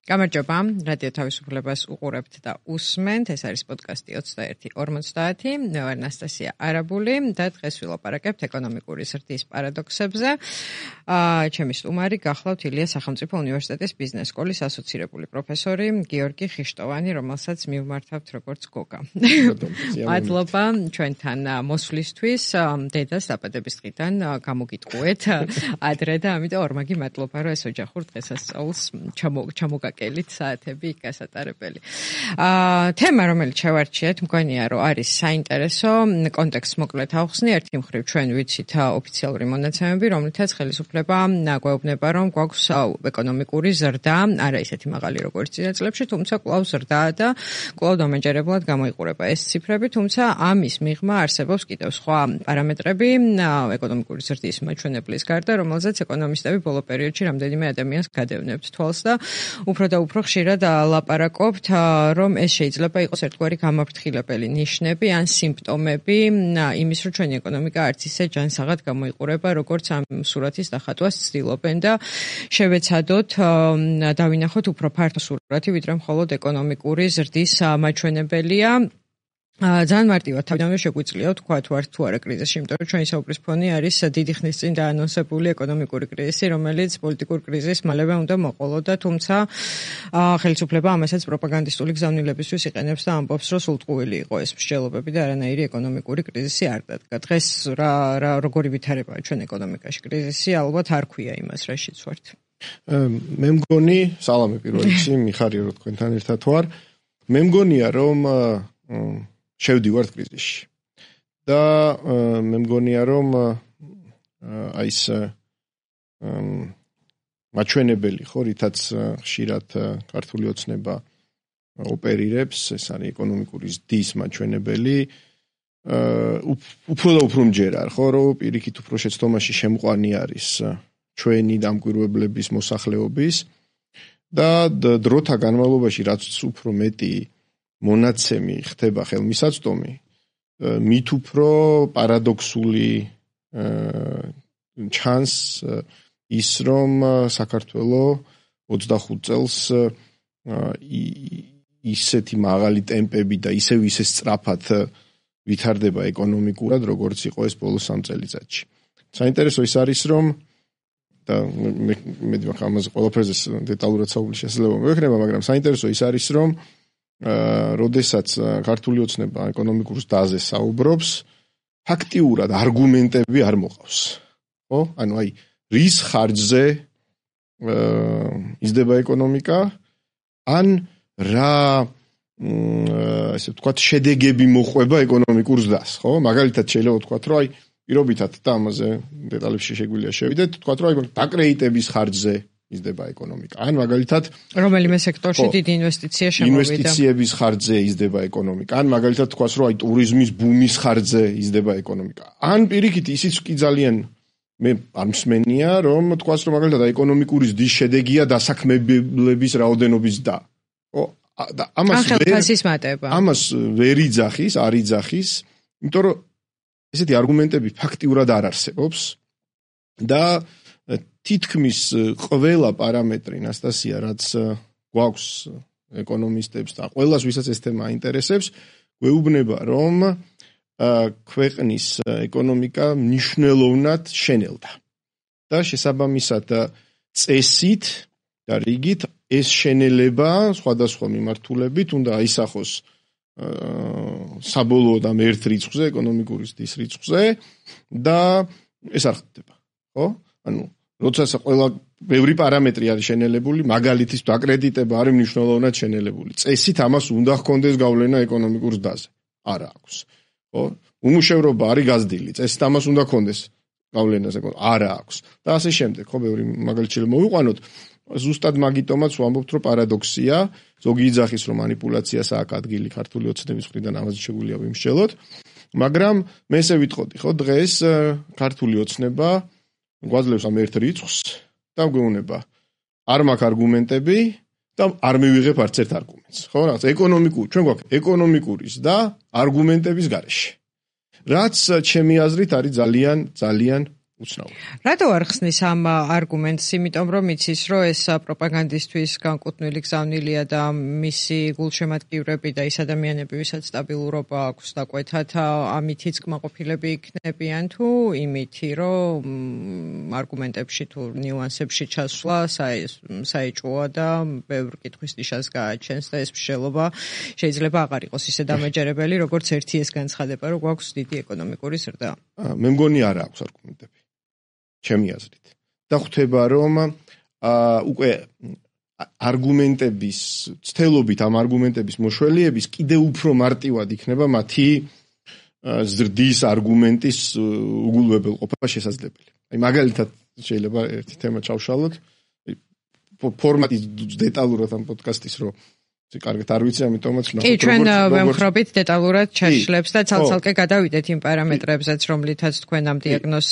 გამარჯობა, რადიო თავისუფლებას უყურებთ და უსმენთ. ეს არის პოდკასტი 21:50. მე ვარ ნასტასია არაბული და დღეს ვილაპარაკებთ ეკონომიკური ზრდის პარადოქსებზე. ჩემი სტუმარი გახლავთ ილია სახელმწიფო უნივერსიტეტის ბიზნეს სკოლის ასოცირებული პროფესორი გიორგი ხიშტოვანი, რომელსაც მივმართავთ როგორც გოგა. მადლობა ჩვენთან მოსვლისთვის. დედას დაბადების დღიდან გამოგიტყუეთ ადრე და ამიტომ ორმაგი მადლობა, რომ ეს ოჯახურ დღესასწაულს ჩამოგაკელით საათები გასატარებელი. თემა, რომელიც შევარჩიეთ, მგონია, რომ არის საინტერესო, კონტექსტს მოკლედ ავხსნი. ერთი მხრივ ჩვენ ვიცით ოფიციალური მონაცემები, რომლითაც ხელისუფლება გვეუბნება, რომ გვაქვს ეკონომიკური ზრდა, არა ისეთი მაღალი როგორც წინა წლებში, თუმცა კვლავ ზრდაა და კვლავ დამაჯერებლად გამოიყურება ეს ციფრები, თუმცა ამის მიღმა არსებობს კიდევ სხვა პარამეტრები ეკონომიკური ზრდის მაჩვენებლის გარდა, რომელზეც ეკონომისტები ბოლო პერიოდში რამდენიმე ადამიანს გადევნებთ თვალს და უფრო და უფრო ხშირად ლაპარაკობთ, რომ ეს შეიძლება იყოს ერთგვარი გამაფრთხილებელი ნიშნები ან სიმპტომები იმის, რომ ჩვენი ეკონომიკა არც ისე ჯანსაღად გამოიყურება, როგორც ამ სურათის დახატვას ცდილობენ და შევეცადოთ დავინახოთ უფრო ფართო სურათი, ვიდრე მხოლოდ ეკონომიკური ზრდის მაჩვენებელია. ძალიან მარტივად თავიდანვე შეგვიძლია ვთქვათ, ვართ თუ არა კრიზისში, იმიტომ რომ ჩვენი საუბრის ფონი არის დიდი ხნის წინ დაანონსებული ეკონომიკური კრიზისი, რომელიც პოლიტიკურ კრიზისს მალევე უნდა მოყოლოდა, თუმცა ხელისუფლება ამასაც პროპაგანდისტული გზავნილებისთვის იყენებს და ამბობს, რომ სულტყუილი იყო ეს მსჯელობები და არანაირი ეკონომიკური კრიზისი არ დადგა. დღეს როგორი ვითარებაა ჩვენ ეკონომიკაში კრიზისი, ალბათ არ ქვია იმას, რაშიც ვართ. მე მგონი, სალამი პირველ რიგში, მიხარია რომ თქვენთან ერთად ვარ. მე მგონია, რომ შევდივართ კრიზისში. და მე მგონია, რომ აი ეს მაჩვენებელი ხო, რითაც ხშირად ქართული ოცნება ოპერირებს, ეს არის ეკონომიკური ზრდის მაჩვენებელი, უფრო და უფრო მჯერა, ხო, რომ პირიქით უფრო შეცდომაში შემყვანი არის ჩვენი დამკვირვებლების მოსახლეობის და დროთა განმავლობაში რაც უფრო მეტი მონაცემი ხდება ხელმისაწვდომი, მით უფრო პარადოქსული ჩანს ის, რომ საქართველოს 25 წელს ისეთი მაღალი ტემპები და ისე სწრაფად ვითარდება ეკონომიკურად, როგორც იყო ეს ბოლო 3 წელიწადში. საინტერესო ის არის, რომ და მე ამაზე ყველაფერზე დეტალურად საუბარი შესაძლოა მოექნება, მაგრამ საინტერესო ის არის, რომ როდესაც ქართული ოცნება ეკონომიკურ ზრდაზე საუბრობს, ფაქტიურად არგუმენტები არ მოყავს. ხო? ანუ აი რის ხარჯზე იზრდება ეკონომიკა, ან რა ესე ვთქვათ, შედეგები მოყვება ეკონომიკურ ზრდას, ხო? მაგალითად შეიძლება ვთქვათ, რომ აი პირობითად და ამაზე დეტალებში შეგვიძლია შევიდეთ, ვთქვათ, რომ აი დაკრედიტების ხარჯზე იზრდება ეკონომიკა. ან მაგალითად რომელიმე სექტორში დიდი ინვესტიცია შემოვიდა. ინვესტიციების ხარჯზე იზრდება ეკონომიკა. ან მაგალითად თქვას, რომ აი ტურიზმის ბუმის ხარჯზე იზრდება ეკონომიკა. ან პირიქით ისიც კი ძალიან მე არ მსმენია, რომ თქვას, რომ მაგალითად ეკონომიკური ზრდის შედეგია დასაქმებლების რაოდენობის ზრდა. ხო? და ამას ვერ იძახის, არ იძახის, იმიტომ რომ ესეთი არგუმენტები ფაქტიურად არ არსებობს და თითქმის ყველა პარამეტრი, ნასტასია, რაც გვაქვს ეკონომისტებს და ყველას, ვისაც ეს თემა აინტერესებს, გვეუბნება, რომ ქვეყნის ეკონომიკა მნიშვნელოვნად შენელდა. და შესაბამისად წესით და რიგით ეს შენელება სხვადასხვა მიმართულებით უნდა აისახოს საბოლოოდ ამ ერთ რიცხვზე, ეკონომიკური ზრდის რიცხვზე და ეს არ ხდება. ხო? ანუ როდესაც ბევრი პარამეტრი არის შენელებული, მაგალითის დაკრედიტება არის მნიშვნელოვნად შენელებული. წესით ამას უნდა ჰქონდეს გავლენა ეკონომიკურ ზრდაზე. არა აქვს. ხო? უმუშევრობა არის გაზრდილი. წესით ამას უნდა ჰქონდეს გავლენაზე. არა აქვს. და ასე შემდეგ, ხო, ბევრი მაგალითი მოვიყვანოთ. ზუსტად მაგიტომაც ვამბობთ, რომ პარადოქსია, ზოგი იძახის, რომ манипуляციას აქვს ადგილი ქართული ოცნების მხრიდან, ამაზე შეგვიძლია ვიმსჯელოთ, მაგრამ მე ესე ვიტყოდი, ხო, დღეს ქართული ოცნება გვაძლევს ამ ერთ რიცხვს და გვეუბნება არ მაქვს არგუმენტები და არ მივიღებ არც ერთ არგუმენტს. ხო, რაღაც ჩვენ გვაქვს ეკონომიკური და არგუმენტების გარეშე. რაც ჩემი აზრით არის ძალიან უცნაური. რატო არ ხსნის ამ არგუმენტს? იმიტომ რომ იცის, რომ ეს პროპაგანდისტვის განკუთვნილი გზავნილია და მისი გულშემატკივრები და ის ადამიანები, ვისაც სტაბილურობა აქვს დაკვეთათ, ამითიც კმაყოფილები იქნებიან თუ იმითი, რომ არგუმენტებში თუ ნიუანსებში ჩასვლა საეჭვოა და ბევრ კითხვის ნიშანს გააჩენს და ეს მსჯელობა შეიძლება აღარ იყოს ისე დამაჯერებელი, როგორც ერთი ეს განცხადება, რომ გვაქვს დიდი ეკონომიკური ზრდა. მე მგონი არა აქვს არგუმენტები. ჩემი აზრით. და ხვდება რომ უკვე არგუმენტების ცდელობით ამ არგუმენტების მოშველიების კიდევ უფრო მარტივად იქნება მათი ზრდის არგუმენტის უგულვებელყოფა შესაძლებელი. აი მაგალითად შეიძლება ერთი თემა ჩავშალოთ. ფორმატი დეტალურად ამ პოდკასტის რო კარგად არ ვიცი, ამიტომაც ნახოთ. კი, ჩვენ ვემხრობით დეტალურად ჩაშლებს და ცალ-ცალკე გადავიდეთ იმ პარამეტრებზეც, რომლითაც თქვენ ამ დიაგნოზს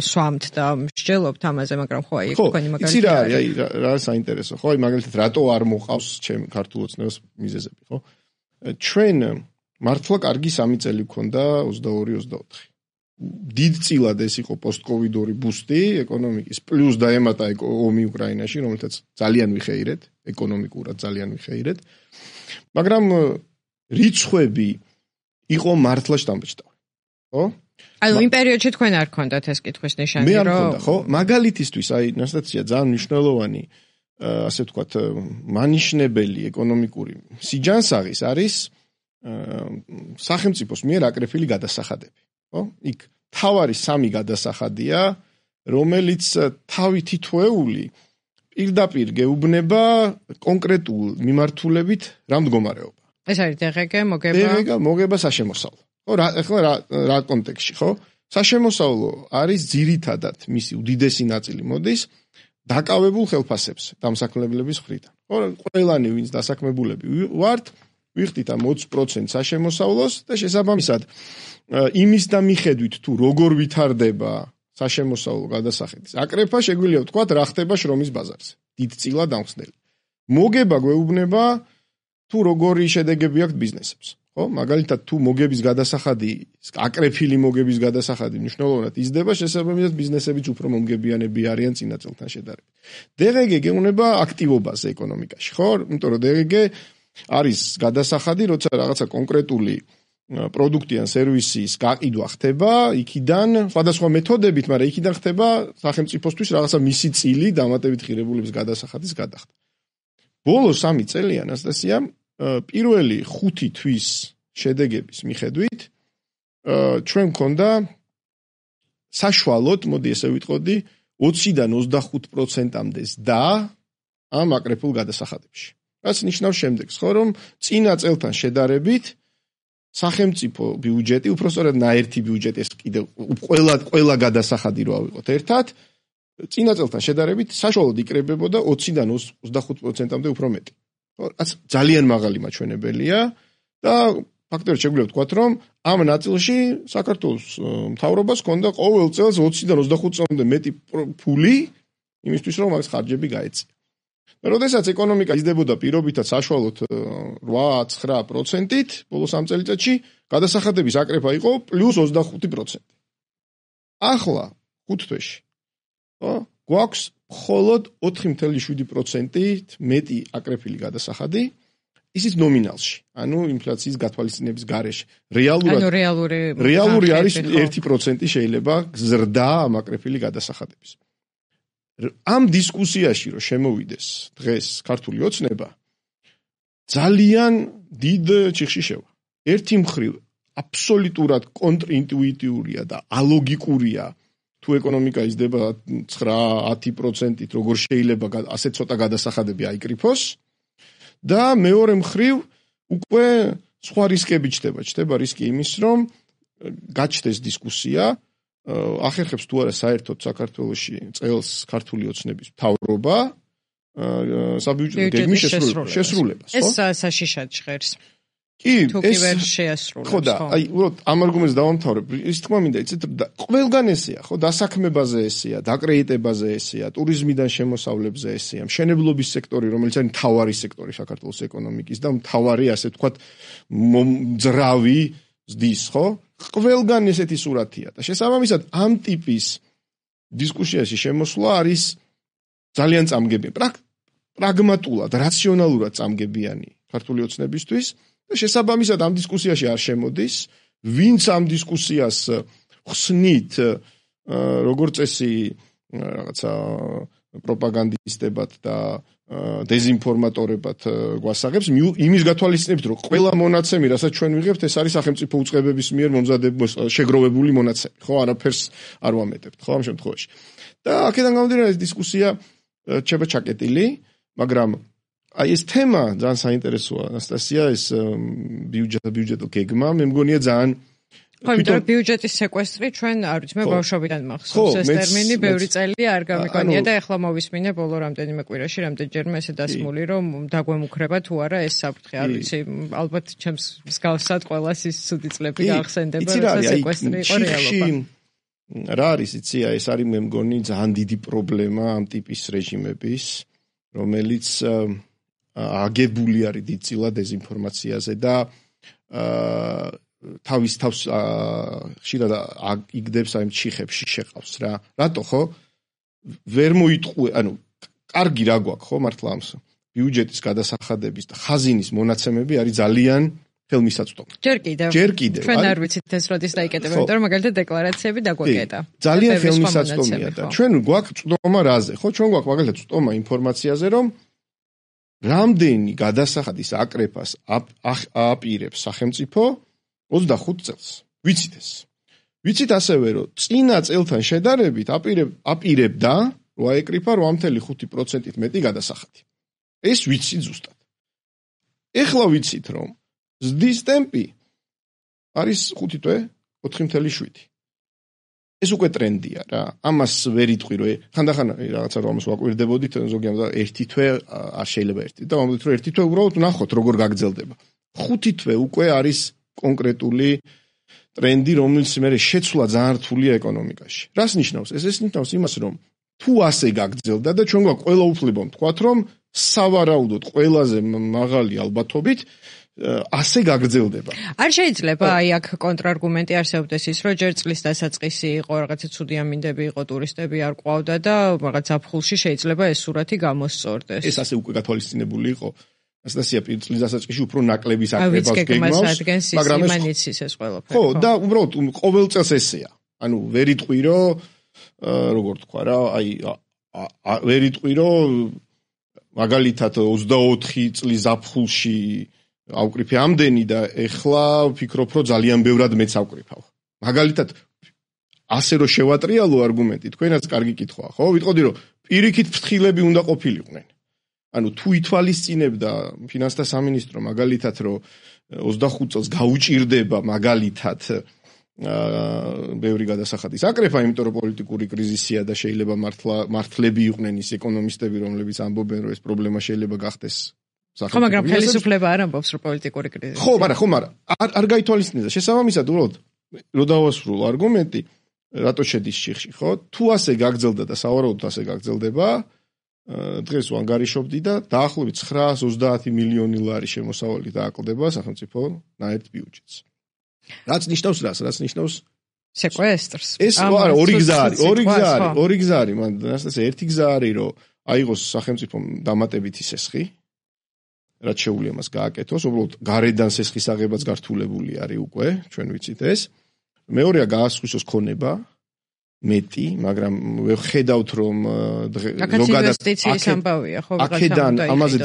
სვამთ და მსჯელობთ ამაზე, მაგრამ ხო აი თქვენი მაგალითი. იცი რა არის, აი რა საინტერესო, ხო? აი მაგალითად რატო არ მოყავს ჩემ ქართულ ოცნებას მიზეზები, ხო? ჩვენ მართლა კარგი 3 წელი გქონდა 22-24. დიდწილად ეს იყო პოსტკოვიდური ბუსტი ეკონომიკის, პლუს დაემატა ომი უკრაინაში, რომელთაც ძალიან ვიხეირეთ, ეკონომიკურად ძალიან ვიხეირეთ. მაგრამ რიცხვები იყო მართლა შთამბეჭდავი. ხო? ანუ იმ პერიოდში თქვენ არ გქონდათ ეს კითხვის ნიშანი, რომ მე არ მქონდა, ხო? მაგალითისთვის აი ნასტაცია ძალიან მნიშვნელოვანი, ასე ვთქვათ, მანიშნებელი ეკონომიკური სიჯანსაღის არის სახელმწიფოს მიერ აკრეფილი გადასახადები. ხო? იქ თავარი 3 გადასახადია, რომელიც თავი თითოეული პირდაპირ გეუბნება კონკრეტულ მიმართულებით რა მდგომარეობა. ეს არის DGG, მოგება. DGG, მოგება საშემოსავლო. ხო, ახლა რა კონტექსტში, ხო? საშემოსავლო არის ძირითადად მისი უდიდესი ნაწილი მოდის დაკავებულ ხელფასებზე, დამსაქმებლების მხრიდან. ხო, ყველანი ვინც დასაქმებულები ვართ, ვიხდით ამ 20% საშემოსავლოს და შესაბამისად იმის და მიხედვით თუ როგორ ვითარდება საშემოსავლო გადასახადის აკრეფა, შეგვიძლია ვთქვათ რა ხდება შრომის ბაზარზე. დიდწილად ამხსნელი. მოგება გვეუბნება თუ როგორი შედეგები აქვს ბიზნესებს. ხო? მაგალითად თუ მოგების გადასახადი, აკრეფილი მოგების გადასახადი მნიშვნელოვნად იზრდება, შესაბამისად ბიზნესებიც უფრო მომგებიანები არიან წინა წელთან შედარებით. DGG გეუბნება აქტივობაზე ეკონომიკაში, ხო? იმიტომ რომ DGG არის გადასახადი, როცა რაღაცა კონკრეტული პროდუქტი ან სერვისის გაყიდვა ხდება, იქიდან სხვადასხვა მეთოდებით, მაგრამ იქიდან ხდება სახელმწიფოსთვის რაღაცა მისი წილი დამატებით ღირებულების გადასახადის გადახდა. ბოლო 3 წელი ანასტასია, პირველი 5 თვის შედეგების მიხედვით ჩვენ მქონდა საშუალოდ, მოდი ესე ვიტყოდი, 20-დან 25%-მდე ზრდა ამ აკრეფულ გადასახადებში. რაც ნიშნავს შემდეგს, ხო, რომ წინა წელთან შედარებით სახელმწიფო ბიუჯეტი, უпростоრად ნაერთი ბიუჯეტი, ეს კიდევ ყველა გადასახადი რო ავიღოთ ერთად, წინა წელთან შედარებით საშუალოდ იკრებებოდა 20-დან 25%-მდე უფრო მეტი. ხო, რაც ძალიან მაღალი მაჩვენებელია და ფაქტობრივად შეგვიძლია ვთქვათ, რომ ამ ნაწილში საქართველოს მთავრობას ჰქონდა ყოველ წელს 20-დან 25%-მდე მეტი ფული იმისთვის, რომ მაგის ხარჯები გაეწია. და როდესაც ეკონომიკა იზრდებოდა პირობითად საშუალოდ 8-9%-ით, ბოლო 3 წელიწადში გადასახადების აკრეფა იყო პლუს 25%. ახლა 5 თვეში, ხო, გვაქვს მხოლოდ 4.7%-ით მეტი აკრეფილი გადასახადი, ისიც ნომინალში, ანუ ინფლაციის გათვალისწინების გარეშე. რეალური არის 1% შეიძლება ზრდა ამ აკრეფილი გადასახადების. ამ დისკუსიაში რომ შემოვიდეს დღეს ქართული ოცნება ძალიან დიდ ჩიხში შევა. ერთი მხრივ აბსოლუტურად კონტრინტუიტიურია და ალოგიკურია თუ ეკონომიკა იზრდება 9-10%-ით, როგორ შეიძლება ასე ცოტა გადასახადები აიკრიფოს და მეორე მხრივ უკვე სხვა რისკები ჩნდება. ჩნდება რისკი იმის, რომ გაჩნდეს დისკუსია ახერხებს თუ არა საერთოდ საქართველოში წელს ქართული ოცნების მთავრობა საბიუჯეტო გეგმის შესრულებას, ხო? ეს საშიშად ჟღერს. კი, ეს ვერ შეასრულებს, ხო და აი, უბრალოდ ამ არგუმენტს დავამთავრებ. ის თქმა მინდა, იცით, ყველგან ესეა, ხო, დასაქმებაზე ესეა, დაკრედიტებაზე ესეა, ტურიზმიდან შემოსავლებზე ესეა, მშენებლობის სექტორი, რომელიც არის მთავარი სექტორი საქართველოს ეკონომიკის და მთავარი, ასე ვთქვათ, ძრავი ზრდის, ხო? ყველგან ესეთი სურათია და შესაბამისად ამ ტიპის დისკუსიაში შემოსვლა არის ძალიან წამგები, პრაგმატულად, რაციონალურად წამგებიანი ქართული ოცნებისთვის და შესაბამისად ამ დისკუსიაში არ შემოდის, ვინც ამ დისკუსიას ხსნით როგორც წესი რაღაცა პროპაგანდისტებად და დეზინფორმატორებად გვასაღებს იმის გათვალისწინებით, რომ ყველა მონაცემი, რასაც ჩვენ ვიღებთ, ეს არის სახელმწიფო უწყებების მიერ შეგროვებული მონაცემი, ხო, არაფერს არ ვამეტებთ, ხო, ამ შემთხვევაში. და აქედან გამომდინარე ეს დისკუსია რჩება ჩაკეტილი, მაგრამ აი ეს თემა ძალიან საინტერესოა, ანასტასია, ეს ბიუჯეტო გეგმა, მე მგონია ძალიან ხო, იმიტომ რომ ბიუჯეტის სეკვესტრი ჩვენ არ ვიცი, მე ბავშვობიდან მახსოვს ეს ტერმინი, ბევრი წელი არ გამიგონია და ეხლა მოვისმინე ბოლო რამდენიმე კვირაში, რამდენჯერმე ესე დასმული, რომ დაგვემუქრება თუ არა ეს საფრთხე, არ ვიცი, ალბათ ჩემს მსგავსად ყველას ის ცუდი წლები გაახსენდება, რომ სეკვესტრი იყო რეალობა. რა არის, იცი, ეს არის მე მგონი ძალიან დიდი პრობლემა ამ ტიპის რეჟიმების, რომელიც აგებული არის დიდწილად დეზინფორმაციაზე და თავის თავს ხშირად იგდებს აი ჩიხებში შეყავს რა. რატო ხო? ვერ მოიტყვე, ანუ კარგი რა გვაქვს ხო მართლა ამს. ბიუჯეტის გადასახადების და ხაზინის მონაცემები არის ძალიან ხელმისაწვდომი. ჯერ კიდევ. ჩვენ არ ვიცით ეს როდის დაიკეტება, იმიტომ რომ მაგალითად დეკლარაციები დაგვეკეტა. ძალიან ხელმისაწვდომია და ჩვენ გვაქვს წვდომა რაზე, ხო? ჩვენ გვაქვს მაგალითად წვდომა ინფორმაციაზე, რომ რამდენი გადასახადის აკრეფას აპირებს სახელმწიფო 25 წელს. ვიცით ეს. ვიცით ასევე, რომ წინა წელთან შედარებით აპირებდა, რომ აეკრიფა 8.5%-ით მეტი გადასახადი. ეს ვიცით ზუსტად. ეხლა ვიცით, რომ ზრდის ტემპი არის 5 თვე 4.7. ეს უკვე ტრენდია რა. ამას ვერ იტყვი, რომ ხანდახან რაღაცა რომ ამას ვაკვირდებოდით, ზოგი ამბობს 1 თვე არ შეიძლება 1 და ამბობთ, რომ 1 თვე უბრალოდ ნახოთ როგორ გაგრძელდება. 5 თვე უკვე არის კონკრეტული ტრენდი, რომელიც მე შეცვლა ძალიან რთულია ეკონომიკაში. რას ნიშნავს? ეს ნიშნავს იმას, რომ თუ ასე გაგრძელდა და ჩვენ გვაქვს ყველა უფლება ვთქვათ, რომ სავარაუდოდ ყველაზე მაღალი ალბათობით ასე გაგრძელდება. არ შეიძლება აი აქ კონტრარგუმენტი არსებობდეს ის, რომ ჯერ წლის დასაწყისი იყო, რაღაცა ცუდი ამინდები იყო, ტურისტები არ ყვავდა და რაღაც ზაფხულში შეიძლება ეს სურათი გამოსწორდეს. ეს ასე უკვე გათვალისწინებული იყო. ასდასია წლის დასაწყისში უფრო ნაკლების აკრებას გეგმავს, მაგრამ იმანიცის ეს ყველაფერი. ხო, და უბრალოდ ყოველ წელს ესეა. ანუ ვერ იტყვი, რომ როგორ თქვა რა, აი ვერ იტყვი, რომ მაგალითად 24 წლის ზაფხულში ავკრიფე ამდენი და ეხლა ვფიქრობ, რომ ძალიან ბევრად მეც ავკრიფავ. მაგალითად ასე რომ შევატრიალო არგუმენტი, თქვენაც კარგი კითხვაა, ხო? ვიტყოდი, რომ პირიქით ფრთხილები უნდა ყოფილიყვნენ. ანუ თუ ითვალისწინებდა ფინანსთა სამინისტრო მაგალითად, რომ 25 წელს გაუჭირდება მაგალითად ბევრი გადასახადის აკრეფა, იმიტომ რომ პოლიტიკური კრიზისია და შეიძლება მართლები იყვნენ ის ეკონომისტები, რომლებიც ამბობენ, რომ ეს პრობლემა შეიძლება გახდეს. ხო, მაგრამ ხელისუფლება არ ამბობს, რომ პოლიტიკური კრიზისია. ხო, მაგრამ არ გაითვალისწინებდა. შესაბამისად, უბრალოდ რო დავასრულო არგუმენტი, რატო შედის შიხში, ხო? თუ ასე გაგრძელდა და სავარაუდოდ ასე გაგრძელდება, დღეს ვანგარიშობდი და დაახლოებით 930 მილიონი ლარი შემოსავალი დააკლდება სახელმწიფო ნაერთ ბიუჯეტს. რაც ნიშნავს რას? რაც ნიშნავს სეკვესტრს. ეს არა, ორი გზა არის, მან ასე ერთი გზა არის, რომ აიღოს სახელმწიფო დამატებითი სესხი, რაც შეუძლია მას გააკეთოს, უბრალოდ გარედან სესხის აღებაც გართულებული არის უკვე, ჩვენ ვიცით ეს. მეორეა გაასხვისოს ქონება მეტი, მაგრამ ვხედავთ, რომ ზოგადად ინვესტიციის ამბავია, ხო, აქედან ამაზე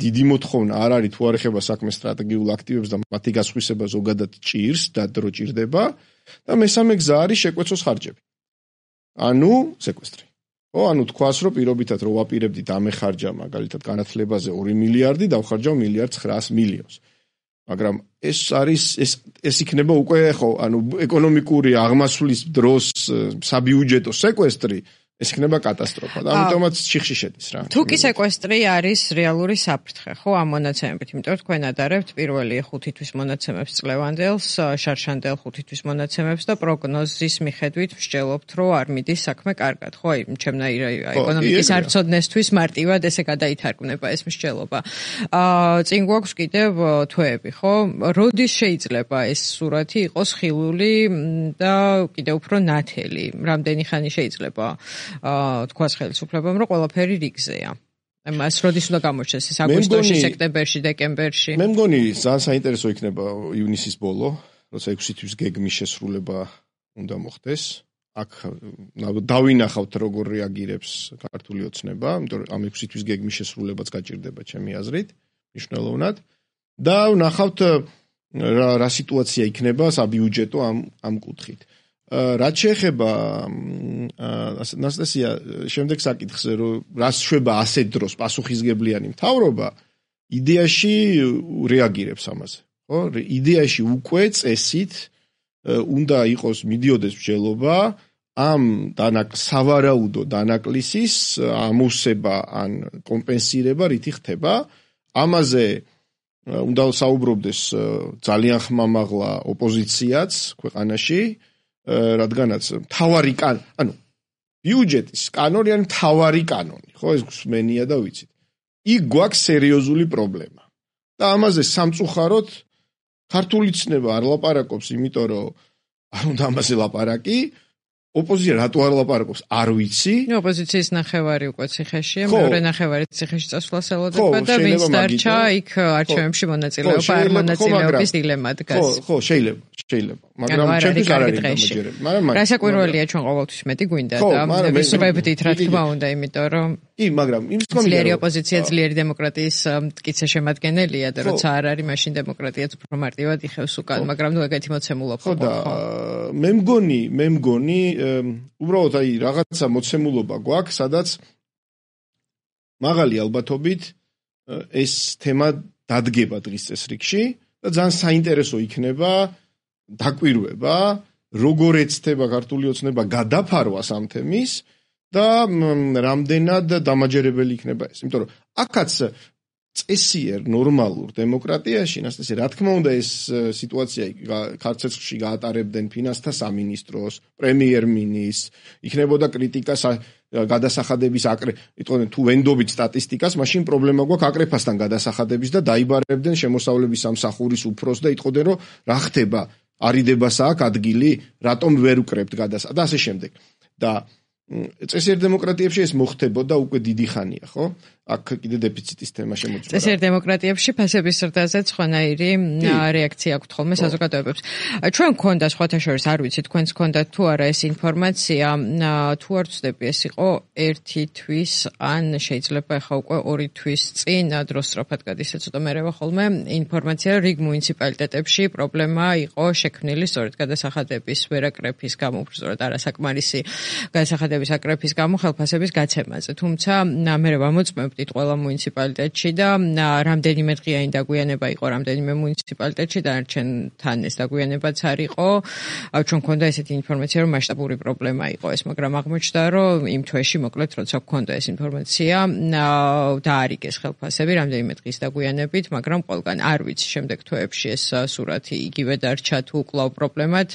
დიდი მოთხოვნა არ არის, თუ არ ეხება საქმეს სტრატეგიულ აქტივებს და მათი გასხვისება ზოგადად ჭირს და დრო ჭირდება და მესამე გზა არის შეკვეცოს ხარჯები. ანუ სეკვესტრი. ხო, ანუ თქვას, რომ პირობითად რო ვაპირებდით ამეხარჯა მაგალითად განათლებაზე 2 მილიარდი, დავხარჯავ 1.9 მილიარდს. მაგრამ ეს იქნება უკვე ხო, ანუ ეკონომიკური აღმასვლის დროს საბიუჯეტო სეკვესტრი, ეს იქნება კატასტროფა და ამიტომაც ჩიხში შედის რა. თუკი სეკვესტრი არის რეალური საფრთხე, ხო, ამ მონაცემებით, იმიტომ რომ თქვენ ადარებთ პირველი 5 თვის მონაცემებს წლევანდელს, შარშანდელ 5 თვის მონაცემებს და პროგნოზის მიხედვით მსჯელობთ, რომ არ მიდის საქმე კარგად, ხო, ჩემნაირ ეკონომიკის არცოდნესთვის მარტივად ესე გადაითარგმნება ეს მსჯელობა. წინ გვაქვს კიდევ თვეები, ხო? როდის შეიძლება ეს სურათი იყოს ხილული და კიდევ უფრო ნათელი? რამდენი ხანი შეიძლება თქვას ხელისუფლებამ, რომ ყველაფერი რიგზეა. მას როდის უნდა გამოჩნდეს ეს აგვისტოში, სექტემბერში, დეკემბერში? მე მგონი ძალიან საინტერესო იქნება ივნისის ბოლო, როცა 6 თვის გეგმის შესრულება უნდა მოხდეს. აქ დავინახავთ როგორ რეაგირებს ქართული ოცნება, იმიტომ რომ ამ 6 თვის გეგმის შესრულებაც გაჭირდება ჩემი აზრით, მნიშვნელოვნად. და ვნახავთ რა სიტუაცია იქნება საბიუჯეტო ამ კუთხით. რაც შეეხება ნასტასია შემდეგ საკითხზე, რომ რას შვება ასეთ დროს პასუხისგებლიანი მთავრობა, იდეაში რეაგირებს ამაზე, ხო? იდეაში უკვე წესით უნდა იყოს მიდიოდეს მსჯელობა ამ სავარაუდო დანაკლისის ამოვსება ან კომპენსირება რითი ხდება. ამაზე უნდა საუბრობდეს ძალიან ხმამაღლა ოპოზიციაც ქვეყანაში, რადგანაც მთავარი ბიუჯეტის კანონი არის მთავარი კანონი, ხო, ეს გვსმენია და ვიცით. იქ გვაქვს სერიოზული პრობლემა. და ამაზე სამწუხაროდ ქართული ცნება არ ლაპარაკობს, იმიტომ რომ არ უნდა ამაზე ლაპარაკი. ოპოზიცია რატო არ ლაპარაკობს? არ ვიცი. ოპოზიციის ნახევარი უკვე ციხეშია, მეორე ნახევარი ციხეში წასვლას ელოდება და ვინც დარჩა იქ არჩევნებში მონაწილეობა არ მონაწილეობის დილემა დგას. ხო, შეიძლება. მაგრამ ჩემთვის არ არის გამაჯერებელი. მაგრამ რასაკვირველია ჩვენ ყოველთვის მეტი გვინდა და ვისურვებდით რა თქმა უნდა, იმიტომ რომ კი, მაგრამ იმის თქმა უნდა, ძლიერი ოპოზიცია ძლიერი დემოკრატიის მტკიცე შემადგენელია და როცა არ არის, მაშინ დემოკრატიაც უფრო მარტივად იხევს უკან, მაგრამ ნუ ეგეთი მოცემულობა ხო და მე მგონი უბრალოდ რაღაცა მოცემულობა გვაქვს, სადაც მაღალი ალბათობით ეს თემა დადგება დღის წესრიგში და ძალიან საინტერესო იქნება დაკვირვება, როგორ ეცდება ქართული ოცნება გადაფარვას ამ თემის და რამდენად დამაჯერებელი იქნება ეს. იმიტომ რომ აქაც წესიერ ნორმალურ დემოკრატიაში, ნასტასია, რა თქმა უნდა ეს სიტუაცია ქართლში გაატარებდნენ ფინანსთა სამინისტროს, პრემიერ-მინისტრს, იქნებოდა კრიტიკა გადასახადების იტყვიან თუ ვენდობით სტატისტიკას, მაშინ პრობლემა გვაქვს აკრეფასთან გადასახადების და დაიბარებდნენ შემოსავლების სამსახურის უფროს და იტყოდნენ რომ რა ხდება, არიდებასა აქ ადგილი, რატომ ვერ უკრებთ გადასახადებს და ასე შემდეგ. და წესიერ დემოკრატიებში ეს მოხდებოდა უკვე დიდი ხანია, ხო? აქ კიდე დეფიციტის თემა შემოწმდა. წესიერ დემოკრატიებში ფასების ზრდაზე სხვანაირი რეაქცია აქვს ხოლმე საზოგადოებებს. ჩვენ გქონდა სხვათა შორის, არ ვიცი, თქვენს გქონდათ თუ არა ეს ინფორმაცია, თუ არ ვცდები, ეს იყო 1 თვის ან შეიძლება ახლა უკვე 2 თვის წინ დროს სწრაფად გადის, ცოტა მერევა ხოლმე ინფორმაცია, რიგ მუნიციპალიტეტებში პრობლემა იყო შექმნილი სწორედ გადასახადების ვერაკრეფის გამო, უბრალოდ არასაკმარისი გადასახადების აკრეფის გამო ხელფასების გაცემაზე. თუმცა მე ვამოწმებდით ყველა მუნიციპალიტეტში და რამდენიმე დღიანი დაგვიანება იყო რამდენიმე მუნიციპალიტეტში და არჩენთან ეს დაგვიანებაც არ იყო. ჩვენ გქონდა ესეთი ინფორმაცია, რომ მასშტაბური პრობლემა იყო ეს, მაგრამ აღმოჩნდა, რომ იმ თვეში მოკლედ როცა გქონდა ეს ინფორმაცია, დაარიგეს ხელფასები რამდენიმე დღის დაგვიანებით, მაგრამ ყველგან არ ვიცი შემდეგ თვეებში ეს სურათი იგივე დარჩა თუ კვლავ პრობლემად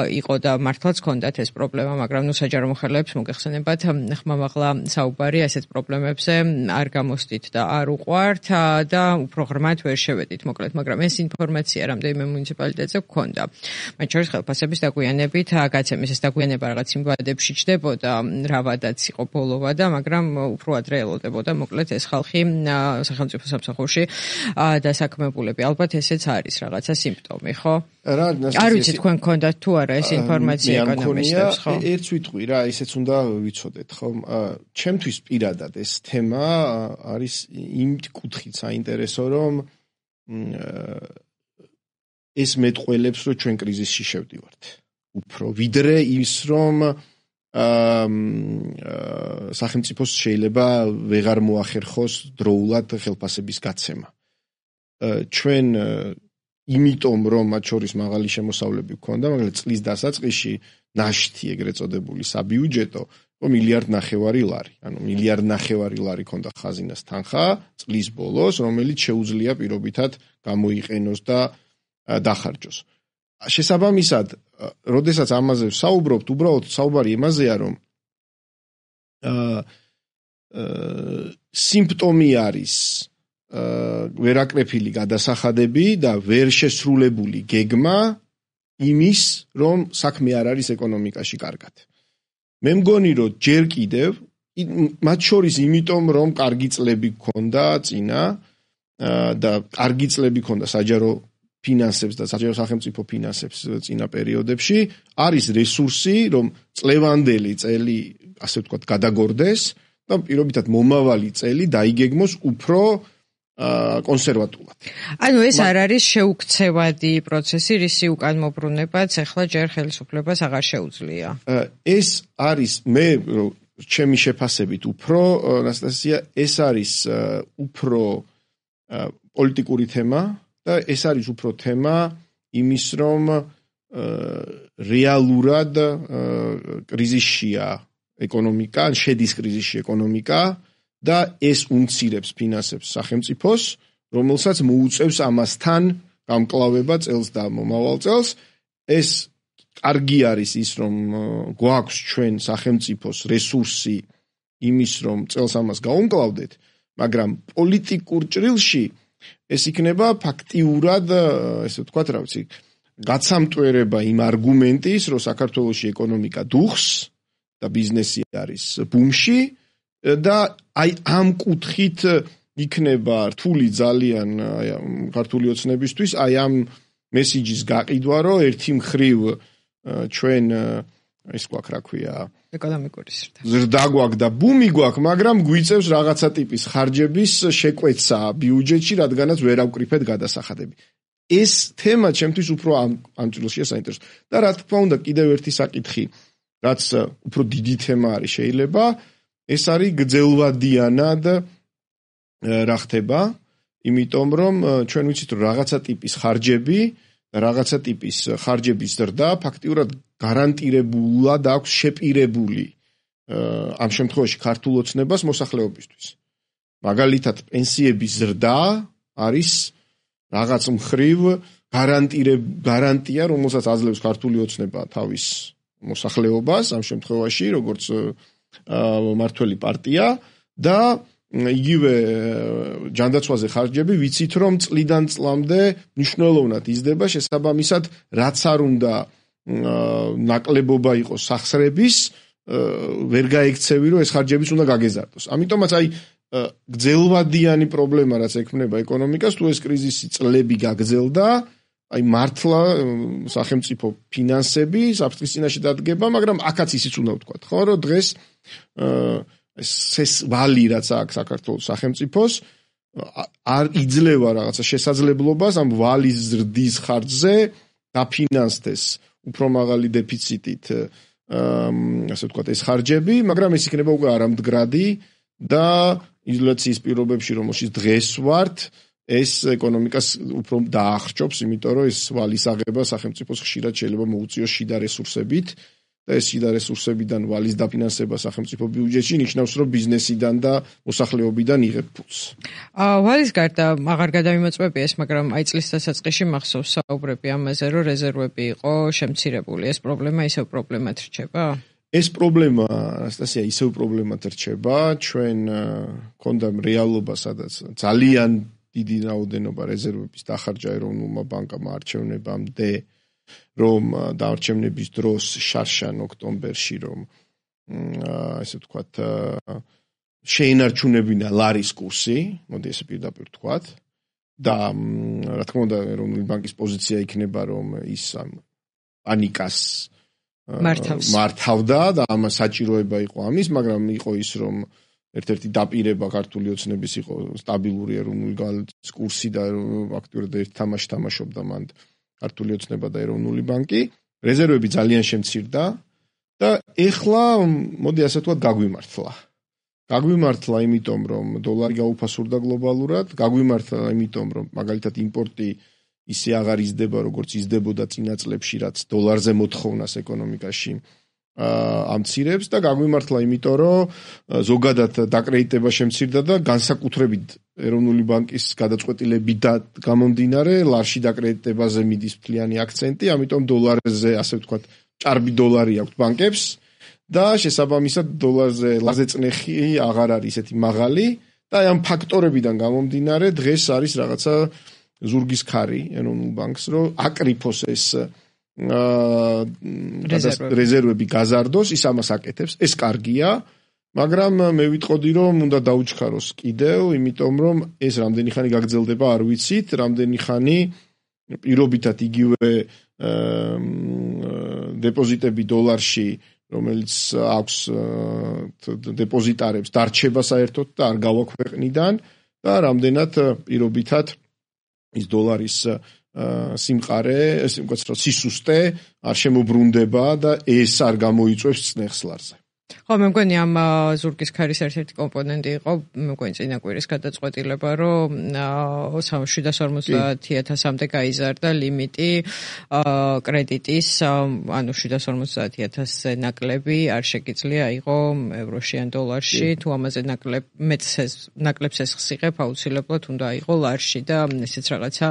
იყო და მართლაც გქონდათ ეს პრობლემა, მაგრამ ნუ საჯარო მოხელეებს მოგეხსენებათ ხმამაღლა საუბარი ასეთ პრობლემებზე არ გამოსდით და არ უყვართ და უფრო ღრმად ვერ შევედით მოკლედ, მაგრამ ეს ინფორმაცია რამდენიმე მუნიციპალიტეტზე გქონდა. მათ შორის ხელფასების დაგვიანებით გაცემის ეს დაგვიანება რაღაც იმ ვადებში ჩდებოდა, რა ვადაც იყო ბოლოვა და მაგრამ უფრო ადრე ელოდებოდა მოკლედ ეს ხალხი სახელმწიფო სამსახურში დასაქმებულები. ალბათ ესეც არის რაღაცა სიმპტომი, ხო? არ ვიცი თქვენ გქონდათ თუ არა ეს ინფორმაცია ეკონომისტებს, ხო? ერთს ვიტყვი რა, ისეც უნდა ვიცოდეთ, ხო? ჩემთვის პირადად ეს თემა არის იმ კუთხით საინტერესო, რომ ეს მეტყველებს, რომ ჩვენ კრიზისში შევდივართ. უფრო ვიდრე ის, რომ სახელმწიფოს შეიძლება ვეღარ მოახერხოს დროულად ხელფასების გაცემა. ჩვენ იმიტომ რომ მათ შორის მაღალი შემოსავლები ჰქონდა, მაგრამ წლის დასაწყისში ნაშთი ეგრეთ წოდებული საბიუჯეტო $1.5 მილიარდი ლარი. ანუ $1.5 მილიარდი ლარი ჰქონდა ხაზინას თანხა წლის ბოლოს, რომელიც შეუძლია პირობითად გამოიყენოს და დახარჯოს. შესაბამისად, როდესაც ამაზე ვსაუბრობთ, უბრალოდ საუბარი იმაზეა, რომ სიმპტომი არის ვერაკრეფილი გადასახადები და ვერ შესრულებული გეგმა იმის, რომ საქმე არ არის ეკონომიკაში კარგად. მე მგონი, რომ ჯერ კიდევ მათ შორის იმიტომ, რომ კარგი წლები გქონდა წინა და კარგი წლები გქონდა საჯარო ფინანსებს და საჯარო სახელმწიფო ფინანსებს წინა პერიოდებში, არის რესურსი, რომ წლევანდელი წელი, ასე ვთქვათ, გადაგორდეს და პირობითად მომავალი წელი დაიგეგმოს უფრო კონსერვატულად. ანუ ეს არ არის შეუქცევადი პროცესი, რისი უკან მობრუნებაც ახლა ჯერ ხელისუფლებას აღარ შეუძლია. ეს არის მე ჩემი შეფასებით უფრო ანასტასია, ეს არის უფრო პოლიტიკური თემა და ეს არის უფრო თემა იმის, რომ რეალურად კრიზისშია ეკონომიკა, შედის კრიზისში ეკონომიკა და ეს უმცირებს ფინანსებს სახელმწიფოს, რომელსაც მოუწევს ამასთან გამკლავება წელს და მომავალ წელს. ეს კარგი არის ის, რომ გვაქვს ჩვენ სახელმწიფოს რესურსი იმის, რომ წელს ამას გაუმკლავდეთ, მაგრამ პოლიტიკურ ჭრილში ეს იქნება ფაქტიურად, ესე ვთქვათ, რა ვიცი, გაცამტვერება იმ არგუმენტის, რომ საქართველოში ეკონომიკა დუხს და ბიზნესი არის ბუმში და აი ამ კუთხით იქნება რთული ძალიან ქართული ოცნებისთვის აი ამ მესიჯის გაყიდვა, რომ ერთი მხრივ ჩვენ ის გვაქვს, რა ქვია, ეკონომიკური ზრდა გვაქვს და ბუმი გვაქვს, მაგრამ გვიწევს რაღაცა ტიპის ხარჯების შეკვეცა ბიუჯეტში, რადგანაც ვერ ავკრიფეთ გადასახადები. ეს თემა ჩემთვის უფრო ამ წილშია საინტერესო. და რა თქმა უნდა, კიდევ ერთი საკითხი, რაც უფრო დიდი თემა არის შეიძლება, ეს არის გრძელვადიანად რა ხდება, იმიტომ რომ ჩვენ ვიცით, რომ რაღაცა ტიპის ხარჯები და რაღაცა ტიპის ხარჯების ზრდა ფაქტიურად გარანტირებულად აქვს შეპირებული ამ შემთხვევაში ქართულ ოცნებას მოსახლეობისთვის. მაგალითად, პენსიების ზრდა არის რაღაც მხრივ გარანტია, რომელსაც აძლევს ქართული ოცნება თავის მოსახლეობას, ამ შემთხვევაში, როგორც მმართველი პარტია და იგივე ჯანდაცვაზე ხარჯები ვიცით, რომ წლიდან წლამდე მნიშვნელოვნად იზრდება, შესაბამისად, რაც არ უნდა ნაკლებობა იყოს სახსრების, ვერ გაექცევი, რომ ეს ხარჯებიც უნდა გაგეზარდოს. ამიტომაც აი გრძელვადიანი პრობლემა, რაც ექმნება ეკონომიკას, თუ ეს კრიზისი წლები გაგრძელდა, აი მართლა სახელმწიფო ფინანსები საფრთხის წინაშე დადგება, მაგრამ აქაც ისიც უნდა ვთქვათ, ხო, რომ დღეს ეს ვალი, რაც აქვს საქართველოს სახელმწიფოს, არ იძლევა რაღაცა შესაძლებლობას ამ ვალის ზრდის ხარჯზე დაფინანსდეს უფრო მაღალი დეფიციტით, ასე ვთქვათ, ეს ხარჯები, მაგრამ ეს იქნება უკვე არამდგრადი და ინფლაციის პირობებში, რომელშიც დღეს ვართ, ეს ეკონომიკას უფრო დაახრჩობს, იმიტომ რომ ეს ვალის აღება სახელმწიფოს ხშირად შეიძლება მოუწიოს შიდა რესურსებით და ეს შიდა რესურსებიდან ვალის დაფინანსება სახელმწიფო ბიუჯეტში ნიშნავს, რომ ბიზნესიდან და მოსახლეობიდან იღებ ფულს. ვალის გარდა აღარ გადამიმოწმები ეს, მაგრამ აი წლის დასაწყისში მახსოვს საუბრები ამაზე, რომ რეზერვები იყო შემცირებული. ეს პრობლემა ისევ პრობლემად რჩება? ეს პრობლემა, ანასტასია, ისევ პრობლემად რჩება. ჩვენ გქონდა რეალობა, სადაც ძალიან დიდი რაოდენობა რეზერვების დახარჯა ეროვნულმა ბანკამ არჩევნებამდე, რომ დაარჩევნების დროს შარშან ოქტომბერში, რომ ესე ვთქვათ, შეინარჩუნებინა ლარის კურსი, მოდი ესე პირდაპირ ვთქვათ, და რა თქმა უნდა, ეროვნული ბანკის პოზიცია იქნება, რომ ის პანიკას მართავდა და ამ საჭიროება იყო ამის, მაგრამ იყო ის, რომ ერთ-ერთი დაპირება ქართული ოცნების იყო სტაბილური ეროვნული ვალუტის კურსი და ფაქტობრივად ერთ თამაში თამაშობდა მანდ ქართული ოცნება და ეროვნული ბანკი. რეზერვები ძალიან შემცირდა და ეხლა მოდი ასე ვთქვათ გაგვიმართლა. გაგვიმართლა იმიტომ, რომ დოლარი გაუფასურდა გლობალურად, გაგვიმართლა იმიტომ, რომ მაგალითად იმპორტი ისე აღარ იზრდება, როგორც იზრდებოდა წინა წლებში, რაც დოლარზე მოთხოვნას ეკონომიკაში ამცირებს და გაგვიმართლა, იმიტომ რომ ზოგადად დაკრედიტება შემცირდა და განსაკუთრებით ეროვნული ბანკის გადაწყვეტილებით გამომდინარე ლარში დაკრედიტებაზე მიდის მთლიანი აქცენტი, ამიტომ დოლარზე, ასე ვთქვათ, ჭარბი დოლარი აქვს ბანკებს და შესაბამისად დოლარზე ლარზე წნეხი აღარ არის ისეთი მაღალი და ამ ფაქტორებიდან გამომდინარე დღეს არის რაღაცა ზურგის ქარი ეროვნულ ბანკს, რომ აკრიფოს ეს რეზერვები გაზარდოს, ის ამას აკეთებს, ეს კარგია, მაგრამ მე ვიტყოდი, რომ უნდა დაუჩქაროს კიდევ, იმიტომ რომ ეს რამდენი ხანი გაგრძელდება, არ ვიცით, რამდენი ხანი პირობითად იგივე დეპოზიტები დოლარში, რომელიც აქვს დეპოზიტარებს, დარჩება საერთოდ და არ გავა ქვეყნიდან და რამდენად პირობითად ის დოლარის სიმყარე, სისუსტე არ შემოbrunდება და ეს არ გამოიწვევს წნეხს ლარზე. ხო, მე მგონი ამ ზურგის ქარის ერთ-ერთი კომპონენტი იყო, მე მგონი წინა კვირის გადაწყვეტილება, რომ 750.000-მდე გაიზარდა ლიმიტი კრედიტის, ანუ 750.000-ზე ნაკლები არ შეგიძლია იყო ევროში ან დოლარში, თუ ამაზე ნაკლებს ეს იღებ, აუცილებლად უნდა იყო ლარში და ესეც რაღაცა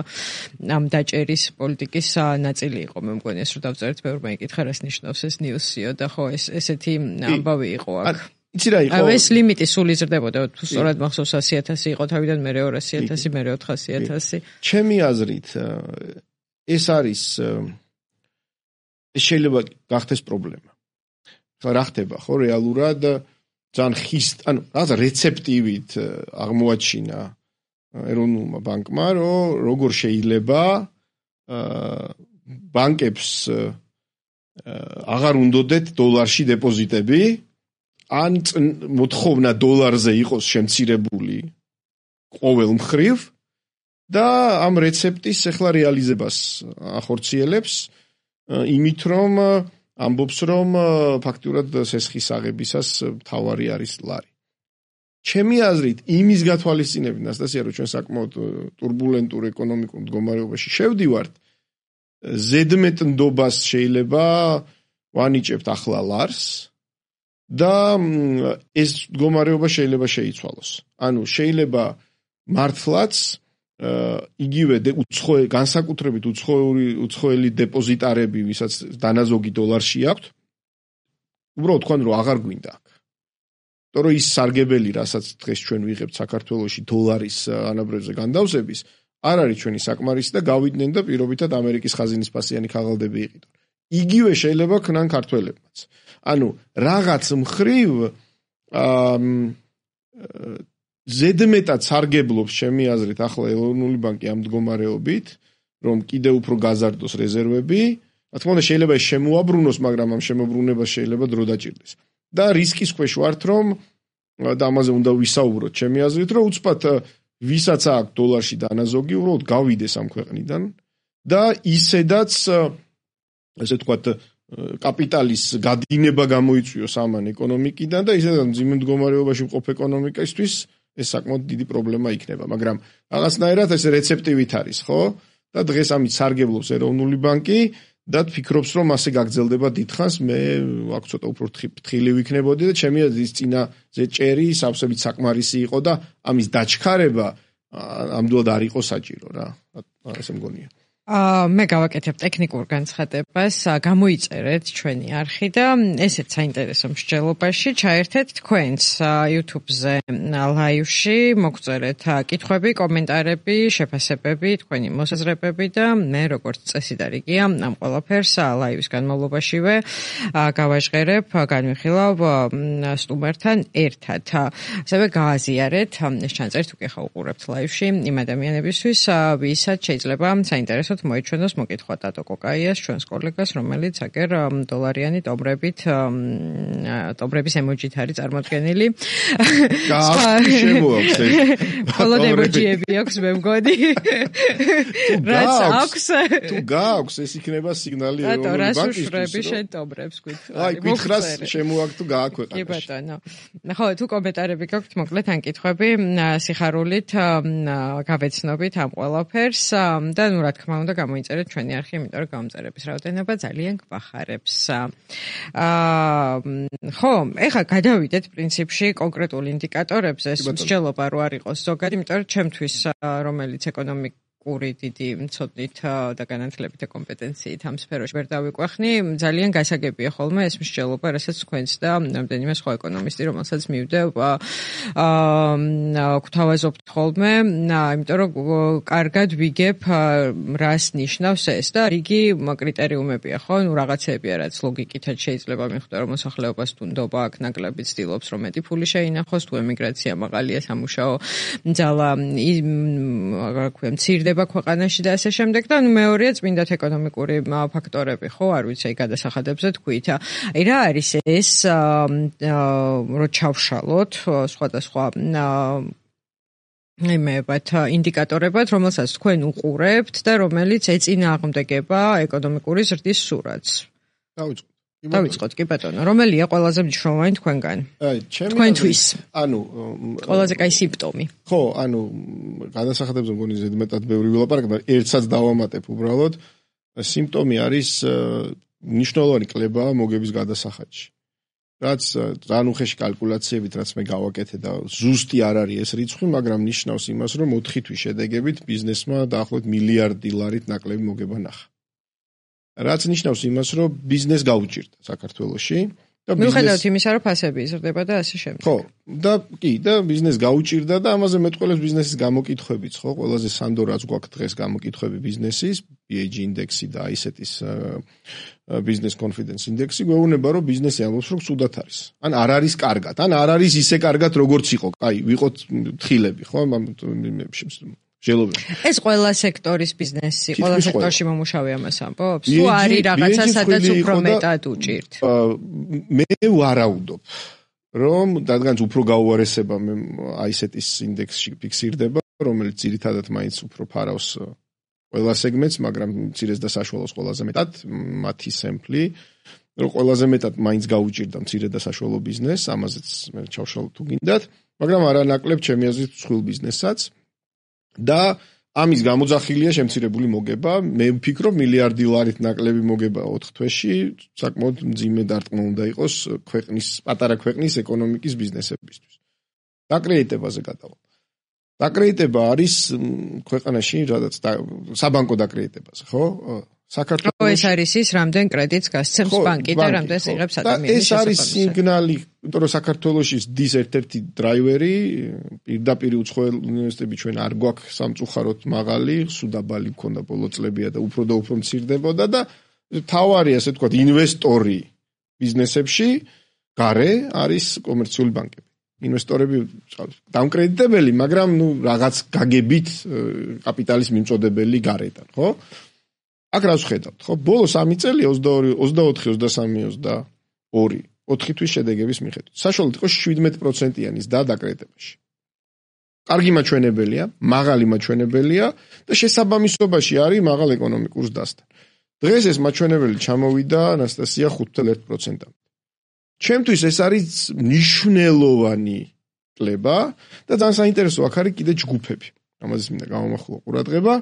ამ დაჭერის პოლიტიკის ნაწილი იყო. მე მგონი ეს რომ დავწერეთ, ბევრმა იკითხა, რას ნიშნავს ეს ნიუსიო და ხო ესეთი ამბავი იყო აქ. იცი რა იყო? ეს ლიმიტი სულ იზრდებოდა, თუ სწორად მახსოვს 100.000 იყო თავიდან, მე 200.000, მე 400.000. ჩემი აზრით ეს არის ეს შეიძლება გახდეს პრობლემა. რა ხდება, ხო, რეალურად ძალიან ანუ რაღაცა რეცეპტივით აღმოაჩინა ეროვნულმა ბანკმა, რომ როგორ შეიძლება ბანკებს აღარ უნდოდეთ დოლარში დეპოზიტები, ან მოთხოვნა დოლარზე იყოს შემცირებული ყოველ მხრივ და ამ რეცეპტის ახლა რეალიზებას ახორციელებს იმით რომ ამბობს რომ ფაქტურად სესხის აღებისას მთავარი არის ლარი. ჩემი აზრით იმის გათვალისწინებით ნასტასია რომ ჩვენ საკმაოდ турბულენტურ ეკონომიკურ მდგომარეობაში შევდივართ, ზედმეტნდობას შეიძლება ვანიჭებთ ახლა ლარს და ეს მდგომარეობა შეიძლება შეიცვალოს. ანუ შეიძლება მართლაც იგივე განსაკუთრებით უცხოელი დეპოზიტარები, ვისაც დანაზოგი დოლარში აქვთ, უბრალოდ თქვენ რომ აღარ გვინდა აქ. იმიტომ რომ ის სარგებელი, რასაც დღეს ჩვენ ვიღებთ საქართველოში დოლარის ანაბრებზე განდავსების, არ არის ჩვენი საკმარისი და გავიდნენ და პირობითად ამერიკის ხაზინის ფასიანი ქაღალდები იყიდონ. იგივე შეიძლება ქნან ქართველებმაც. ანუ რაღაც მხრივ ზედმეტად სარგებლობს ჩემი აზრით ახლა ეროვნული ბანკი ამ მდგომარეობით, რომ კიდევ უფრო გაზარდოს რეზერვები, რა თქმა უნდა შეიძლება შემოაბრუნოს, მაგრამ ამ შემოbrunებას შეიძლება დრო დაჭირდეს. და რისკის ქვეშ ვართ, რომ და ამაზე უნდა ვისაუბროთ ჩემი აზრით, რომ უცბად ვისაც აქვს დოლარში დანაზოგი, უბრალოდ გავიდეს ამ ქვეყნიდან და ისედაც ესე ვთქვათ კაპიტალის გადინება გამოიწვიოს ამან ეკონომიკიდან და ისედაც მძიმე მდგომარეობაში მყოფ ეკონომიკისთვის ეს საკმაოდ დიდი პრობლემა იქნება, მაგრამ რაღაცნაირად ეს რეცეპტივით არის, ხო? და დღეს ამით სარგებლობს ეროვნული ბანკი და ფიქრობს, რომ ასე გაგრძელდება დიდხანს, მე აქ ცოტა უფრო ფრთხილი ვიქნებოდი და ჩემი აზრით წინაზე ჭერი სავსებით საკმარისი იყო და ამის დაჩქარება ამდულად არ იყო საჭირო რა. ასე მგონია. მე გავაკეთებ ტექნიკურ განცხადებას, გამოიწერეთ ჩვენი არხი და ესეც საინტერესო მსჯელობაში ჩაერთეთ თქვენს YouTube-ზე ლაივში, მოგწერეთ კითხვები, კომენტარები, შეფასებები, თქვენი მოსაზრებები და მე როგორც წესი და რიგია ამ ყველაფერს ლაივის განმავლობაშივე გავაჟღერებ, განვიხილავ სტუმართან ერთად. ასევე გააზიარეთ, ეს ჩანწერით უკვე ხა უყურებთ ლაივში იმ ადამიანებისთვის, ვისაც შეიძლება საინტერესო მოიჩვენოს მოკითხვა დატო კოკაიას, ჩვენს კოლეგას, რომელიც აგერ დოლარიანი ტომბრების ემოჯით არის წარმოდგენილი. შემოაქვს ეს. ხოლოდ ემოჯიები აქვს, მე მგონი. რაც აქვს. თუ გააქვს, ეს იქნება სიგნალი ეროვნული ბანკისთვის. რატო, რას უშვები შენ ტომბრებს, გით? აი, გითხრას შემოაქვს თუ გააქვეყნე. კი ბატონო. ხო, თუ კომენტარები გაქვთ, მოკლედ ან კითხვები, სიხარულით გავეცნობით ამ ყველაფერს და ნუ რა თქმა უნდა გამოიწერეთ ჩვენი არხი, იმიტომ რომ გამომწერების რაოდენობა ძალიან გვახარებს. ხო, ეხლა გადავიდეთ პრინციპში კონკრეტულ ინდიკატორებზე, მსჯელობა რო არ იყოს ზოგადად, იმიტომ რომ ჩემთვის რომელიც ეკონომიკური დიდი მცოდნით და განათლებით და კომპეტენციით ამ სფეროში ვერ დავიკვეხნი, ძალიან გასაგებია ხოლმე ეს მსჯელობა, რასაც თქვენც და რამდენიმე სხვა ეკონომისტი, რომელსაც მივდევ, გვთავაზობთ ხოლმე, იმიტომ რომ კარგად ვიგებ რას ნიშნავს ეს და რიგი კრიტერიუმებია, ხო? ნუ რაღაცეებია, რაც ლოგიკითაც შეიძლება მიხვდა, რომ მოსახლეობას თუნდობა აქ ნაკლები ცდილობს, რომ მეტი ფული შეინახოს, თუ ემიგრაცია მაღალია, სამუშაო ძალა რა ქვია, მცირდება ქვეყანაში და ასე შემდეგ და მეორეა წმინდათ ეკონომიკური ფაქტორები, ხო, არ ვიცი, აი გადასახადებზე თქვით. აი რა არის ეს, რო ჩავშალოთ სხვადასხვა იმებად, ინდიკატორებად, რომელსაც თქვენ უყურებთ და რომელიც ეწინააღმდეგება ეკონომიკური ზრდის სურათს. დავიწყოთ, კი ბატონო. რომელია ყველაზე მნიშვნელოვანი თქვენგან? თქვენთვის. ყველაზე კაი სიმპტომი. ხო, გადასახადებზე მგონი ზედმეტად ბევრი ვილაპარაკებ, მაგრამ ერთსაც დავამატებ უბრალოდ. სიმპტომი არის მნიშვნელოვანი კლება მოგების გადასახადში. რაც რანუხეში კალკულაციებით, რაც მე გავაკეთე და ზუსტი არ არის ეს რიცხვი, მაგრამ ნიშნავს იმას, რომ 4 თვის შედეგებით ბიზნესმა დაახლოებით $1 მილიარდით ნაკლები მოგება ნახა. რაც ნიშნავს იმას, რომ ბიზნეს გაუჭირდა საქართველოში და მიუხედავად იმისა, რომ ფასები იზრდება და ასე შემდეგ. ხო, და ბიზნეს გაუჭირდა და ამაზე მეტყველებს ბიზნესის გამოკითხვებიც, ხო, ყველაზე სანდო რაც გვაქვს დღეს გამოკითხვები ბიზნესის, BAG ინდექსი და ISET-ის business confidence index-ი გვეუბნება, რომ ბიზნესი ამბობს, რომ ცუდად არის. ან არ არის კარგად, ან არ არის ისე კარგად, როგორც იყო. აი, ვიყოთ თხილები, ხო, ჟელობები. ეს ყველა სექტორის ბიზნესი, ყველა სექტორში მომუშავე ამას ამბობს? თუ არის რაღაცა, სადაც უფრო მეტად უჭირთ? მე ვარაუდობ, რომ რადგანაც უფრო გაუარესება ISET-ის ინდექსში ფიქსირდება, რომელიც ძირითადად მაინც უფრო ფარავს ყველა სეგმენტს, მაგრამ მცირეს და საშუალოს ყველაზე მეტად, მათი სემპლი, რომ ყველაზე მეტად მაინც გაუჭირდა მცირე და საშუალო ბიზნესს, ამაზეც მე ჩავშალოთ თუ გინდათ, მაგრამ არანაკლებ ჩემი აზრით მსხვილ ბიზნესსაც და ამის გამოძახილია შემცირებული მოგება. მე ვფიქრობ $1 ნაკლები მოგება 4 თვეში, საკმაოდ მძიმე დარტყმა უნდა იყოს ქვეყნის, პატარა ქვეყნის ეკონომიკის ბიზნესებისთვის. დაკრედიტებაზე გადავალ. დაკრედიტება არის ქვეყანაში, რადგან საბანკო დაკრედიტებაზე, ხო? საქართველოს ეს არის ის, რამდენ კრედიტს გასცემს ბანკი და რამდენს იღებს ადამიანი. ეს არის სიგნალი, იმიტომ რომ საქართველოში დის ერთ-ერთი დრაივერი, პირდაპირ უცხოელ უნივერსიტეტები ჩვენ არ გვაქვს სამწუხაროდ მაღალი, სუდაბალი მქონდა ბოლო წლებია და უფრო მცირდებოდა და თავარი, ასე ვთქვათ, ინვესტორი ბიზნესებში გარე არის კომერციული ბანკები. ინვესტორები დამკრედიტებელი, მაგრამ რაღაც გაგებით კაპიტალის მიმწოდებელი გარედან, ხო? აქ რას ვხედავთ, ხო? ბოლო 3 წელი 22, 24, 23, 22, 4 თვის შედეგების მიხედვით. საშუალოდ იყო 17%-იანის დაკრედიტებაში. კარგი მაჩვენებელია, მაღალი მაჩვენებელია და შესაბამისობაში არის მაღალ ეკონომიკურ ზრდასთან. დღეს ეს მაჩვენებელი ჩამოვიდა ანასტასია 5.1%-ამდე. ჩემთვის ეს არის მნიშვნელოვანი კლება და ძალიან საინტერესო აქ არის კიდე ჯგუფები. ამაზე მინდა გამომახვილო ყურადღება.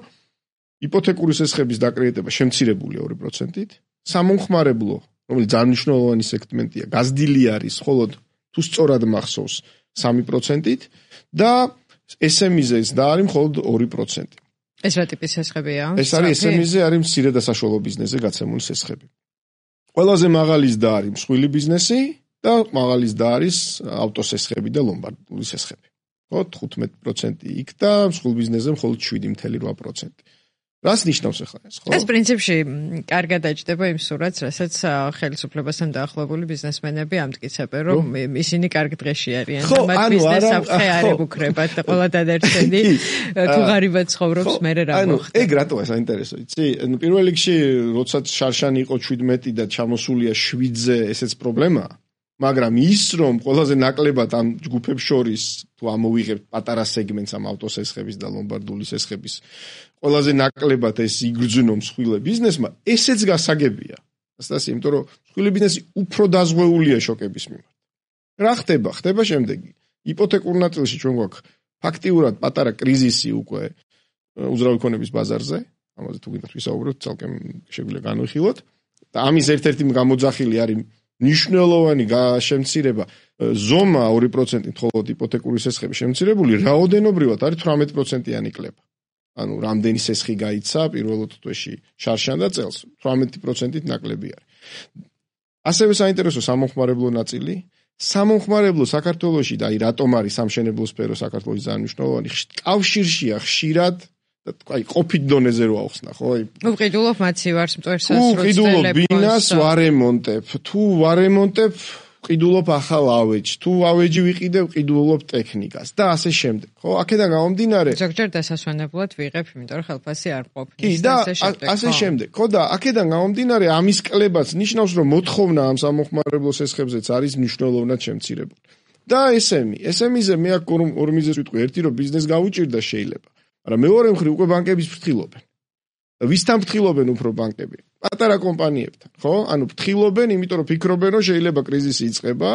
იპოთეკური სესხების დაკრედიტება შემცირებულია 2%-ით, სამომხმარებლო, რომელიც ძალიან მნიშვნელოვანი სეგმენტია, გაზრდილი არის, მხოლოდ თუ სწორად მახსოვს 3%-ით და SME-ზე და არის მხოლოდ 2%. ეს რა ტიპის სესხებია? ეს არის SME-ზე არის მცირე და საშუალო ბიზნესზე გაცემული სესხები. ყველაზე მაღალი ზრდა არის მსხვილი ბიზნესი და მაღალი ზრდა არის ავტოსესხები და ლომბარდული სესხები. ხო, 15% იქ და მსხვილ ბიზნესზე მხოლოდ 7.8%. რას ნიშნავს ახლა ეს, ხო? ეს პრინციპში კარგად აჭდება იმ სურათს, რასაც ხელისუფლებასთან დაახლოებული ბიზნესმენები ამტკიცებენ, რომ ისინი კარგ დღეში არიან და მათ ბიზნეს საფრთხე არ ეკუქრებათ და ყველა დადარჩენი თუ ღარიბად ცხოვრობს, მერე რა მოხდა. ეგ რატოა საინტერესო, იცი? პირველ რიგში, როდესაც შარშანი იყო 17 და ჩამოსულია 7-ზე, ესეც პრობლემაა. მაგრამ ის, რომ ყველაზე ნაკლებად ამ ჯგუფებს შორის თუ ამოვიღებთ პატარა სეგმენტს ამ ავტოსესხების და ლომბარდული სესხების ყველაზე ნაკლებად ეს იგრძნო მსხვილ ბიზნესმა, ესეც გასაგებია. ასტასი, იმიტომ რომ მსხვილი ბიზნესი უფრო დაზღვეულია შოკების მიმართ. რა ხდება? ხდება შემდეგი. იპოთეკურ ნაწილში ჩვენ გვაქვს ფაქტიურად პატარა კრიზისი უკვე უძრავი ქონების ბაზარზე. ამაზე თუ გინდათ ვისაუბროთ, ცალკე შეგვიძლია განვიხილოთ. და ამის ერთ-ერთი გამოძახილი არის მნიშვნელოვანი შემცირება ზომა 2%-ით, ხოლო იპოთეკური სესხების შემცირებული რაოდენობრივად არის 18%-იანი კლება. ანუ რამდენი სესხი გაიცა პირველ თვეში შარშან და წელს 18%-ით ნაკლები არის. ასევე საინტერესო სამომხმარებლო ნაწილი. სამომხმარებლო საქართველოში და აი რატომ არის სამშენებლო სფერო საქართველოში ძალიან მნიშვნელოვანი, კავშირშია ხშირად და აი ყოფით დონეზე რო ახსნა, ხო? უყიდულობ მაცივარს მტვერსას რო უყიდულობ ბინას ვარემონტებ, თუ ვარემონტებ ვყიდულობ ახალ ავეჯს, თუ ავეჯი ვიყიდებ ვყიდულობ ტექნიკას და ასე შემდეგ, ხო? აქედან გამომდინარე ზოგჯერ დასასვენებლად ვიღებ, იმიტომ რომ ხელფასი არ ყოფნის და ასე შემდეგ, ხო და აქედან გამომდინარე ამის კლებაც ნიშნავს, რომ მოთხოვნა ამ სამომხმარებლო სესხებზეც არის მნიშვნელოვნად შემცირებული. და SME-ზე მე აქ ორი მიზეზი ვიტყვი, ერთი რომ ბიზნეს გაუჭირდა შეიძლება, მაგრამ მეორე მხრივ უკვე ბანკების ფრთხილობენ. ვისთან ფრთხილობენ უფრო ბანკები? პატარა კომპანიებთან, ხო? ანუ ფრთხილობენ, იმიტომ რომ ფიქრობენ, რომ შეიძლება კრიზისი იწყება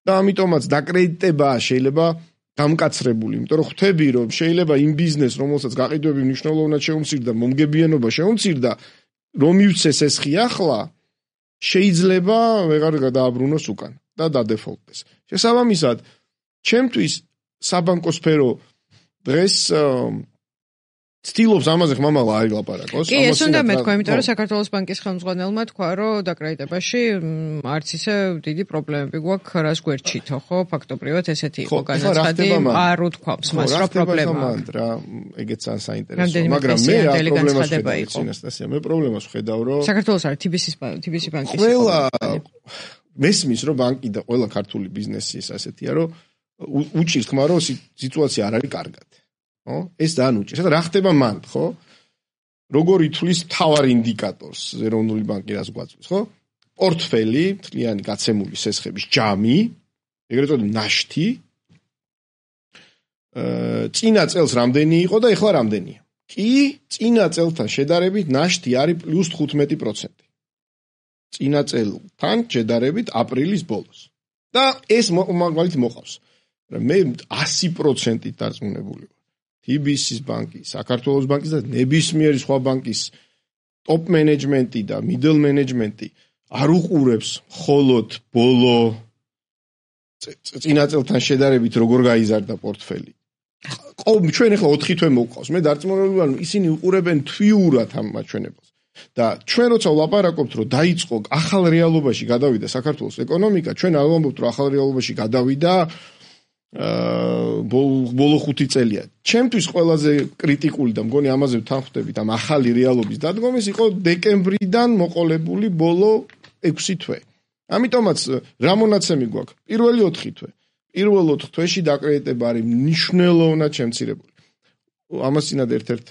და ამიტომაც დაკრედიტება შეიძლება გამკაცრებული, იმიტომ რომ ხვდები, რომ შეიძლება იმ ბიზნესს, რომელსაც გაყიდვები მნიშვნელოვნად შეუმცირდა, მომგებიანობა შეუმცირდა, რომ მივცეს ესხი ახლა, შეიძლება ვეღარ გადააბრუნოს უკან და დადეფოლტდეს. შესაბამისად, ჩემთვის საბანკო სფერო დღეს ცდილობს ამაზე ხმამაღლა არ ილაპარაკოს. კი, ეს უნდა მეთქვა, იმიტომ რომ საქართველოს ბანკის ხელმძღვანელმა თქვა, რომ დაკრედიტებაში არც ისე დიდი პრობლემები გვაქვს რას გვერჩითო, ხო? ფაქტობრივად ესეთი იყო განაცხადი, არ უთქვამს მას, რომ პრობლემაა. რა, ეგეც საინტერესოა, მაგრამ მე რა პრობლემას ხედავ, ანასტასია, მე პრობლემას ხედავ, რომ საქართველოს არის TBC ბანკის ყველა მესმის, რომ ბანკი და ყველა ქართული ბიზნესი ეს ასეთია, რომ უჭირს ხმა, რომ სიტუაცია არ არის კარგად. ხო? ეს ძალიან უჭირს. და რა ხდება მან, ხო? როგორ ითვლის მთავარ ინდიკატორს ეროვნული ბანკი რას გვაწვდის, ხო? პორტფელი, მთლიანი გაცემული სესხების ჯამი, ეგრეთ წოდებული ნაშთი. წინა წელს რამდენი იყო და ეხლა რამდენია? კი, წინა წელთან შედარებით ნაშთი არის +15%. წინა წელთან შედარებით აპრილის ბოლოს. და ეს მაგალითი მოყავს. მე 100%-ით დარწმუნებული ვარ. TBC-ის ბანკის, საქართველოს ბანკის და ნებისმიერი სხვა ბანკის ტოპ მენეჯმენტი და მიდლ მენეჯმენტი არ უყურებს მხოლოდ ბოლო წინა წელთან შედარებით როგორ გაიზარდა პორტფელი. ჩვენ ახლა 4 თვე მოვყავს. მე დარწმუნებული ვარ, ისინი უყურებენ თვიურად ამ მაჩვენებელს. და ჩვენ როცა ვლაპარაკობთ, რომ დაიწყო ახალ რეალობაში გადავიდა საქართველოს ეკონომიკა, ჩვენ არ ვამბობთ, რომ ახალ რეალობაში გადავიდა ბოლო 5 წელია. ჩემთვის ყველაზე კრიტიკული და მგონი ამაზე ვთანხმდებით ამ ახალი რეალობის დადგომის იყო დეკემბრიდან მოყოლებული ბოლო 6 თვე. ამიტომაც რა მონაცემი გვაქვს? პირველი 4 თვე. პირველ 4 თვეში დაკრედიტება არის მნიშვნელოვნად შემცირებული. ამას წინათ ერთ-ერთ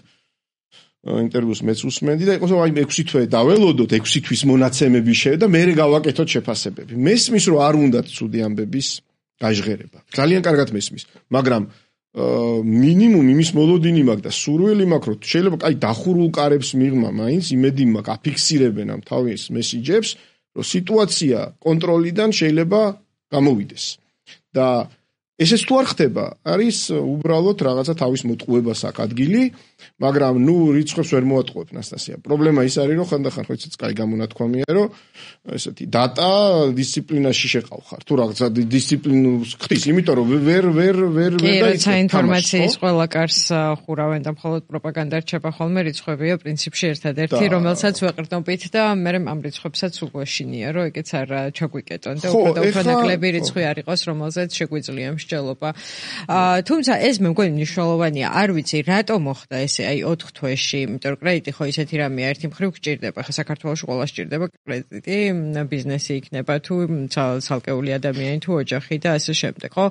ინტერვიუს მეც უსმენდი და იყოს აი 6 თვე დაველოდოთ 6 თვის მონაცემები და მე გავაკეთოთ შეფასებები. მესმის რომ არ უნდათ ცუდი ამბების გაჟღერება. ძალიან კარგად მესმის, მაგრამ მინიმუმ იმის მოლოდინი მაქვს და სურვილი მაქვს, რომ შეიძლება აი დახურულ კარებს მიღმა, მაინც იმედი მაქვს, აფიქსირებენ ამ თავის მესიჯებს, რომ სიტუაცია კონტროლიდან შეიძლება გამოვიდეს. და ესეც თუ არ ხდება, არის უბრალოდ რაღაცა თავის მოტყუებას აქვს ადგილი, მაგრამ რიცხვებს ვერ მოატყუებ, ანასტასია. პრობლემა ის არის, რომ ხანდახან ხო ისიც კაი გამონათქვამია, რომ ესეთი დატა დისციპლინაში შეყავხარ. თუ რაღაცა დისციპლინს ხდის, იმიტომ რომ ვერ და ინფორმაციის ყველა კარს ხურავენ და მხოლოდ პროპაგანდა რჩება ხოლმე, რიცხვებია პრინციპში ერთადერთი, რომელსაც ვეყრდნობით და მე ამ რიცხვებსაც უგვეშინია, რომ ეგეც არ ჩაგვიკეტონ და უფრო ნაკლები რიცხვი არ იყოს, რომელზეც შეგვიძლია მსჯელობა. თუმცა ეს მე მგონი მნიშვნელოვანია. არ ვიცი, რატომ მოხდა ესე აი 4 თვეში, იმიტომ რომ კრედიტი ხო ისეთი რამეა, ერთი მხრივ გჭირდება. ხა საქართველოში ყველა სჭირდება კრედიტი, ბიზნესი იქნება თუ ცალკეული ადამიანი თუ ოჯახი და ასე შემდეგ, ხო?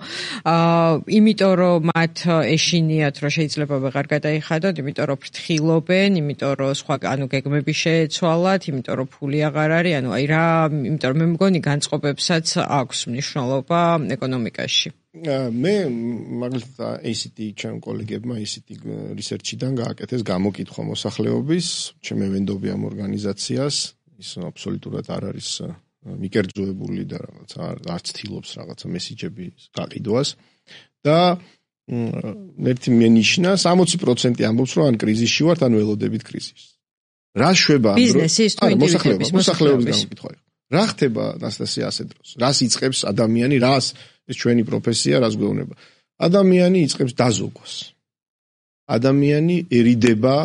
იმიტომ რომ მათ ეშინიათ, რომ შეიძლება ვეღარ გადაიხადოთ, იმიტომ რომ ფრთხილობენ, იმიტომ რომ სხვა ანუ გეგმები შეეცვალათ, იმიტომ რომ ფული აღარ არის, ანუ აი რა, იმიტომ რომ მე მგონი განწყობებსაც აქვს მნიშვნელობა ეკონომიკაში. მე მაგალითად ACT ჩემ კოლეგებმა ACT research-დან გააკეთეს გამოკითხვა მოსახლეობის, ჩემი ვენდობი ამ ორგანიზაციას, ის აბსოლუტურად არ არის მიკერძოებული და რაღაცა არ ცდილობს რაღაცა მესიჯების გაყიდვას და ერთი მენიშნა 60% ამბობს, რომ ან კრიზისში ვართ, ან ველოდებით კრიზისს. რა შვება ბიზნესის თუ ინდივიდების მოსახლეობის გამოკითხვა. რა ხდება ნასტასია ასე დროს? რას იწყებს ადამიანი, რას ეს ჩვენი პროფესია, რას გვეუბნება? ადამიანი იწყებს დაზოგვას. ადამიანიერიდება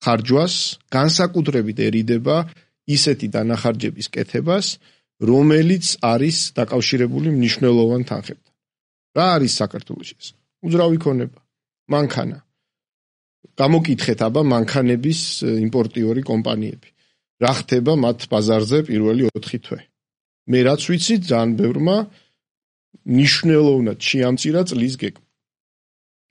ხარჯვას, განსაკუთრებითერიდება ისეთი დანახარჯების კეთებას, რომელიც არის დაკავშირებული მნიშვნელოვან თანხებთან. რა არის საქართველოში ეს? უძრავი ქონება, მანქანა. გამოკითხეთ აბა მანქანების იმპორტიორი კომპანიები. რა ხდება მათ ბაზარზე პირველი 4 თვე. მე რაც ვიცი, ძალიან ბევრმა მნიშვნელოვნად შეამცირა წლის გეგმა.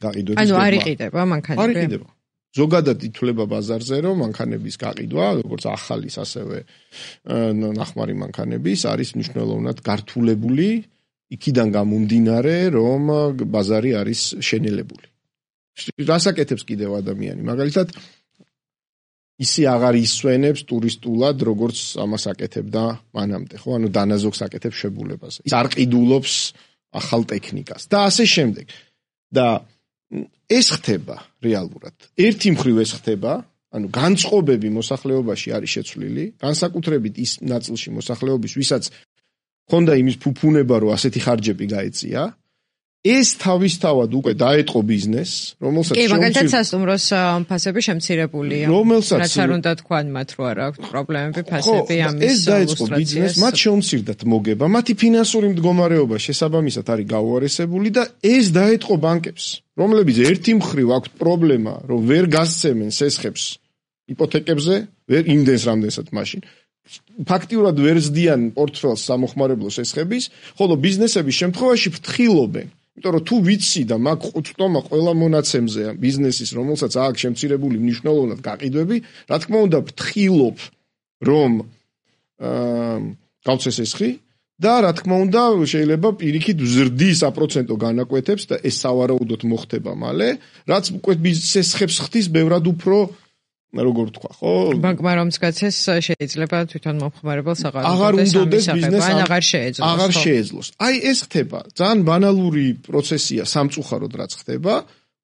გაყიდვების გეგმა. ანუ არ იყიდება მანქანები. არ იყიდება. ზოგადად ითვლება ბაზარზე, რომ მანქანების გაყიდვა, როგორც ახალის, ასევე ნახმარი მანქანების არის მნიშვნელოვნად გართულებული, იქიდან გამომდინარე, რომ ბაზარი არის შენელებული. რას აკეთებს კიდევ ადამიანი? მაგალითად, ისი აღარ ისვენებს ტურისტულად, როგორც ამას აკეთებდა მანამდე, ხო? ანუ დანაზოგს აკეთებს შებულებაზე. ის არ ყიდულობს ახალ ტექნიკას და ასე შემდეგ. და ეს ხდება რეალურად. ერთი მხრივ ეს ხდება, ანუ განწყობები მოსახლეობაში არის შეცვლილი, განსაკუთრებით ის ნაწილში მოსახლეობის, ვისაც ხონდა იმის ფუფუნება, რომ ასეთი ხარჯები გაეწია, ეს თავისთავად უკვე დაეტყო ბიზნესს, რომელსაც კი, მაგალითად სასტუმროს ფასები შემცირებულია. რაც არ უნდა თქვან მათ, რომ არ აქვს პრობლემები ფასები ამის ეს დაეწყო ბიზნესს, მათ შეუმცირდათ მოგება, მათი ფინანსური მდგომარეობა შესაბამისად არის გაუარესებული და ეს დაეტყო ბანკებს, რომლებიც ერთი მხრივ აქვთ პრობლემა, რომ ვერ გასცემენ სესხებს იპოთეკებზე, ვერ იმდენს რამდენსაც მაშინ. ფაქტიურად ვერ ზდიან პორტფელს სამოხმარებლო სესხების, ხოლო ბიზნესების შემთხვევაში ფრთხილობენ. იმიტომ რომ თუ ვიცი და მაგ ყუწტომა ყველა მონაცემზე ბიზნესის, რომელსაც აქვს შემცირებული მნიშვნელოვნად გაყიდვები, რა თქმა უნდა ფრთხილობ, რომ გავცეს სესხი და რა თქმა უნდა შეიძლება პირიქით ვზრდის აპროცენტო განაკვეთებს და ეს სავარაუდოდ მოხდება მალე, რაც უკვე სესხებს ხდის ბევრად უფრო როგორ თქვა, ხო? ბანკმა რომც გაცეს შეიძლება თვითონ მომხმარებელს აღარ უნდოდეს ბიზნესს აღარ შეეძლოს. აი ეს ხდება. ძალიან ბანალური პროცესია სამწუხაროდ რაც ხდება.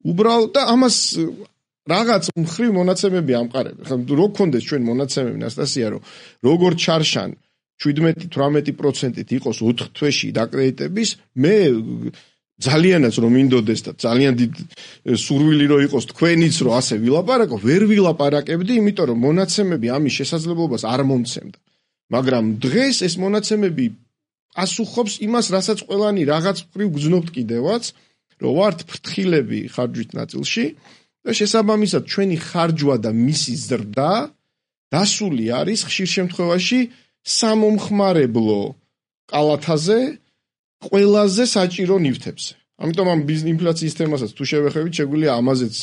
უბრალოდ და ამას რაღაც მხრივ მონაცემები ამყარებ. ხა რო გქონდეს ჩვენ მონაცემები ნასტასია, რომ როგორ ჩარშან 17-18%-ით იყოს 4 თვეში დაკრედიტების, მე ძალიანაც რომ მინდოდეს და ძალიან დიდ სურვილი რო იყოს თქვენიც რომ ასე ვილაპარაკო, ვერ ვილაპარაკებდი, იმიტომ რომ მონაცემები ამის შესაძლებლობას არ მომცემდა. მაგრამ დღეს ეს მონაცემები ასუხობს იმას, რასაც ყველანი რაღაც მხრივ გძნობთ კიდევაც, რომ ვართ ფრთხილები ხარჯვით ნაწილში და შესაბამისად ჩვენი ხარჯვა და მისი ზრდა დასული არის ხშირ შემთხვევაში სამომხმარებლო კალათაზე ყველაზე საჭირო ნივთებზე. ამიტომ ამ ინფლაციის თემასაც თუ შევეხებით, შეგვიძლია ამაზეც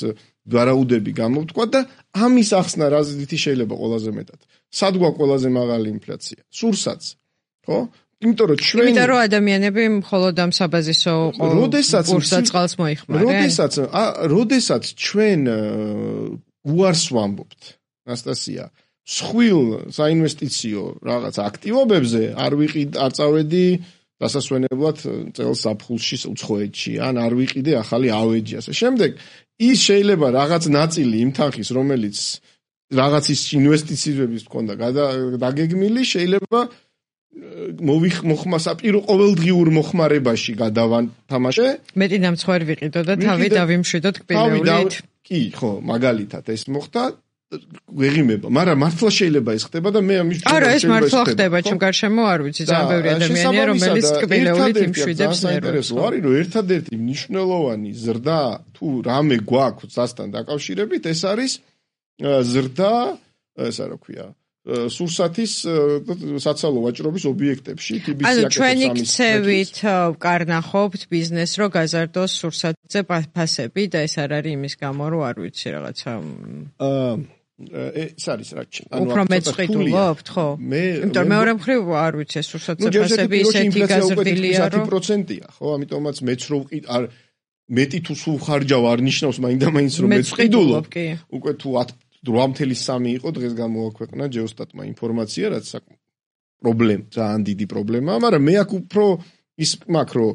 ვარაუდები გამოვთქვა და ამის ახსნა რაზეთი შეიძლება ყველაზე მეტად. სად გვაქვს ყველაზე მაღალი ინფლაცია? სურსაც, ხო? იმიტომ რომ ჩვენ იმიტომ რომ ადამიანები მხოლოდ ამ საბაზისო კურსდაწყალს მოიხმარენ. როდესაც ჩვენ უარს ვამბობთ, ნასტასია, მსხვილ საინვესტიციო რაღაც აქტივობებზე არ წავედი დასასვენებლად წელს ზაფხულში უცხოეთში, ან არ ვიყიდე ახალი ავეჯი ასე. შემდეგ ის შეიძლება რაღაც ნაწილი იმ თანხის, რომელიც რაღაცის ინვესტიციების მქონდა დაგეგმილი, შეიძლება საპირო ყოველდღიურ მოხმარებაში გადავანთამაშე. მეტი ნამცხვარი ვიყიდო და თავი დავიმშვიდოთ კბილეულით. კი, ხო, მაგალითად ეს მოხდა. ვეღიმება, მაგრამ მართლა შეიძლება ეს ხდება და მე ამის არა, ეს მართლა ხდება, ჩემ გარშემო არ ვიცი, ძალიან ბევრი ადამიანია, რომელიც კბილეულით იმშვიდებს ნერვებს. არის რომ ერთადერთი მნიშვნელოვანი ზრდა თუ რამე გვაქვს დასთან დაკავშირებით, ეს არის ზრდა, ესა რა ქვია, სურსათის საცალო ვაჭრობის ობიექტებში, TBC-აკეთებს ანუ ჩვენი ქცევით ვკარნახობთ ბიზნესს, რომ გაზარდოს სურსათზე ფასები და ეს არ არის იმის გამო, რომ არ ვიცი რაღაცა ეს არის რა ჩემ. უფრო მეც ყიდულობთ, ხო? იმიტომ მეორე მხრივ არ ვიცი, სურსათზე ფასები ისეთი გაზრდილია, რომ 10%-ია, ხო? ამიტომაც მეც რო არ მეტი თუ სულ ხარჯავ არ ნიშნავს მაინდა-მაინც რომ მეც ყიდულობ. უკვე თუ 8.3 იყო დღეს გამოაქვეყნა ჯეოსტატმა ინფორმაცია, რაც პრობლემა, ძალიან დიდი პრობლემაა, მაგრამ მე აქ უფრო ის მაქვს, რომ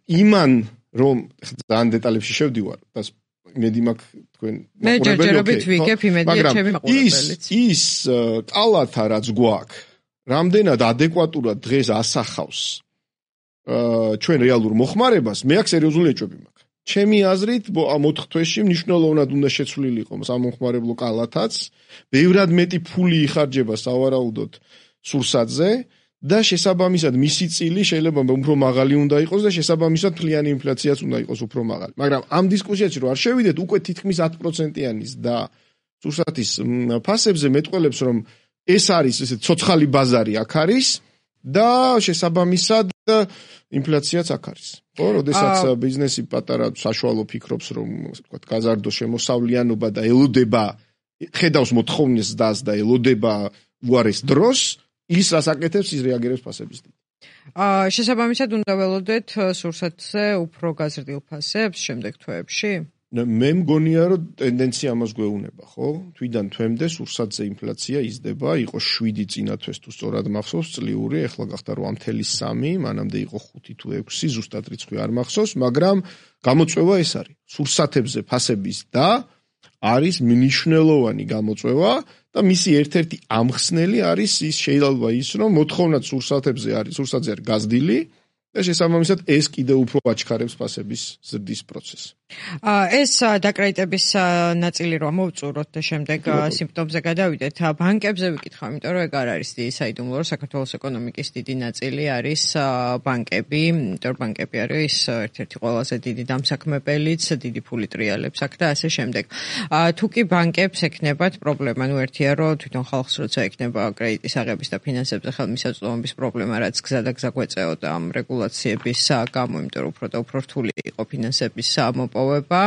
იმან რომ ძალიან დეტალებში შევდივარ და იმედი მაქვს თქვენ მე ჯერჯერობით ვიგებ იმედია ჩემი მაყურებელიც. ის კალათა რაც გვაქვს, რამდენად ადეკვატურად დღეს ასახავს ჩვენ რეალურ მოხმარებას, მე აქ სერიოზული ეჭვები მაქვს. ჩემი აზრით 4 თვეში მნიშვნელოვნად უნდა შეცვლილი იყოს სამომხმარებლო კალათაც, ბევრად მეტი ფული იხარჯება სავარაუდოდ სურსათზე და შესაბამისად მისი წილი შეიძლება უფრო მაღალი უნდა იყოს და შესაბამისად ფლიანი ინფლაციაც უნდა იყოს უფრო მაღალი. მაგრამ ამ დისკუსიაში რომ არ შევიდეთ, უკვე თითქმის 10%-იანის და სურსათის ფასებზე მეტყველებს რომ ეს არის ესე ცოცხალი ბაზარი აქ არის და შესაბამისად ინფლაციაც აქ არის. ხო, როდესაც ბიზნესი პატარა საშუალო ფიქრობს რომ ვთქვათ გაზარდოს შემოსავლიანობა და ელოდება ხედავს მოთხოვნას დას და ელოდება უარეს დროს ის რას აკეთებს ის რეაგირებს ფასების დიდ. შესაბამისად უნდა ველოდეთ სურსათზე უფრო გაზრდილ ფასებს შემდეგ თვეებში? მე მგონია რომ ტენდენცია ამას გვეუბნება, ხო? თვიდან თვემდე სურსათზე ინფლაცია იზრდება, იყო 7 წინა თვეს თუ სწორად მახსოვს წლიური, ახლა გახდა 8.3, მანამდე იყო 5 თუ 6, ზუსტად რიცხვი არ მახსოვს, მაგრამ გამოწვევა ეს არის. სურსათებზე ფასების და არის მნიშვნელოვანი გამოწვევა და მისი ერთ-ერთი ამხსნელი არის ის შეიძლება ის რომ მოთხოვნაც სურსათებზე არის, სურსათზე არის გაზრდილი და შესაბამისად ეს კიდევ უფრო აჩქარებს ფასების ზრდის პროცესს. ეს დაკრედიტების ნაწილი რომ მოვწუროთ და შემდეგ სიმპტომზე გადავიდეთ, ბანკებზე ვიკითხავ, იმიტომ რომ ეგ არ არის საიდუმლო, რომ საქართველოს ეკონომიკის დიდი ნაწილი არის ბანკები, იმიტომ რომ ბანკები არის ერთ-ერთი ყველაზე დიდი დამსაქმებელიც, დიდი ფული ტრიალებს აქ და ასე შემდეგ. თუ კი ბანკებს ექნებათ პრობლემა, ერთია რომ თვითონ ხალხს როცა ექნება კრედიტის აღების და ფინანსებზე ხელმისაწვდომობის პრობლემა, რაც გზა და გზა გვეწეოდა ამ რეგულაციების გამო, იმიტომ რომ უფრო და უფრო რთული იყო ფინანსების მოპოვება.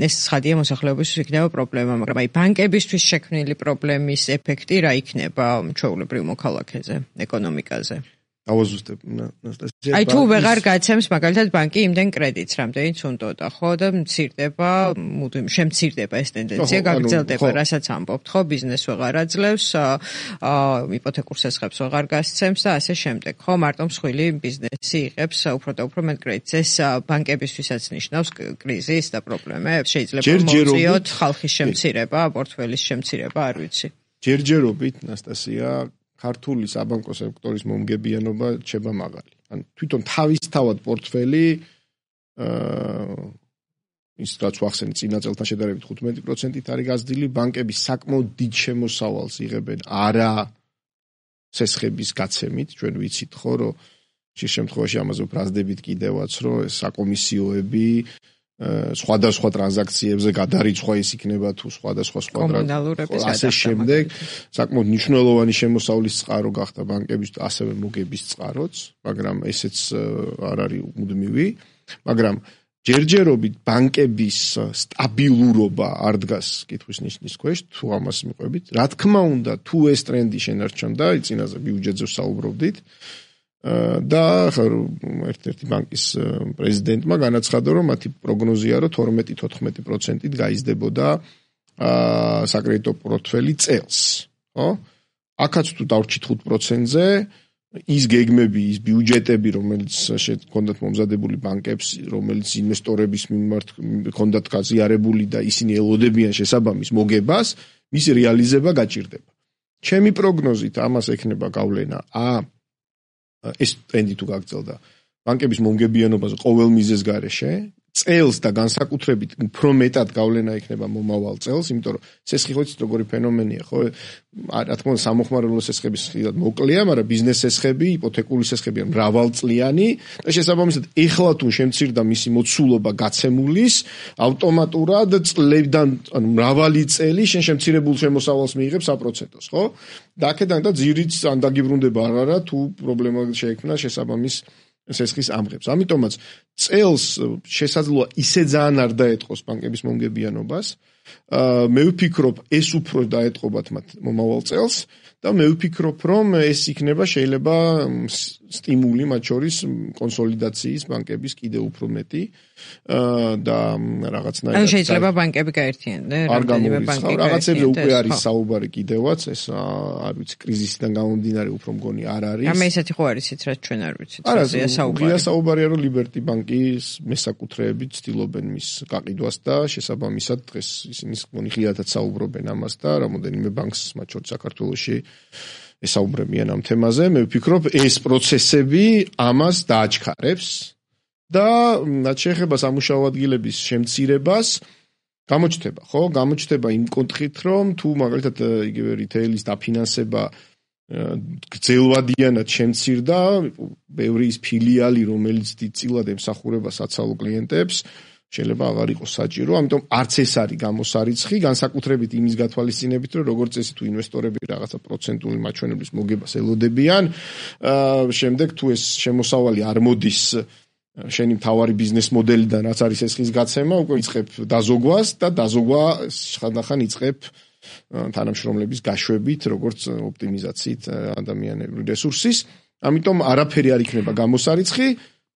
ეს ცხადია მოსახლეობისთვის იქნება პრობლემა, მაგრამ აი ბანკებისთვის შექმნილი პრობლემის ეფექტი რა იქნება ჩვეულებრივ მოქალაქეზე, ეკონომიკაზე? ავაზუსტებ. აი თუ ვეღარ გაცემს მაგალითად ბანკი იმდენ კრედიტს, რამდენიც უნდოდა, ხო და მცირდება, მუდმივ შემცირდება ეს ტენდენცია, გაგრძელდება, რასაც ამბობთ, ხო, ბიზნეს ვეღარ აძლევს, იპოთეკურ სესხებს ვეღარ გასცემს და ასე შემდეგ, ხო, მარტო მსხვილი ბიზნესი იღებს უფრო და უფრო მეტ კრედიტს. ეს ბანკებისთვისაც ნიშნავს კრიზისს და პრობლემებს, შეიძლება მოუწიოთ ხალხის შემცირება, პორტფელის შემცირება, არ ვიცი. ჯერჯერობით, ნასტასია, ქართული საბანკო სექტორის მომგებიანობა რჩება მაღალი. ან თვითონ თავისთავად პორტფელი ის რაც ვახსენე წინა წელთან შედარებით 15%-ით არის გაზრდილი, ბანკები საკმაოდ დიდ შემოსავალს იღებენ არა სესხების გაცემით, ჩვენ ვიცით ხო, რომ შე შემთხვევაში ამაზე ვფრაზდებით კიდევაც, რომ ეს საკომისიოები სხვადასხვა ტრანზაქციებზე გადარიცხვა ის იქნება თუ სხვადასხვა კომუნალურების ასე შემდეგ საკმაოდ მნიშვნელოვანი შემოსავლის წყარო გახდა ბანკების ასევე მოგების წყაროც, მაგრამ ესეც არ არის მუდმივი, მაგრამ ჯერჯერობით ბანკების სტაბილურობა არ დგას კითხვის ნიშნის ქვეშ, თუ ამას მიყვებით. რა თქმა უნდა, თუ ეს ტრენდი შენარჩუნდა, წინაზე ბიუჯეტზე ვსაუბრობდით, და ერთ-ერთი ბანკის პრეზიდენტმა განაცხადა, რომ მათი პროგნოზია, რომ 12-14%-ით გაიზრდებოდა საკრედიტო პორტფელი წელს, ხო? აქაც თუ დავრჩით 5%-ზე, ის გეგმები, ის ბიუჯეტები, რომელიც ჰქონდათ მომზადებული ბანკებს, რომელიც ინვესტორების მიმართ ჰქონდათ გაზიარებული და ისინი ელოდებიან შესაბამის მოგებას, მისი რეალიზება გაჭირდება. ჩემი პროგნოზით ამას ექნება გავლენა ეს ტრენდი თუ გაგრძელდა ბანკების მომგებიანობაზე ყოველ მიზეზს გარეშე წელს და განსაკუთრებით უფრო მეტად გავლენა ექნება მომავალ წელს, იმიტომ რომ სესხი ხო იცით როგორი ფენომენია, ხო? რა თქმა უნდა სამოხმარებლო სესხების ხილად მოკლეა, მაგრამ ბიზნეს სესხები, იპოთეკური სესხები ან მრავალწლიანი და შესაბამისად ეხლა თუ შემცირდა მისი მოცულობა გაცემულის, ავტომატურად წლებიდან ანუ მრავალი წელი შენ შემცირებულ შემოსავალს მიიღებს 100%-ს, ხო? და აქედან და ძირიც ან დაგიბრუნდება არა თუ პრობლემა შეექმნა შესაბამის სესხის ამღებს. ამიტომაც წელს შესაძლოა ისე ძალიან არ დაეტყოს ბანკების მომგებიანობას. მე ვფიქრობ, ეს უფრო დაეტყობათ მათ მომავალ წელს და მე ვფიქრობ, რომ ეს იქნება შეიძლება სტიმული მათ შორის კონსოლიდაციის ბანკების კიდევ უფრო მეტი და რაღაცნაირად. ან შეიძლება ბანკები გაერთიანდნენ, რამდენიმე ბანკი რაღაცებზე უკვე არის საუბარი კიდევაც, ეს არ ვიცი, კრიზისიდან გამომდინარე უფრო მგონი არ არის. ამ ესეთი ხო არის, რაც ჩვენ არ ვიცით, საუბარია, რომ ლიბერტი ბანკი ბანკის მესაკუთრეები ცდილობენ მის გაყიდვას და შესაბამისად დღეს ისინი ღიადად საუბრობენ ამას და რამოდენიმე ბანკს მათ შორის საქართველოში ესაუბრებიან ამ თემაზე. მე ვფიქრობ, ეს პროცესები ამას დააჩქარებს და რაც შეეხება სამუშაო ადგილების შემცირებას გამოჩნდება, ხო? გამოჩნდება იმ კონტექსტით, რომ თუ მაგალითად იგივე რიტეილის დაფინანსება გრძელვადიანად შემცირდა, ბევრი ის ფილიალი, რომელიც დიდწილად ემსახურება საცალო კლიენტებს, შეიძლება აღარ იყოს საჭირო, ამიტომ არც ეს არის გამოსარიცხი, განსაკუთრებით იმის გათვალისწინებით, რომ როგორც წესი თუ ინვესტორები რაღაცა პროცენტული მაჩვენებლის მოგებას ელოდებიან, შემდეგ თუ ეს შემოსავალი არ მოდის შენი მთავარი ბიზნეს მოდელიდან, რაც არის ეს ხის გაცემა, უკვე იწყებ დაზოგვას და დაზოგვა ხანდახან იწყებ თანამშრომლების გაშვებით, როგორც ოპტიმიზაციით ადამიანური რესურსის. ამიტომ არაფერი არ იქნება გამოსარიცხი,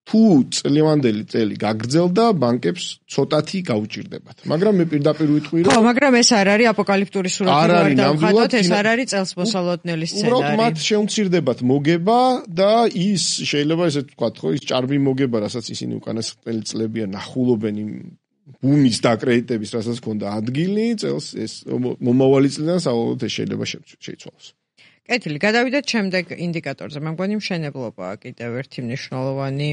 თუ წლევანდელი წელი გაგრძელდა, ბანკებს ცოტათი გაუჭირდებათ. მაგრამ მე პირდაპირ ვიტყვი, რომ ხო, მაგრამ ეს არ არის აპოკალიფტური სურათი, რომ დავხატოთ, ეს არ არის წელსმოსალოდნელი სცენარი. უბრალოდ მათ შეუმცირდებათ მოგება და ის შეიძლება ესე ვთქვათ, ხო, ის ჭარბი მოგება, რასაც ისინი უკანასკნელი წლებია ნახულობენ იმ ბუმის დაკრედიტების, რასაც ჰქონდა ადგილი, წელს ეს მომავალი წლიდან საბოლოოდ ეს შეიძლება შეიცვალოს. კეთილი, გადავიდეთ შემდეგ ინდიკატორზე. მე მგონი მშენებლობაა კიდევ ერთი მნიშვნელოვანი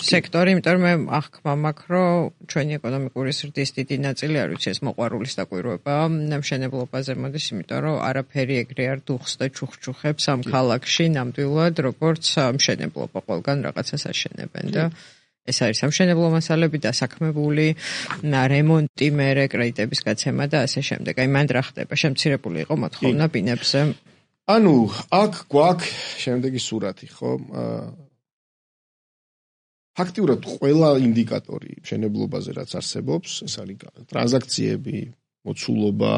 სექტორი, იმიტომ რომ მე აღქმა მაქვს, რომ ჩვენი ეკონომიკური ზრდის დიდი ნაწილი არ ვიცი ეს მოყვარულის დაკვირვება მშენებლობაზე მოდის, იმიტომ რომ არაფერი ეგრე არ დუხს და ჩუხჩუხებს ამ ქალაქში ნამდვილად, როგორც მშენებლობა, ყველგან რაღაცას აშენებენ და ეს არის სამშენებლო მასალები დასაქმებული, რემონტი, მერე კრედიტების გაცემა და ასე შემდეგ. აი მანდ რა ხდება? შემცირებული იყო მოთხოვნა ბინებზე. ანუ აქ გვაქვს შემდეგი სურათი, ხო? ფაქტიურად ყველა ინდიკატორი მშენებლობაზე რაც არსებობს, ეს არის ტრანზაქციები, მოცულობა,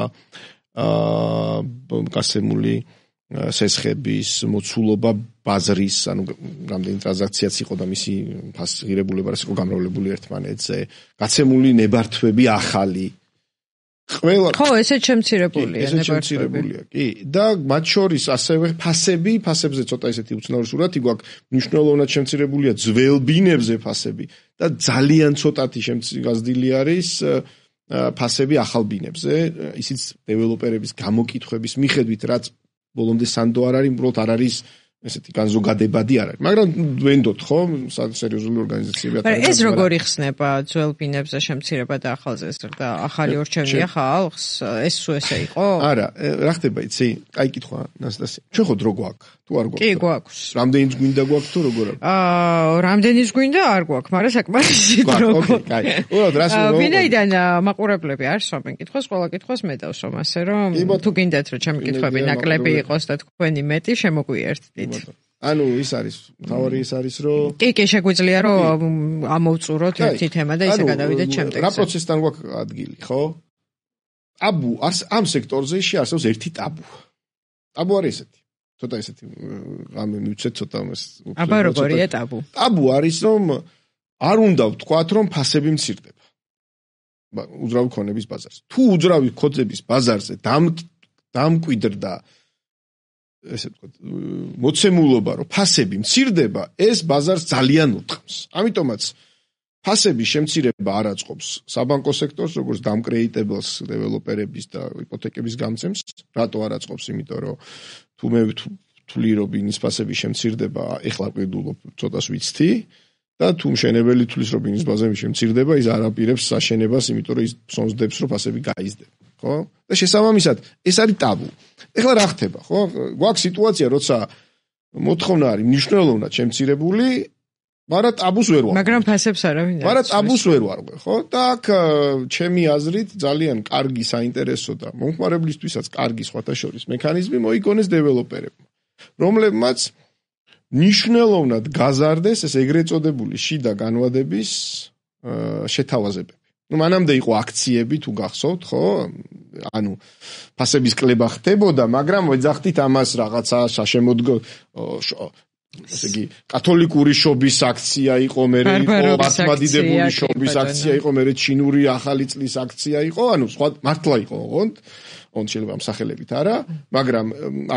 გასემული სესხების მოცულობა ბაზრის, ანუ რამდენი ტრანზაქციაც იყო და მისი ფასღირებულება რაც იყო გამრავლებული ერთმანეთზე, გაცემული ნებართვები ახალი. ყველა ხო, ესეც შემცირებულია ნებართვები. კი, და მათ შორის ასევე ფასებზე ცოტა ესეთი უცნაური სურათი გვაქვს, მნიშვნელოვნად შემცირებულია ძველ ბინებზე ფასები და ძალიან ცოტათი გაზრდილი არის ფასები ახალ ბინებზე, ისიც დეველოპერების გამოკითხვების მიხედვით, რაც ბოლომდე სანდო არ არის, უბრალოდ არ არის ესეთი განზოგადებადი არ არის. მაგრამ ვენდოთ, ხო, სერიოზული ორგანიზაციები აკეთებენ. ეს როგორ იხსნება ძველ ბინებზე შემცირება და ახალზე და ახალი ორჩევნია ხალხს? ეს სულ ესე იყო? არა, რა ხდება იცი? კაი კითხვა, ნასტასია. ჩვენ ხო დრო გვაქვს? თუ არ გვაქვს? კი, გვაქვს. რამდენიც გვინდა გვაქვს თუ როგორ არის? რამდენიც გვინდა არ გვაქვს, მაგრამ საკმარისი დრო გვაქვს. კაი. უბრალოდ რას ვინაიდან მაყურებლები არ სვამენ კითხვას, ყველა კითხვას მე დავსვამ, ასე რომ თუ გინდათ რომ ჩემი კითხვები ნაკლები იყოს და თქვენი მეტი შემოგვიერთდით. ანუ ის არის, თავარი ის არის, რომ კი, შეგვიძლია რომ ამოვწუროთ ერთი თემა და ისე გადავიდეთ შემდეგზე. რა პროცესთან გვაქვს ადგილი, ხო? ტაბუ ამ სექტორზე შეარსებს ერთი ტაბუ. ტაბუ არის ესეთი. ცოტა ესეთი ამ მივცეთ ცოტა ამას. აბა როგორია ტაბუ? ტაბუ არის, რომ არ უნდა ვთქვათ, რომ ფასები მცირდება. უძრავი ქონების ბაზარზე. თუ უძრავი ქონების ბაზარზე დამკვიდრდა ესე ვთქვათ, მოცემულობა, რომ ფასები მცირდება, ეს ბაზარს ძალიან უტყამს. ამიტომაც ფასების შემცირება არ აწყობს საბანკო სექტორს, როგორც დამკრედიტებელს დეველოპერების და იპოთეკების გამცემს. რატო არ აწყობს? იმიტომ რომ თუ მე ვთვლი, რომ ბინის ფასები შემცირდება, ეხლა ვყიდულობ ცოტას ვიცთი და თუ მშენებელი თვლის, რომ ბინის ფასები შემცირდება, ის არ აპირებს საშენებას, იმიტომ რომ ის სონძდებს, რომ ფასები გაიზრდება. ხო? და შესაბამისად, ეს არის ტაბუ. ეხლა რა ხდება, ხო? გვაქვს სიტუაცია, როცა მოთხოვნა არის მნიშვნელოვნად შემცირებული, მაგრამ ტაბუს ვერ ვარღვევ. მაგრამ ფასებს არავინ არ. მაგრამ ტაბუს ვერ ვარღვევ, ხო? და აქ ჩემი აზრით ძალიან კარგი საინტერესო და მომხმარებლისთვისაც კარგი სხვათა შორის მექანიზმი მოიგონეს დეველოპერებმა, რომლებმაც მნიშვნელოვნად გაზარდეს ეს ეგრეთ წოდებული შიდა განვადების შეთავაზებები. ну მანამდე იყო აქციები თუ გახსოვთ, ხო? ანუ ფასების კლება ხდებოდა, მაგრამ ვეძახდით ამას რაღაცა საშემოდგო ესე იგი კათოლიკური შობის აქცია იყო, მერე იყო მართლმადიდებელი შობის აქცია იყო, მერე ჩინური ახალი წლის აქცია იყო, ანუ სხვა მართლა იყო, ოღონდ შეიძლება მსახელებით არა, მაგრამ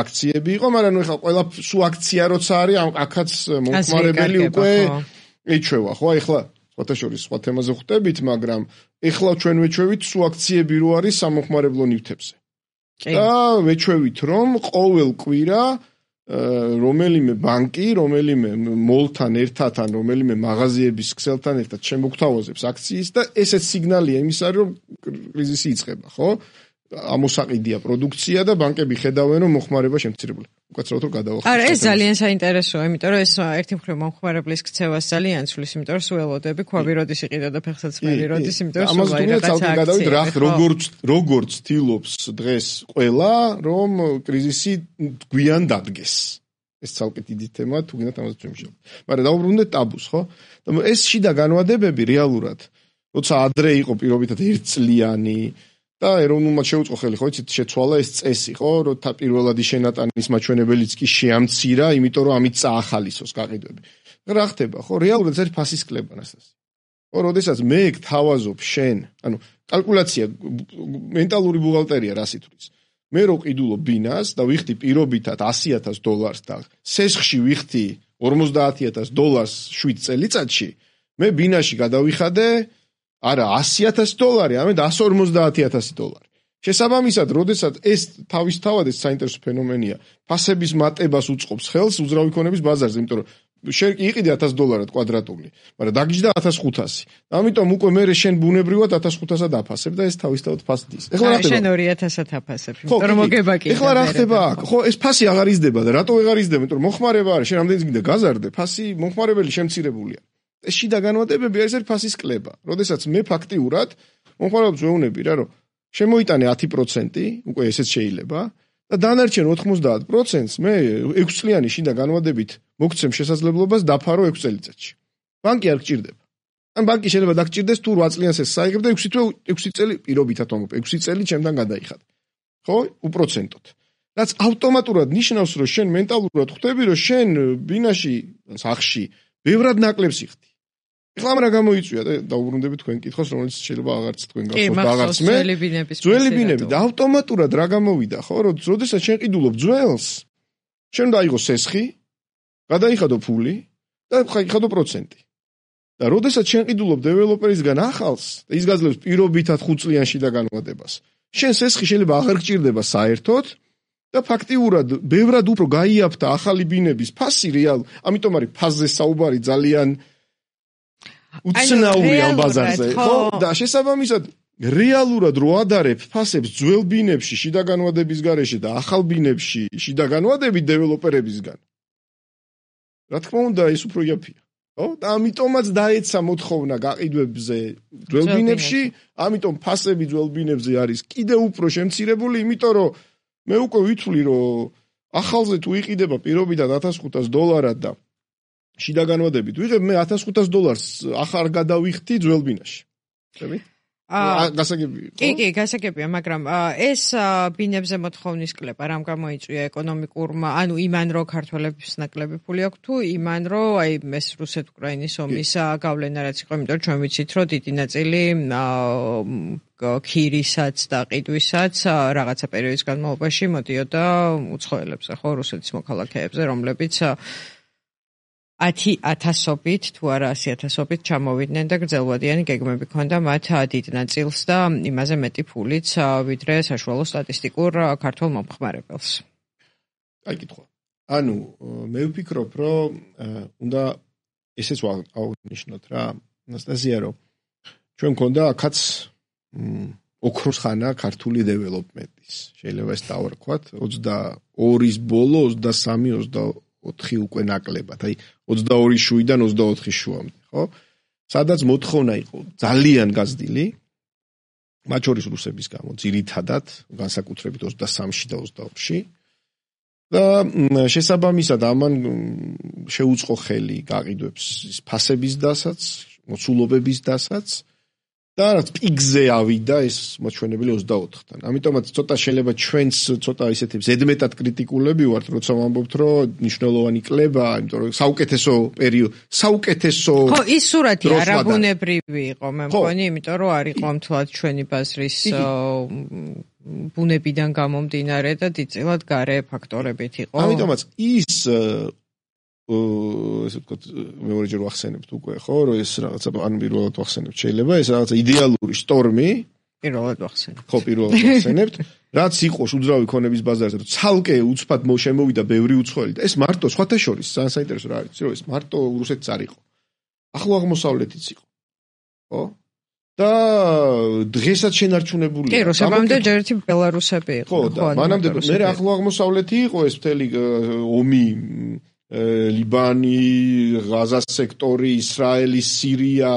აქციები იყო, მაგრამ ნუ ეხლა ყველა სუ აქცია როცა არის, აქაც მომხმარებელი უკვე ეჩვევა, ხო? ეხლა სხვათა შორის სხვა თემაზე ხვდებით, მაგრამ ეხლა ჩვენ ვეჩვევით სულ აქციები რო არის სამოხმარებლო ნივთებზე. და ვეჩვევით, რომ ყოველ კვირა რომელიმე ბანკი, რომელიმე მოლთან ერთად ან რომელიმე მაღაზიების ქსელთან ერთად შემოგთავაზებს აქციის და ესეც სიგნალია იმისა, რომ კრიზისი იწყება, ხო? ამოსაყიდია პროდუქცია და ბანკები ხედავენ, რომ მოხმარება შემცირებული. უკაცრავად რომ გადავახოთ. არა, ეს ძალიან საინტერესოა, იმიტომ რომ ეს ერთი მხრივ მომხმარებლის ქცევას ძალიან ცვლის, იმიტომ რომ სულელოდები ქვაბი როდის იყიდა და ფეხსაცმელი როდის, იმიტომ რომ სულ რაღაცა აქცია. როგორც თილობს დღეს ყველა, რომ კრიზისი გვიან დადგეს. ეს ცალკე დიდი თემაა, თუ გინდათ ამაზე ვიმუშაოთ. მაგრამ დაუბრუნდეთ ტაბუს, ხო? ეს შიდა განვადებები რეალურად, როცა ადრე იყო პირობითად ერთწლიანი და ეროვნულმა შეუწყო ხელი, ხო, იცით, შეცვალა ეს წესი, ხო, რომ პირველადი შენატანის მაჩვენებელიც კი შეამცირა, იმიტომ რომ ამით წაახალისოს გაყიდვები. რა ხდება, ხო, რეალურად ეს ფასის კლება ნასტასი. ხო, როდესაც მე გთავაზობ შენ, ანუ კალკულაცია, მენტალური ბუღალტერია რას ითვლის. მე რო ყიდულობ ბინას და ვიხდი პირობითად $100,000 და სესხში ვიხდი $50,000 7 წელიწადში, მე ბინაში გადავიხადე არა $100,000, ამედ $150,000. შესაბამისად, როდესაც ეს თავისთავად ეს საინტერესო ფენომენია, ფასების მატებას უწყობს ხელს უძრავი ქონების ბაზარზე, იმიტომ რომ შენ იყიდე $1,000 კვადრატული, მაგრამ დაგიჯდა 1,500. ამიტომ უკვე მე შენ ბუნებრივად 1,500-ად აფასებ და ეს თავისთავად ფასდის. ეხლა რა ხდება? შენ 2,000-ად აფასებ, იმიტომ რომ მოგება კი. ეხლა რა ხდება აქ? ხო, ეს ფასი აღარ იზრდება და რატო აღარ იზრდება? იმიტომ რომ მოხმარება არის, შენ ამდენიც გინდა გაზარდე, ფასი მომხმარებელი შემცირებულია. ეს შიდა განვადებები არის ფასის კლება. როდესაც მე ფაქტიურად მომხმარებლებს ვეუბნები რა, რომ შემოიტანე 10%, უკვე ესეც შეიძლება და დანარჩენ 90%-ს მე 6 წლიანი შიდა განვადებით მოგცემ შესაძლებლობას დაფარო 6 წელიწადში. ბანკი არ გჭირდება. ან ბანკი შეიძლება დაგჭირდეს თუ 8 წლიანს ეს საიღებ და 6 წელი პირობითად ვამბობ, 6 წელი ჩემთან გადაიხად. ხო? უპროცენტოდ. რაც ავტომატურად ნიშნავს, რომ შენ მენტალურად ხვდები, რომ შენ ბინაში, სახში ბევრად ნაკლებს იხდი. ეხლა რა გამოიწვია და დაუბრუნდებით თქვენ კითხოს, რომელიც შეიძლება აღარც თქვენ გახსოვთ და აღარც მე. ძველი ბინები და ავტომატურად რა გამოვიდა, ხო, რომ როდესაც შენ ყიდულობ ძველს, შენ დაიღო სესხი, გადაიხადო ფული და ხადო პროცენტი. და როდესაც შენ ყიდულობ დეველოპერისგან ახალს და ის გაძლევს პირობითად 5 წლიანში და განვადებას, შენ სესხი შეიძლება აღარ გჭირდება საერთოდ და ფაქტიურად ბევრად უფრო გაიაფთა ახალი ბინების ფასი რეალ, ამიტომ არის ფასზე საუბარი ძალიან უცნაური ამ ბაზარზე, ხო? და შესაბამისად რეალურად რო ადარებ ფასებს ძველ ბინებში შიდა განვადების გარეშე და ახალ ბინებში შიდა განვადებით დეველოპერებისგან. რა თქმა უნდა, ეს უფრო იაფია. ხო? და ამიტომაც დაეცა მოთხოვნა გაყიდვებზე ძველ ბინებში, ამიტომ ფასები ძველ ბინებზე არის კიდევ უფრო შემცირებული, იმიტომ რომ მე უკვე ვითვლი, რომ ახალზე თუ იყიდება პირობითად $1,500 და შიდა განვადებით ვიღებ მე $1,500 ახარ გადავიხდი ძველ ბინაში. ხები? გასაგებია. კი, გასაგებია, მაგრამ ეს ბინებზე მოთხოვნის კლება რამ გამოიწვია ეკონომიკურმა, ანუ იმან რომ ქართველების ნაკლები ფული აქვს თუ იმან რომ აი ეს რუსეთ-უკრაინის ომის გავლენა რაც იყო, იმიტომ რომ ჩვენ ვიცით რომ დიდი ნაწილი ქირისაც და ყიდვისაც რაღაცა პერიოდის განმავლობაში მოდიოდა უცხოელებზე, ხო, რუსეთის მოქალაქეებზე, რომლებიც 10,000-ობით თუ არა 100,000-ობით ჩამოვიდნენ და გრძელვადიანი გეგმები ჰქონდა მათ დიდ ნაწილს და იმაზე მეტი ფულიც ვიდრე საშუალო სტატისტიკურ ქართულ მომხმარებელს. აი კითხვა. ანუ მე ვფიქრობ, რომ უნდა ესეც აღნიშნოთ რა, ანასტაზია, რომ ჩვენ მქონდა აქაც ოქროს ხანა ქართული დეველოპმენტის. შეიძლება ეს დავარქვათ 22-ის ბოლო 23-24 უკვე ნაკლებად, აი 22 შუიდან 24 შუამდე, ხო? სადაც მოთხოვნა იყო ძალიან გაზრდილი, მათ შორის რუსების გამო, ძირითადად, განსაკუთრებით 23-ში და 24-ში. და შესაბამისად ამან შეუწყო ხელი გაყიდვებს ფასების დასაც, მოცულობების დასაც და რაც პიკზე ავიდა ეს მოჩვენებელი 24-დან. ამიტომაც ცოტა შეიძლება ჩვენს ცოტა ისეთი ზედმეტად კრიტიკულები ვართ, როცა ვამბობთ, რომ ნიშნულოვანი კლება, იმიტომ რომ საუკეთესო პერიოდი, საუკეთესო ხო, ის სურათი არაბუნებრივი იყო, მე მგონი, იმიტომ რომ არ იყო მთლად ჩვენი ბაზრის ბუნებიდან გამომდინარე და დიდწილად გარე ფაქტორებით იყო. ამიტომაც ის ესე ვთქვათ, მეორეჯერ ვახსენებთ უკვე, ხო, რომ ეს რაღაცა ან პირველად ვახსენებთ, შეიძლება ეს რაღაცა იდეალური შტორმი პირველად ვახსენებთ. ხო, პირველად ვახსენებთ, რაც იყო უძრავი ქონების ბაზარზე, რომ ცალკე უცბად შემოვიდა ბევრი უცხოელი და ეს მარტო სხვათა შორის ძალიან საინტერესო რა არის, რომ ეს მარტო რუსეთიც არ იყო. ახლო აღმოსავლეთიც იყო. ხო? და დღესაც შენარჩუნებულია. კი, რუსებამდე ჯერეთი ბელარუსები იყო. ხო, და მანამდე მე ახლო აღმოსავლეთი იყო ეს მთელი ომი ლიბანი, ღაზას სექტორი, ისრაელი, სირია.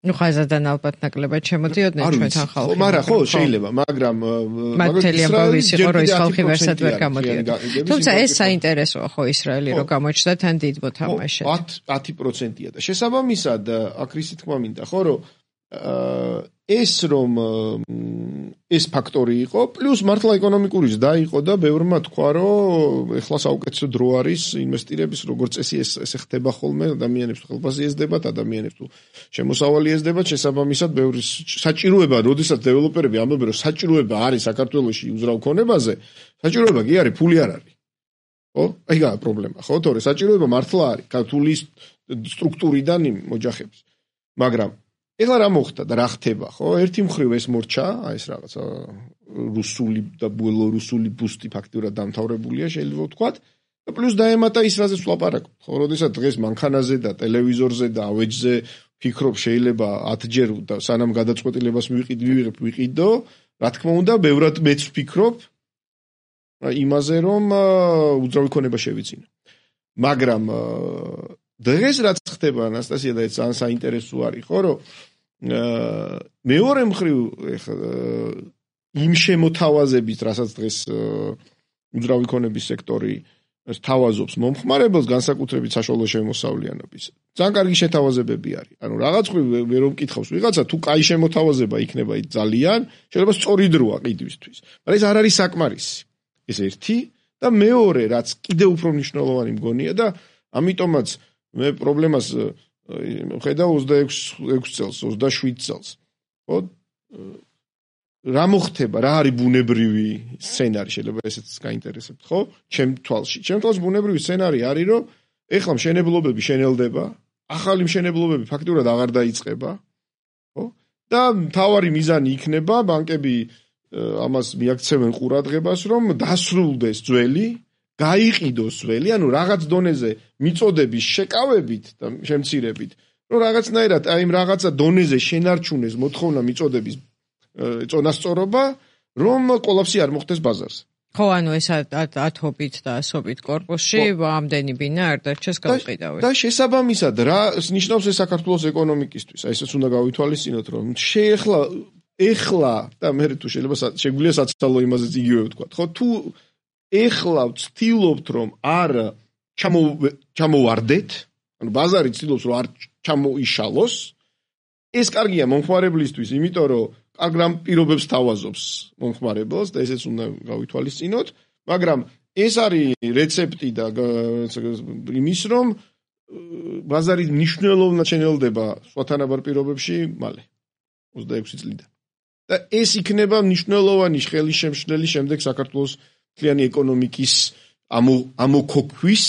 ნუ ღაზადან ალბათ ნაკლებად შემოდიოდნენ ჩვენთან ხალხი. მაგრამ ხო, შეიძლება, მაგრამ მთელი ამბავი ის იყო, რომ ის ხალხი ვერსად ვერ გამოდიოდა. თუმცა ეს საინტერესოა ხო ისრაელი რომ გამოჩნდა თან დიდ მოთამაშედ. 10%-ია და შესაბამისად აქ რისი თქმა მინდა, ხო, რომ ეს რომ ეს ფაქტორი იყო, პლუს მართლა ეკონომიკური ზრდა იყო და ბევრმა თქვა, რომ ეხლა საუკეთესო დრო არის ინვესტირების, როგორც წესი ეს ხდება ხოლმე, ადამიანებს ხელფასი ეზდებათ, ადამიანებს თუ შემოსავალი ეზდებათ, შესაბამისად ბევრი საჭიროება, როდესაც დეველოპერები ამბობენ, რომ საჭიროება არის საქართველოში უძრავ ქონებაზე, საჭიროება კი არის, ფული არ არის. ხო? აიგაა პრობლემა, ხო? თორე საჭიროება მართლა არის, ქართული სტრუქტურიდან მოჯახების. მაგრამ ეხლა რა მოხდა და რა ხდება, ხო? ერთი მხრივ ეს მორჩა, აი ეს რაღაცა რუსული და ბელორუსული ბუსტი ფაქტურად დამთავრებულია, შეიძლება ვთქვათ. და პლუს დაემატა ის რაზეც ვლაპარაკობთ, ხო? როდესაც დღეს მანქანაზე და ტელევიზორზე და ავეჯზე ფიქრობ შეიძლება 10 ჯერ და სანამ გადაწყვეტილებას ვიყიდო, რა თქმა უნდა, ბევრად მეც ვფიქრობ იმაზე, რომ უძრავი ქონება შევიძინო. მაგრამ დღეს რაც ხდება, ანასტასია, და ეს ძალიან საინტერესო არის, ხო, რომ მეორე მხრივ იმ შემოთავაზებით, რასაც დღეს უძრავი ქონების სექტორი თავაზობს მომხმარებელს, განსაკუთრებით საშუალო შემოსავლიანობის. ძალიან კარგი შეთავაზებები არის. ანუ რაღაც მხრივ ვერ ვკითხავს ვიღაცა, თუ კაი შემოთავაზება იქნება ძალიან, შეიძლება სწორი დროა ყიდვისთვის. მაგრამ ეს არ არის საკმარისი. ეს ერთი და მეორე, რაც კიდევ უფრო მნიშვნელოვანი მგონია და ამიტომაც მე პრობლემას ხედავ 26 წელს, 27 წელს. ხო? რა მოხდება, რა არის ბუნებრივი სცენარი, შეიძლება ესეც გაინტერესებთ, ხო? ჩემ თვალში ბუნებრივი სცენარი არის, რომ ეხლა მშენებლობები შენელდება, ახალი მშენებლობები ფაქტურად აღარ დაიწყება, ხო? და მთავარი მიზანი იქნება ბანკები ამას მიაქცევენ ყურადღებას, რომ დასრულდეს ძველი, გაიყიდოს ძველი, ანუ რაღაც დონეზე მიწოდების შეკავებით და შემცირებით, რომ რაღაცნაირად აი იმ რაღაცა დონეზე შენარჩუნეს მოთხოვნა მიწოდების წონასწორობა, რომ კოლაფსი არ მოხდეს ბაზარზე. ხო, ანუ ეს ათობით და ასობით корпуსში ამდენი ბინა არ დარჩეს გაუყიდავი. და შესაბამისად რა ნიშნავს ეს საქართველოს ეკონომიკისთვის? აი ესეც უნდა გავითვალისწინოთ, რომ ეხლა და მე თუ შეიძლება შეგვიძლია საცალო იმაზეც იგივე ვთქვა, ხო? თუ ეხლა ვცდილობთ, რომ არ ჩამოვარდეთ, ანუ ბაზარი ცდილობს, რომ არ ჩამოიშალოს, ეს კარგია მომხმარებლისთვის, იმიტომ რომ კარგ პირობებს თავაზობს მომხმარებელს და ესეც უნდა გავითვალისწინოთ, მაგრამ ეს არის რეცეპტი და იმის, რომ ბაზარი მნიშვნელოვნად შენელდება სხვათანაბარ პირობებში მალე 26 წლიდან. და ეს იქნება მნიშვნელოვანი ხელისშემშლელი შემდეგ საქართველოს მთლიანი ეკონომიკის ამოქოქვის,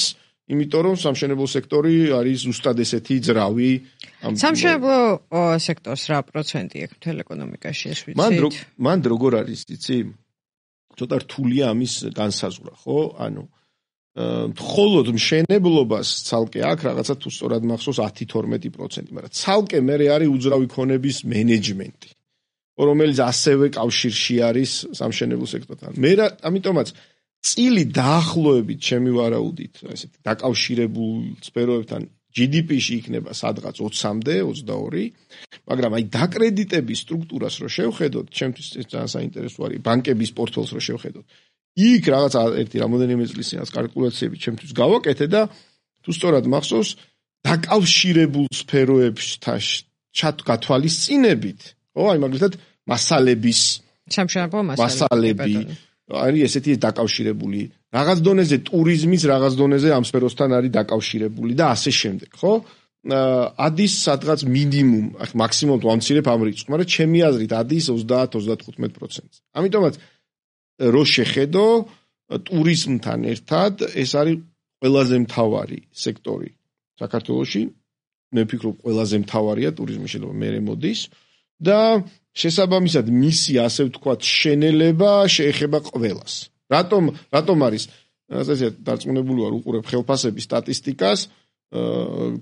იმიტომ რომ სამშენებლო სექტორი არის ზუსტად ესეთი ძრავი. სამშენებლო სექტორს რა პროცენტი აქვს მთელ ეკონომიკაში, ეს ვიცით? მან როგორ არის, იცი? ცოტა რთულია ამის განსაზღვრა, ხო? ანუ მხოლოდ მშენებლობას ცალკე აქ რაღაცა თუ სწორად მახსოვს 10-12%, მაგრამ ცალკე მე არის უძრავი ქონების მენეჯმენტი, რომელიც ასევე კავშირში არის სამშენებლო სექტორთან. მე ამიტომაც წილი დაახლოებით ჩემი ვარაუდით, ესეთი დაკავშირებულ სფეროებთან GDP-ში იქნება სადღაც 20-მდე, 22, მაგრამ აი დაკრედიტების სტრუქტურას რო შევხედოთ, ჩემთვის ეს ძალიან საინტერესო არის, ბანკების პორტფელს რო შევხედოთ. იქ რაღაც ერთი რამოდენიმე წლის წინ კალკულაციები ჩემთვის გავაკეთე და თუ სწორად მახსოვს, დაკავშირებულ სფეროებთან გათვალისწინებით, ხო, აი მაგალითად მასალების სამშენებლო მასალები არის ესეთი დაკავშირებული. რაღაც დონეზე ტურიზმის, რაღაც დონეზე ამ სფეროსთან არის დაკავშირებული და ასე შემდეგ, ხო? ადის სადღაც მინიმუმ, მაქსიმუმ თუ ამცირებ ამ რიცხვს, მაგრამ ჩემი აზრით ადის 30-35%. ამიტომაც რო შეხედო ტურიზმთან ერთად ეს არის ყველაზე მთავარი სექტორი საქართველოში, მე ვფიქრობ, ყველაზე მთავარია ტურიზმი, შეიძლება მერე მოდის და შესაბამისად მისი ასე ვთქვათ შენელება შეეხება ყველას. რატომ არის ასე დარწმუნებული ვარ უყურებ ხელფასების სტატისტიკას,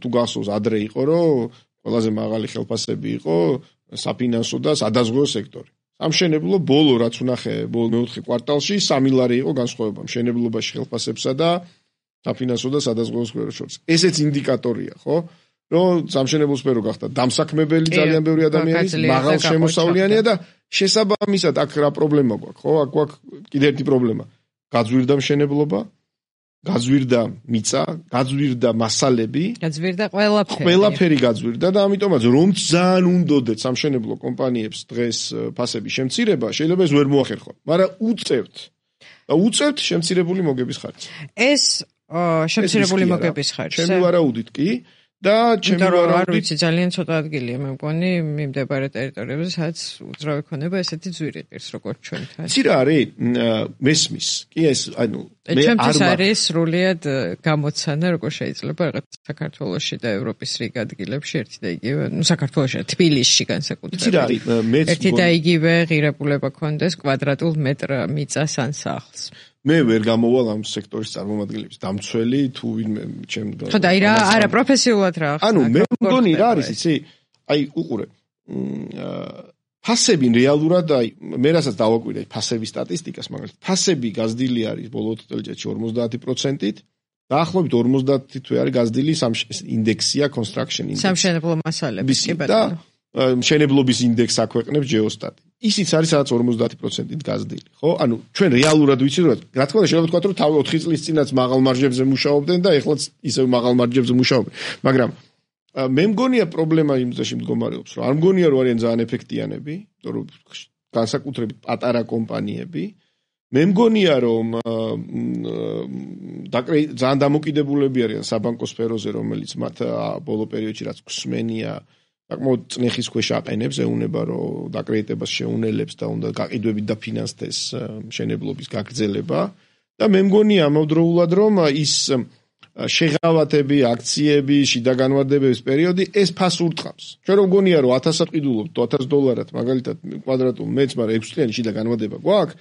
თუ გახსოვს ადრე იყო, რომ ყველაზე მაღალი ხელფასები იყო საფინანსო და სადაზღვევო სექტორი. სამშენებლო ბოლო რაც ვნახე მეოთხე კვარტალში 3 ლარი იყო განსხვავება მშენებლობაში ხელფასებსა და საფინანსო და სადაზღვევო სფეროს შორის. ესეც ინდიკატორია, ხო? რომ სამშენებლო სფერო გახდა დამსაქმებელი ძალიან ბევრი ადამიანის, მაღალ შემოსავლიანია და შესაბამისად აქ რა პრობლემა გვაქვს, ხო? აქ გვაქვს კიდევ ერთი პრობლემა. გაძვირდა მშენებლობა, გაძვირდა მიწა, გაძვირდა მასალები, გაძვირდა ყველაფერი. ყველაფერი გაძვირდა და ამიტომაც რომ ძალიან უნდოდეთ სამშენებლო კომპანიებს დღეს ფასების შემცირება, შეიძლება ეს ვერ მოახერხონ, მაგრამ უწევთ შემცირებული მოგების ხარჯს. ეს შემცირებული მოგების ხარჯს. ჩემი ვარაუდით კი და ჩემი არ ვიცი ძალიან ცოტა ადგილია მე მგონი მიმდებარე ტერიტორიებზე სადაც უძრავი ქონება ესეთი ძვირი პირს როგორც ჩვენთან. იცი რა არის მესმის კი ეს ჩემთვის არის სრულიად გამოცანა როგორ შეიძლება რაღაც საქართველოში და ევროპის რიგ ადგილებში ერთი და იგივე საქართველოში თბილისში განსაკუთრებით. იცი რა არის ერთი და იგივე ღირებულება ქონდეს კვადრატულ მეტრ მიწას ან სახლს. მე ვერ გამოვალ ამ სექტორის წარმომადგენლების დამცველი თუ ვინმე ჩემ ხო და არა პროფესიულად რა ანუ მე მგონი რა არის იცი აი უყურე ფასები რეალურად აი მე რასაც დავაკვირდი ფასების სტატისტიკას მაგალითად ფასები გაზრდილი არის ბოლო წელიწადში 50%-ით დაახლოებით 50 თვე არის გაზრდილი ინდექსია construction index სამშენებლო მასალების კი ბატონო მშენებლობის ინდექსს აქვეყნებს GeoStat. ისიც არის სადაც 50%-ით გაზრდილი, ხო? ანუ ჩვენ რეალურად ვიცით, რომ რა თქმა უნდა შეიძლება ვთქვათ, რომ თავი 4 წლის წინაც მაღალ მარჟებზე მუშაობდნენ და ეხლაც ისევ მაღალ მარჟებზე მუშაობენ. მაგრამ მე მგონია პრობლემა იმ ძაში მდგომარეობს, რომ არ მგონია რომ არიან ძალიან ეფექტიანები, იმიტომ რომ განსაკუთრებით პატარა კომპანიები. მე მგონია რომ ძალიან დამოკიდებულები არიან საბანკო სფეროზე, რომელიც მათ ბოლო პერიოდში რაც გვსმენია საკმაოდ წნეხის ქვეშ აყენებს, ეუნება რომ დაკრედიტებას შეუნელებს და უნდა გაყიდვებით დაფინანსდეს მშენებლობის გაგრძელება და მე მგონია ამავდროულად რომ ის შეღავათები, აქციები, შიდა განმარტებების პერიოდი ეს ფასს ურტყამს. ჩვენ რომ მგონია რომ 1000-ად ყიდულობთ, $1000 მაგალითად კვადრატულ მეტრს, მაგრამ 6 წლიანი შიდა განმარტება გვაქვს,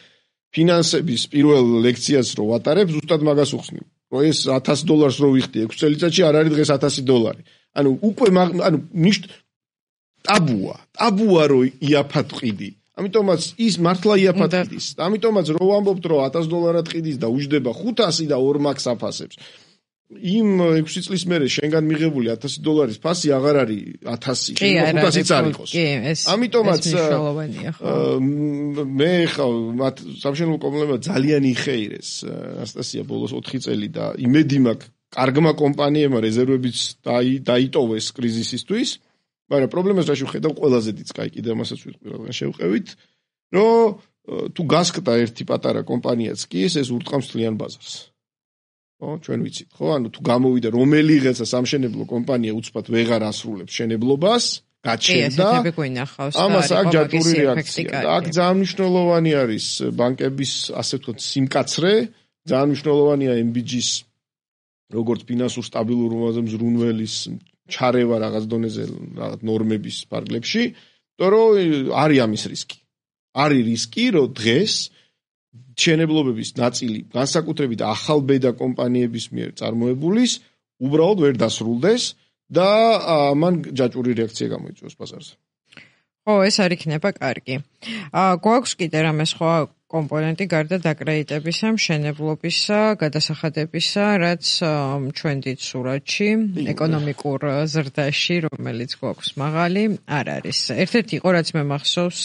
ფინანსების პირველ ლექციას რო ვატარებ, ზუსტად მაგას უხსნი. რომ ეს $1000 რო ვიხდი 6 წელიწადში არ არის დღეს $1000. ანუ უკვე ტაბუა რო იაფად ყიდი. ამიტომაც ის მართლა იაფად ყიდის. ამიტომაც რო ვამბობთ რომ $1000-ად ყიდის და უჯდება 500 და 2 მაქს აფასებს. იმ 6 წლის მერე შენგან მიღებული $1000 ფასი აღარ არის 1000, შეიძლება 500-იც არ იყოს. ამიტომაც მე ხა მათ სამშენებლო კომპანიებმა ძალიან იხეირეს ანასტასია ბოლოს 4 წელი და იმედი მაქვს კარგმა კომპანიებმა რეზერვებიც დაიტოვეს კრიზისისთვის. მაგრამ პრობლემას რა შევხედავ ყველაზე დიდს კაი კიდევ მასაც ვიტყვი რადგან შევყევით რომ თუ გასკდა ერთი პატარა კომპანიაც კი ეს ურტყამს თლიან ბაზარს ხო ჩვენ ვიცით ხო ანუ თუ გამოვიდა რომელიღაცა სამშენებლო კომპანია უცბად ვეღარ ასრულებს შენებლობას გაჩერდა ამას აქ ჯაჭვური რეაქცია და აქ ძალიან მნიშვნელოვანი არის ბანკების ასე ვთქვათ სიმკაცრე ძალიან მნიშვნელოვანია MBG-ს როგორც ფინანსურ სტაბილურობაზე მზრუნველის ჩარევა რაღაც დონეზე რაღაც ნორმების ფარგლებში, იმიტომ რომ არის ამის რისკი. არის რისკი, რომ დღეს მშენებლობების ნაწილი განსაკუთრებით ახალბედა კომპანიების მიერ წარმოებულის უბრალოდ ვერ დასრულდეს და ამან ჯაჭვური რეაქცია გამოიწვევს ბაზარზე. ხო, ეს არ იქნება კარგი. გვაქვს კიდე რამე სხვა კომპონენტი გარდა დაკრედიტებისა, მშენებლობისა, გადასახადებისა, რაც ჩვენ დიდ სურათში, ეკონომიკურ ზრდაში, რომელიც გვაქვს მაღალი, არ არის. ერთ-ერთი იყო, რაც მე მახსოვს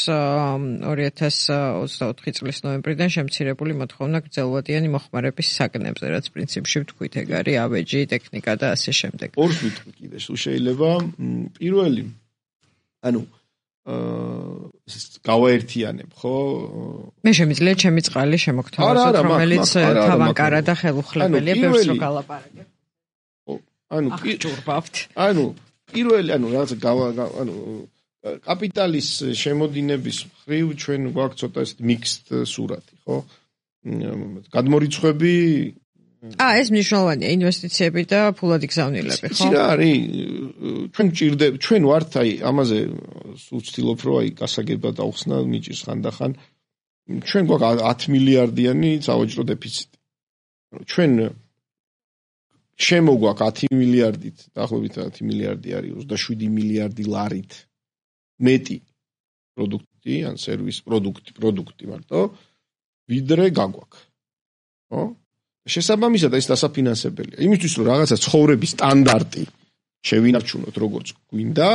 2024 წლის ნოემბრიდან შემცირებული მოთხოვნა გრძელვადიანი მოხმარების საგნებზე, რაც პრინციპში ვთქვით, ეგ არის ავეჯი, ტექნიკა და ასე შემდეგ. ორს ვიტყვი კიდე, თუ შეიძლება პირველი, ანუ გავაერთიანებ, ხო? მე შემიძლია ჩემი წყალი შემოგთავაზოთ, რომელიც თავანკარა და ხელუხლებელია, ბევრს რო გალაპარაკებ. ანუ ჭურბავთ. ანუ პირველი, ანუ რაღაც კაპიტალის შემოდინების მხრივ ჩვენ გვაქვს ცოტა mixed სურათი, ხო? გადმორიცხვები ეს მნიშვნელოვანია ინვესტიციები და ფულადი გზავნილები, ხო? იცი რა არის, ჩვენ ვართ აი ამაზე სულ ვცდილობ რომ აი გასაგება დავხსნა მიჭირს ხანდახან. ჩვენ გვაქვს 10 მილიარდიანი სავაჭრო დეფიციტი. ჩვენ შემოგვაქვს 10 მილიარდით, დაახლოებით 10 მილიარდი არის 27 მილიარდი ლარით მეტი პროდუქტი, ან სერვის პროდუქტი მარტო, ვიდრე გაგვაქვს. ხო? შესაბამისად ეს დასაფინანსებელია. იმისთვის რომ რაღაცა ცხოვრების სტანდარტი შევინარჩუნოთ როგორც გვინდა,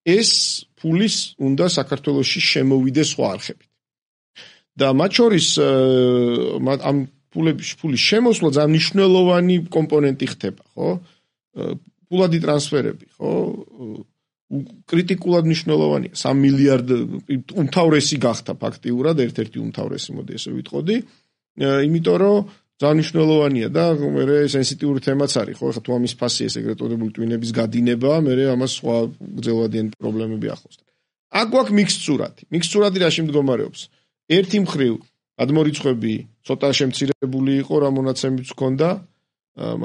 ეს ფულის უნდა საქართველოში შემოვიდეს სხვა არხებით. და მათ შორის ამ ფულის შემოსვლა ძალიან მნიშვნელოვანი კომპონენტი ხდება, ხო? ფულადი ტრანსფერები, ხო? კრიტიკულად მნიშვნელოვანია. 3 მილიარდ უმთავრესი გახდა ფაქტიურად, ერთ-ერთი უმთავრესი, მოდი ესე ვიტყოდი. იმიტომ რომ ძალიან მნიშვნელოვანია და მე სენსიტიური თემაც არის, ხო? ეხლა თუ ამის ფასი ეს ეგრეთ წოდებული ტვინების გადინება, მე ამას სხვა გრძელვადიანი პრობლემები ახლავს. აქ გვაქვს მიქსწურადი რაში მდგომარეობს? ერთი მხრივ გადმორიცხვები ცოტა შემცირებული იყო, რა მონაცემიც ჰქონდა,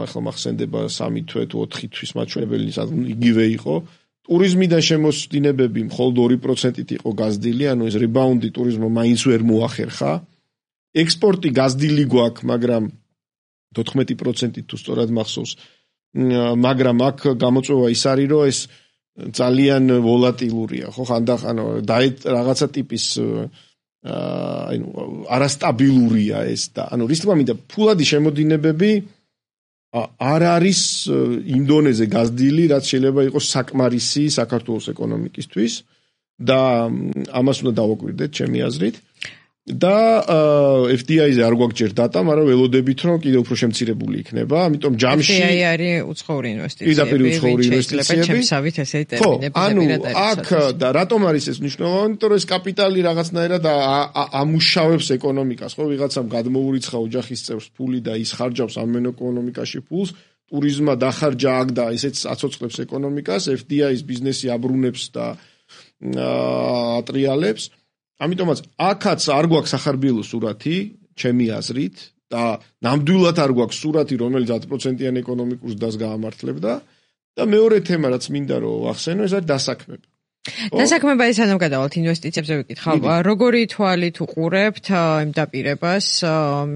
ახლა მახსენდება 3 თვე თუ 4 თვის მაჩვენებელი იგივე იყო. ტურიზმიდან შემოსდინებები მხოლოდ 2%-ით იყო გაზრდილი, ანუ ეს რიბაუნდი ტურიზმმა მაინც ვერ მოახერხა. ექსპორტი გაზრდილი გვაქვს, მაგრამ 14%-ით თუ სწორად მახსოვს, მაგრამ აქ გამოწვევა ის არის, რომ ეს ძალიან ვოლატილურია, ხო, ხანდახან რაღაცა ტიპის არასტაბილურია ეს და ანუ რის თქმა უნდა ფულადი შემოდინებები არ არის იმ დონეზე გაზრდილი, რაც შეიძლება იყოს საკმარისი საქართველოს ეკონომიკისთვის და ამას უნდა დავაკვირდეთ ჩემი აზრით. და FDI-ზე არ გვაქვს დატა, მაგრამ ველოდებით რომ კიდევ უფრო შემცირებული იქნება, ამიტომ ჯამში FDI არის უცხოური ინვესტიციები, ჩემსავით ესე ტერმინები პირადად. აქ და რატომ არის ეს მნიშვნელოვანი? იმიტომ რომ ეს კაპიტალი რაღაცნაირად ამუშავებს ეკონომიკას, ხო, ვიღაცამ გადმოურიცხა ოჯახის წევრს ფული და ის ხარჯავს ამ ეკონომიკაში ფულს, ტურიზმმა დახარჯა აქ და ესეც აცოცხლებს ეკონომიკას, FDI-ის ბიზნესი აბრუნებს და ატრიალებს. ამიტომაც აქაც არ გვაქვს სახარბიელო სურათი, ჩემი აზრით, და ნამდვილად არ გვაქვს სურათი, რომელიც 10%-იან ეკონომიკურ ზრდას გაამართლებდა და მეორე თემა, რაც მინდა რომ ვახსენო, ეს არის დასაქმება. დასაქმება ის ანუ გადავალთ ინვესტიციებზე ვიკითხავ. როგორი თვალით უყურებთ იმ დაპირებას,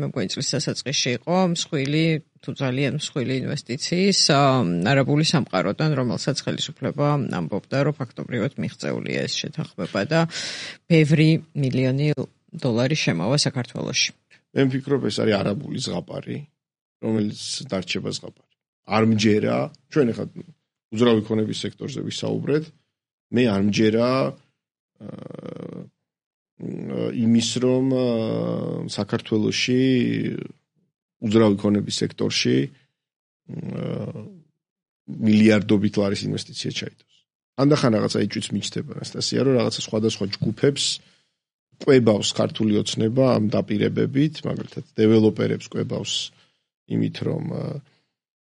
მეგონი წლის დასაწყისში იყო მსხვილი თუ ძალიან მსხვილი ინვესტიციის არაბული სამყაროდან, რომელსაც ხელისუფლება ამბობდა, რომ ფაქტობრივად მიღწეულია ეს შეთანხმება და ბევრი მილიონი დოლარი შემოვა საქართველოში. მე ვფიქრობ, ეს არის არაბული ზღაპარი, რომელიც დარჩება ზღაპარი. არ მჯერა, ჩვენ ახლა უძრავი ქონების სექტორზე ვისაუბრეთ, მე არ მჯერა იმის, რომ საქართველოში უძრავი ქონების სექტორში მილიარდობით ლარის ინვესტიცია ჩაიდოს. ანდახან რაღაცა იჭვიც მიჩნდება ანასტასია, რომ რაღაცა სხვადასხვა ჯგუფებს ყვებავს ქართული ოცნება ამ დაპირებებით, მაგალითად დეველოპერებს ყვებავს იმით, რომ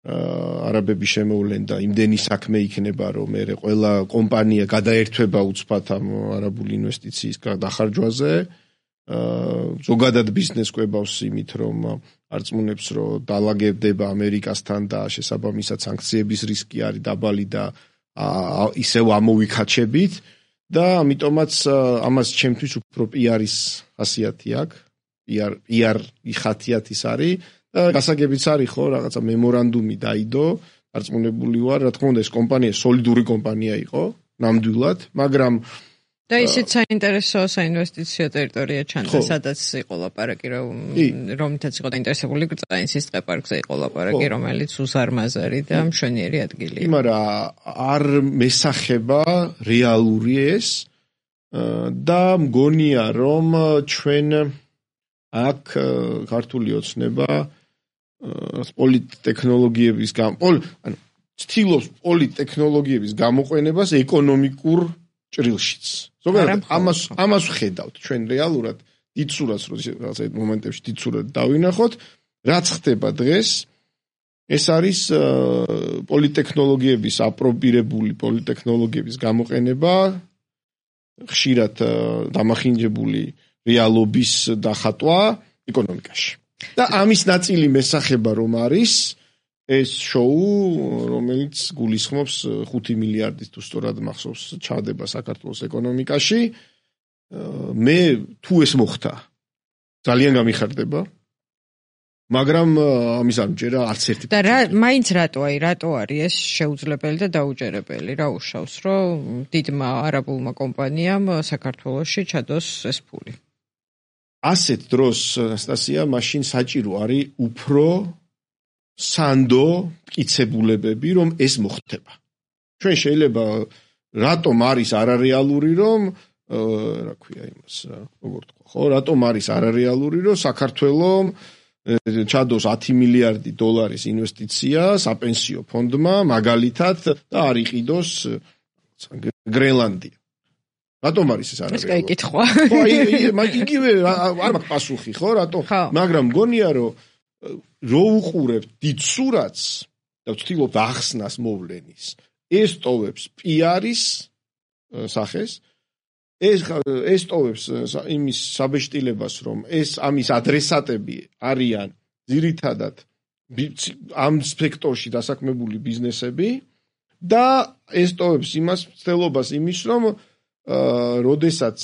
არაბები შემოვლენ და იმდენი საქმე იქნება, რომ მე ყველა კომპანია გადაერთვება უცბად ამ არაბული ინვესტიციის დახარჯვაზე. ზოგადად ბიზნეს ყვებავს იმით, რომ არწმუნებს, რომ დალაგებდება ამერიკასთან და შესაბამისად სანქციების რისკი არის დაბალი და ისევ ამოვიქაჩებით და ამიტომაც ამას ჩემთვის უფრო PR-ის ხასიათი აქვს. PR-ი ხასიათის არის და გასაგებიც არის ხო, რაღაცა მემორანდუმი დაიდო, არწმუნებული ვარ, რა თქმა უნდა ეს კომპანია სოლიდური კომპანია იყო, ნამდვილად, მაგრამ და ისიც საინტერესო საინვესტიციო ტერიტორია ჩანდა, სადაც იყო ლაპარაკი, რომლითაც იყო დაინტერესებული გრწაინსის ტყეპარკზე იყო ლაპარაკი, რომელიც უზარმაზარი და მშვენიერი ადგილია. მაგრამ არ მესახება რეალური ეს და მგონია, რომ ჩვენ აქ ქართული ოცნება პოლიტტექნოლოგიების ანუ ცდილობს პოლიტტექნოლოგიების გამოყენებას ეკონომიკურ ჭრილშიც. ზოგადად ამას ვხედავთ ჩვენ რეალურად დიდ სურათს, რაღაცა მომენტებში დიდ სურათს დავინახოთ, რაც ხდება დღეს, ეს არის პოლიტტექნოლოგიების აპრობირებული პოლიტტექნოლოგიების გამოყენება ხშირად დამახინჯებული რეალობის დახატვა ეკონომიკაში. და ამის ნაწილი მესახება რომ არის ეს შოუ, რომელიც გულისხმობს 5 მილიარდით თუ სწორად მახსოვს ჩადება საქართველოს ეკონომიკაში. მე თუ ეს მოხდა, ძალიან გამიხარდება. მაგრამ ამის არ მჯერა არც ერთი. და მაინც რატო არის ეს შეუძლებელი და დაუჯერებელი? რა უშავს, რომ დიდმა არაბულმა კომპანიამ საქართველოში ჩადოს ეს ფული? ასეთ დროს, ანასტასია, მაშინ საჭირო არის უფრო სანდო მტკიცებულებები, რომ ეს მოხდება. ჩვენ შეიძლება რატომ არის არარეალური, რომ რა ქვია იმას, როგორ თქვა, ხო, რატომ არის არარეალური, რომ საქართველოს ჩადოს 10 მილიარდი დოლარის ინვესტიცია საპენსიო ფონდმა მაგალითად და არ იყიდოს გრენლანდია. რატომ არის ეს არარეალური? ეს კაი კითხვა. ხო, იგივე არ მაქვს პასუხი, ხო, რატომ? მაგრამ მგონია, რომ რო უყურებთ დიდ სურათს და ვცდილობთ ახსნას მოვლენის, ეს ტოვებს PR-ის სახეს, ეს ტოვებს იმის საბეჭდილებას, რომ ეს ამის ადრესატები არიან ძირითადად ამ სექტორში დასაქმებული ბიზნესები და ეს ტოვებს იმას მცდელობას იმის, რომ როდესაც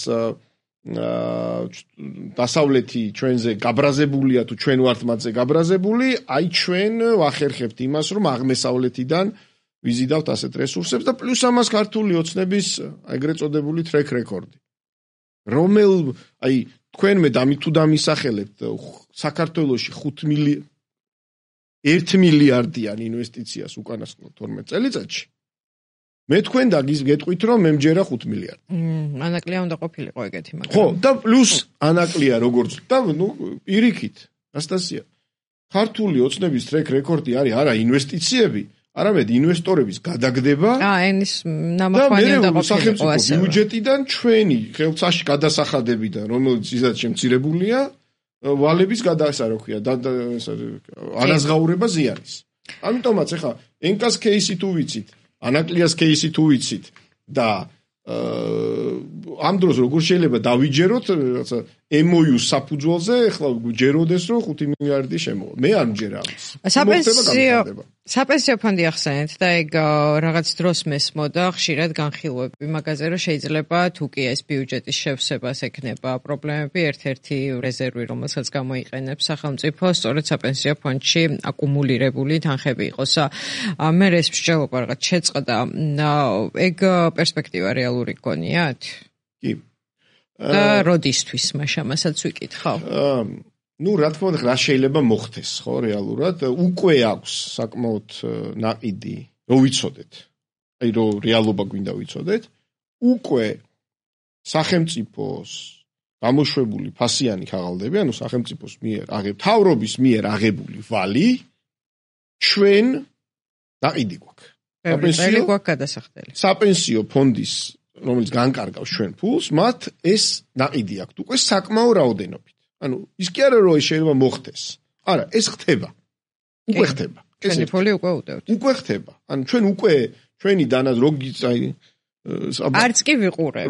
დასავლეთი ჩვენზე გაბრაზებულია თუ ჩვენ ვართ მათზე გაბრაზებული, აი ჩვენ ვახერხებთ იმას, რომ აღმოსავლეთიდან ვიზიდავთ ასეთ რესურსებს და პლუს ამას ქართული ოცნების ეგრეთ წოდებული ტრეკ რეკორდი. აი თქვენ მე თუ დამისახელებთ საქართველოში 1 მილიარდიან ინვესტიციას უკანასკნელ 12 წელიწადში. მე თქვენ გეტყვით, რომ მე მჯერა 5 მილიარდი. ანაკლია უნდა ყოფილიყო ეგეთი, მაგრამ. ხო, და პლუს ანაკლია როგორც და პირიქით, ანასტასია. ქართული ოცნების ტრეკ რეკორდი არის არა ინვესტიციები, არამედ ინვესტორების გადაგდება. ენის ნამახვანი უნდა ყოფილიყო ასე. ბიუჯეტიდან ჩვენი ხელმწაში გადასახადებიდან, რომელიც ისეთ შემცირებულია, ვალების რა ქვია, ანაზღაურება ზიანის. ამიტომაც ეხა ენკას кейსი თუ ვიცით, ანაკლიას кейსი თუ ვიცით და ამ დროს როგორ შეიძლება დავიჯეროთ რაღაცა MOU საფუძველზე, ეხლა ჯეროდეს რომ 5 მილიარდი შემოვა. მე არ მჯერა ამის. საპენსიო ფონდი ახსენეთ და ეგ რაღაც დროს მესმოდა ხშირად განხილვები მაგაზე, რომ შეიძლება თუ კი ეს ბიუჯეტის შევსებას ექნება პრობლემები, ერთ-ერთი რეზერვი, რომელსაც გამოიყენებს სახელმწიფო, სწორედ საპენსიო ფონდში აკუმულირებული თანხები იყოს. მე ეს მსჯელობა რაღაც შეწყდა, ეგ პერსპექტივა რეალური გქონიათ? კი. და როდისთვის მაშამასაც ვიკითხავ? რა თქმა უნდა, რა შეიძლება მოხდეს, ხო, რეალურად უკვე აქვს საკმაოდ ნაყიდი, რომ ვიცოდეთ. აი, რომ რეალობა გვინდა ვიცოდეთ, უკვე სახელმწიფოს გამოშვებული ფასიანი ქაღალდები, ანუ სახელმწიფოს მიერ თავრობის მიერ აღებული ვალი ჩვენ ნაყიდი გვაქვს. პენსიო გვაქვს გადასახდელი. საპენსიო ფონდის, რომელიც განკარგავს ჩვენ ფულს, მათ ეს ნაყიდი აქვთ უკვე საკმაო რაოდენობით. ანუ ის კი არა რომ შეიძლება მოხდეს. არა, ეს ხდება. უკვე ხდება. ჩვენი ფული უკვე უდევთ. უკვე ხდება. ანუ ჩვენ უკვე ჩვენი დანას არც კი ვიყურებ.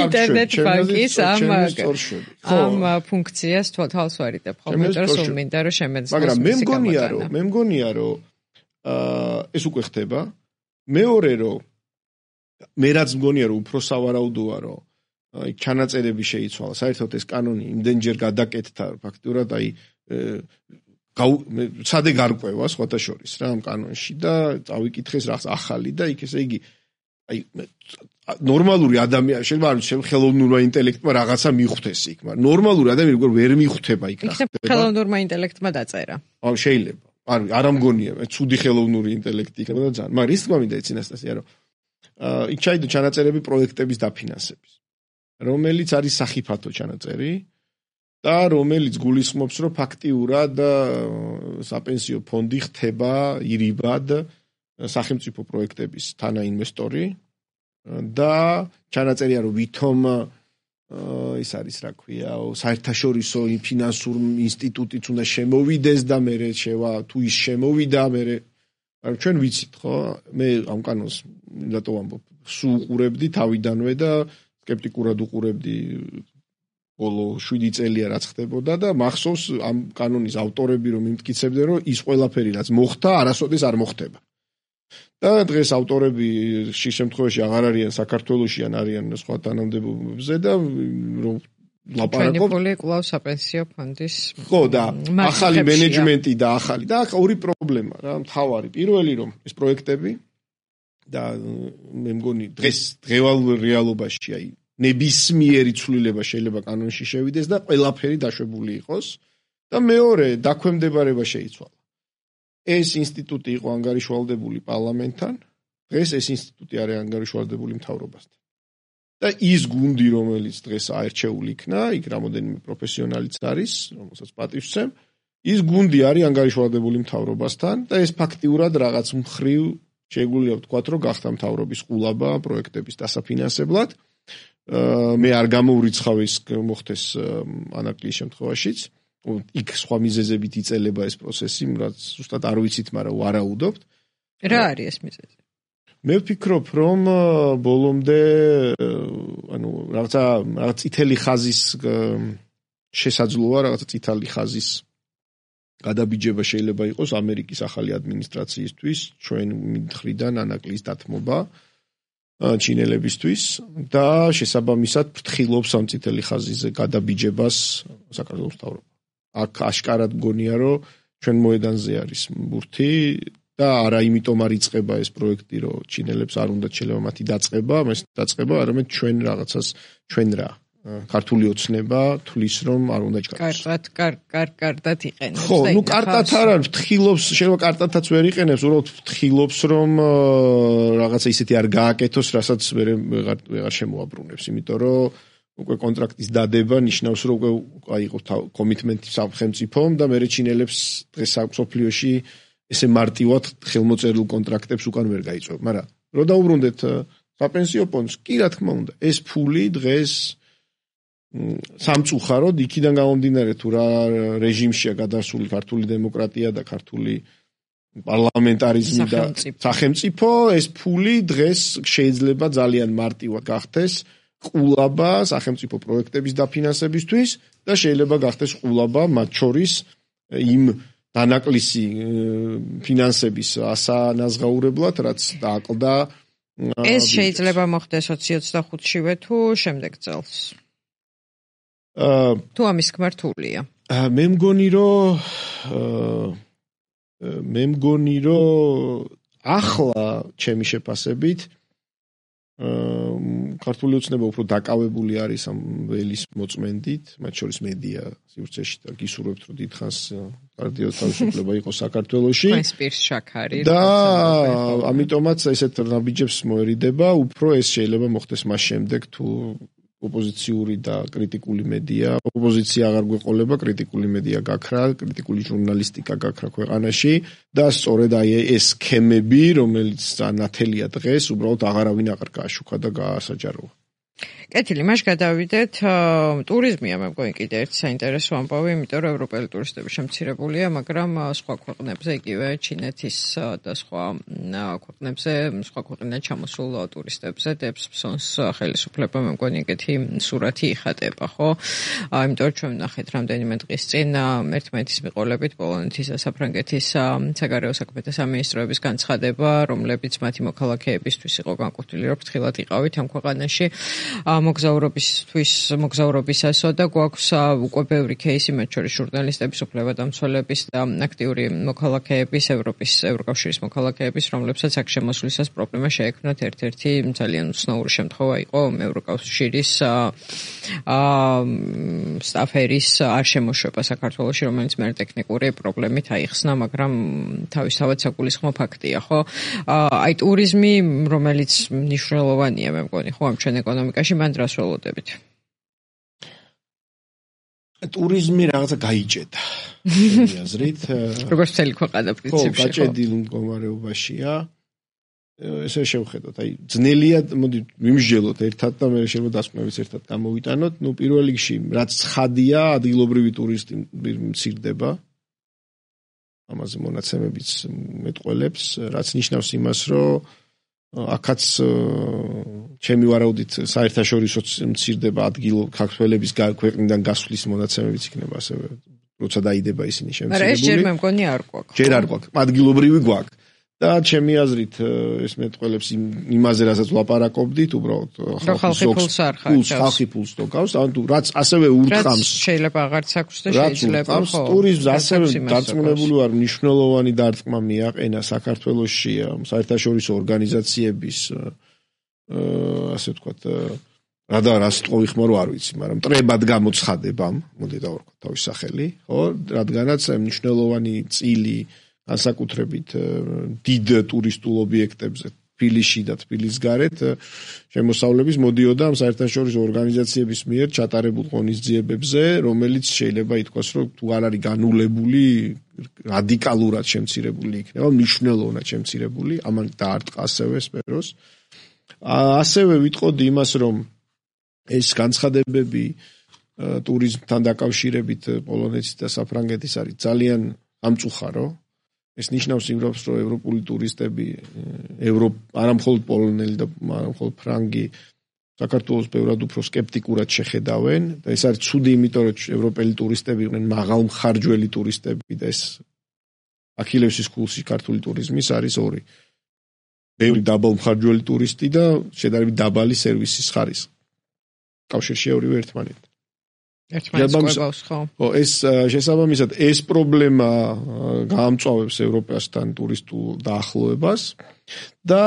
ინტერნეტ ბანკის ამ ფუნქციას თვალს ვარიდებ ხოლმე, რომ სულ მინდა რომ შემეძლოს. მაგრამ მე მგონია რომ ეს უკვე ხდება. მეორე რომ მე რაც მგონია რომ უფრო სავარაუდოა რომ აი ჩანაწერები შეიცვალა. საერთოდ ეს კანონი იმდენჯერ გადაკეთდა ფაქტურად აი სადე გარკვევა სხვათა შორის რა ამ კანონში და წავიკითხეს რაღაც ახალი და იქ ესე იგი აი ნორმალური ადამიანი შეიძლება არ ვიცი ხელოვნურმა ინტელექტმა რაღაცა მიხვდეს იქ, მაგრამ ნორმალური ადამიანი როგორ ვერ მიხვდება იქ რა ხდება. ხელოვნურმა ინტელექტმა დაწერა. აუ შეიძლება. არ მგონია, ცუდი ხელოვნური ინტელექტი იქნება და ძალიან. მაგრამ ის თქმა მინდა იცი ანასტასია რომ იქ ჩაიდო ჩანაწერები პროექტების დაფინანსების, რომელიც არის სახიფათო ჩანაწერი და რომელიც გულისხმობს, რომ ფაქტიურად საპენსიო ფონდი ხდება ირიბად სახელმწიფო პროექტების თანაინვესტორი და ჩანაწერია, რომ ვითომ ის არის რა ქვია, საერთაშორისო ფინანსურ ინსტიტუტიც უნდა შემოვიდეს და მე თუ ის შემოვიდა, მე ჩვენ ვიცით, ხო? მე ამ კანონს რატო ვამბობ, სულ უყურებდი თავიდანვე და სკეპტიკურად უყურებდი ბოლო 7 წელია რაც ხდებოდა და მახსოვს ამ კანონის ავტორები რომ იმტკიცებდნენ რომ ის ყველაფერი რაც მოხდა არასოდეს არ მოხდება. და დღეს ავტორები ხშირ შემთხვევაში აღარ არიან საქართველოში ან არიან სხვა თანამდებობებზე და რომ ლაპარაკობ ფული კვლავ საპენსიო ფონდის ხო და ახალი მენეჯმენტი და ახალი და ორი პრობლემა რა მთავარი პირველი რომ ეს პროექტები და მე მგონი დღევალ რეალობაში აი ნებისმიერი ცვლილება შეიძლება კანონში შევიდეს და ყველაფერი დაშვებული იყოს და მეორე დაქვემდებარება შეიცვალა. ეს ინსტიტუტი იყო ანგარიშვალდებული პარლამენტთან, დღეს ეს ინსტიტუტი არის ანგარიშვალდებული მთავრობასთან. და ის გუნდი, რომელიც დღეს აერჩეული იქნა, იქ რამოდენიმე პროფესიონალიც არის, რომელსაც პატივს ვცემ, ის გუნდი არის ანგარიშვალდებული მთავრობასთან და ეს ფაქტიურად რაღაც მხრივ შეგვიძლია ვთქვათ, რომ გახდა მთავრობის ყულაბა პროექტების დასაფინანსებლად. მე არ გამოვრიცხავ ის მოხდეს ანაკლის შემთხვევაშიც. იქ სხვა მიზეზებით იწელება ეს პროცესი, რაც ზუსტად არ ვიცით, მაგრამ ვარაუდობთ. რა არის ეს მიზეზი? მე ვფიქრობ, რომ ბოლომდე ანუ რაღაც წითელი ხაზის შესაძლოა, რაღაც წითელი ხაზის გადაბიჯება შეიძლება იყოს ამერიკის ახალი ადმინისტრაციისთვის, ჩვენ მხრიდან ანაკლის დათმობა ჩინელებისთვის და შესაბამისად ფრთხილობს ამ წითელი ხაზის გადაბიჯებას საქართველოს მთავრობა. აქ აშკარად მგონია, რომ ჩვენ მოედანზე არის ბურთი და არა იმიტომ არ იწყება ეს პროექტი, რომ ჩინელებს არ უნდა შეიძლება მათი დაწყება, არამედ ჩვენ რაღაცას ჩვენ რა ქართული ოცნება თulis რომ არ უნდა ჩქაროს. კარგად იყენებს. ხო, ნუ კარტად არ არის, ფრთხილობს, შეიძლება კარტადაც ვერ იყენებს, უბრალოდ ფრთხილობს რომ რაღაცა ისეთი არ გააკეთოს, რასაც ვეღარ შემოაბრუნებს, იმიტომ რომ უკვე კონტრაქტის დადება ნიშნავს, რომ უკვე აიღო კომიტმენტი სახელმწიფომ და მე ჩინელებს დღეს საფრთხეში ესე მარტივად ხელმოწერილ კონტრაქტებს უკან ვერ გაიწვევ, მაგრამ რო დაუბრუნდეთ საპენსიო ფონდს, კი რა თქმა უნდა, ეს ფული დღეს სამწუხაროდ იქიდან გამომდინარე თუ რა რეჟიმშია გადასული ქართული დემოკრატია და ქართული პარლამენტარიზმი და სახელმწიფო, ეს ფული დღეს შეიძლება ძალიან მარტივად გახდეს ყულაბა სახელმწიფო პროექტების დაფინანსებისთვის და შეიძლება გახდეს ყულაბა მათ შორის იმ დანაკლისი ფინანსების ასანაზღაურებლად, რაც დააკლდა ეს შეიძლება მოხდეს 2025-შივე თუ შემდეგ წელს. თუ ამის გმართულია. მე მგონი რომ ახლა ჩემი შეფასებით ქართული ოცნება უფრო დაკავებული არის ამ ველის მოწმენდით, მათ შორის მედია სივრცეში და გისურვებთ რომ დიდხანს კარტიო თავისუფლება იყოს საქართველოში. სპირს შაქარი და ამიტომაც ესეთ ნაბიჯებს მოერიდება, უფრო ეს შეიძლება მოხდეს მას შემდეგ თუ ოპოზიციური და კრიტიკული მედია, ოპოზიცია აღარ გვეყოლება, კრიტიკული მედია გაქრა, კრიტიკული ჟურნალისტიკა გაქრა ქვეყანაში და სწორედ აი ეს სქემები, რომელიც ნათელია დღეს, უბრალოდ აღარავინ აღარ გააშუქა და გაასაჯაროა. კეთილი, მაშ გადავიდეთ ტურიზმია, მე მგონი კიდე ერთი საინტერესო ამბავი, იმიტომ რომ ევროპელი ტურისტები შემცირებულია, მაგრამ სხვა ქვეყნებზე, იგივე ჩინეთის და სხვა ქვეყნებზე, სხვა ქვეყნიდან ჩამოსულ ტურისტებზე დებს ფსონს ხელისუფლება, მე მგონი ეგეთი სურათი იხატება, ხო? იმიტომ რომ ჩვენ ვნახეთ რამდენიმე დღის წინ ერთმანეთის მიყოლებით პოლონეთის და საფრანგეთის საგარეო საქმეთა სამინისტროების განცხადება, რომლებიც მათი მოქალაქეებისთვის იყო განკუთვნილი, რომ ფრთხილად იყავით ამ ქვეყანაში. მოგზაურობისასო და გვაქვს უკვე ბევრი кейსი, მათ შორის ჟურნალისტების, უფლებადამცველების და აქტიური მოქალაქეების, ევროკავშირის მოქალაქეების, რომლებსაც აქ შემოსვლისას პრობლემა შეექმნათ. ერთ-ერთი ძალიან უცნაური შემთხვევა იყო ევროკავშირის სტაფერის არ შემოშვება საქართველოში, რომელიც მე ტექნიკური პრობლემით აიხსნა, მაგრამ თავისთავად საგულისხმო ფაქტია, ხო? აი ტურიზმი, რომელიც მნიშვნელოვანია, მე მგონი, ხო, ამ ჩვენ ეკონომიკაში, მან დრას ველოდებით. ტურიზმი რაღაცა გაიჭედა. ჩემი აზრით. როგორც მთელი ქვეყანა პრინციპში. ხო, გაჭედილ მდგომარეობაშია. ესე შევხედოთ, აი ძნელია, მოდი ვიმსჯელოთ ერთად და მე შეიძლება დასკვნებიც ერთად გამოვიტანოთ. ნუ პირველ რიგში, რაც ცხადია, ადგილობრივი ტურისტი მცირდება. ამაზე მონაცემებიც მეტყველებს, რაც ნიშნავს იმას, რომ აქაც ჩემი ვარაუდით საერთაშორისო მცირდება ადგილ ქართველების ქვეყნიდან გასვლის მონაცემებიც იქნება ასევე როცა დაიდება ისინი შემცირებული. მაგრამ ეს ჯერ მე მგონი არ გვაქვს. ჯერ არ გვაქვს. ადგილობრივი გვაქვს. და ჩემი აზრით ეს მეტყველებს იმაზე რასაც ვლაპარაკობდით, უბრალოდ ხალხი ფულს არ ხარჯავს. ხალხი ფულს თოგავს, ანუ რაც ასევე ურტყამს. შეიძლება აღარც აქვს და შეიძლება ხო. ტურიზმს ასევე დარწმუნებული ვარ, მნიშვნელოვანი დარტყმა მიაყენა საქართველოში საერთაშორისო ორგანიზაციების ასე ვთქვათ რას ტყოვი ხმარო არ ვიცი, მაგრამ მტრებად გამოცხადება, მოდი დავარქვათ თავის სახელი, ხო, რადგანაც მნიშვნელოვანი წილი განსაკუთრებით დიდ ტურისტულ ობიექტებზე თბილისში და თბილისის გარეთ შემოსავლების მოდიოდა ამ საერთაშორისო ორგანიზაციების მიერ ჩატარებულ ღონისძიებებზე, რომელიც შეიძლება ითქვას, რომ თუ არ არის განულებული, რადიკალურად შემცირებული იქნება, მნიშვნელოვნად შემცირებული, ამან დაარტყა ასევე სფეროს. ასევე ვიტყოდი იმას, რომ ეს განცხადებები ტურიზმთან დაკავშირებით პოლონეთის და საფრანგეთის არის ძალიან ამწუხარო. ეს ნიშნავს იმას, რომ ევროპული ტურისტები, არა მხოლოდ პოლონელი და არა მხოლოდ ფრანგი, საქართველოს ბევრად უფრო სკეპტიკურად შეხედავენ და ეს არის ცუდი, იმიტომ რომ ევროპელი ტურისტები იყვნენ მაღალმხარჯველი ტურისტები და ეს აქილევსის ქულში ქართული ტურიზმის არის ორი. ბევრი დაბალმხარჯველი ტურისტი და შედარებით დაბალი სერვისის ხარისხი. კავშირში ორივე ერთმანეთთან. ერთმანეთს ხო? ხო, ეს შესაბამისად ეს პრობლემა გაამწვავებს ევროპასთან ტურისტულ დაახლოებას და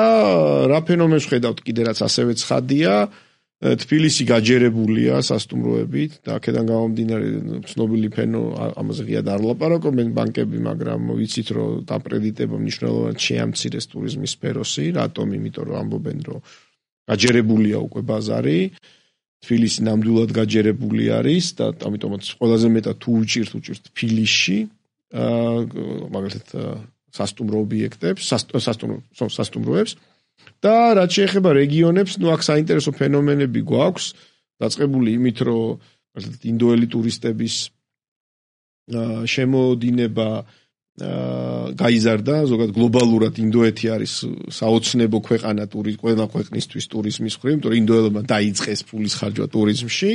რა ფენომენს ხედავთ კიდე რაც ასევე ცხადია, თბილისი გაჯერებულია სასტუმროებით და აქედან გამომდინარე ცნობილი ფენო ამაზე ღიად არ ლაპარაკობენ ბანკები, მაგრამ ვიცით რომ დაპრედიტება მნიშვნელოვნად შეამცირეს ტურიზმის სფეროსი, რატომ? იმიტომ რომ ამბობენ რომ გაჯერებულია უკვე ბაზარი. თბილისი ნამდვილად გაჯერებული არის და ამიტომაც ყველაზე მეტად თუ უჭირთ თბილისში მაგალითად სასტუმრო ობიექტებს, სასტუმროებს და რაც შეეხება რეგიონებს, ნუ აქ საინტერესო ფენომენები გვაქვს, დაწყებული იმით, რომ ინდოელი ტურისტების შემოდინება გაიზარდა, ზოგადად გლობალურად ინდოეთი არის საოცნებო ქვეყანა ყველა ქვეყნისთვის ტურიზმის მხრივ, იმიტომ რომ ინდოელებმა დაიწყეს ფულის ხარჯვა ტურიზმში,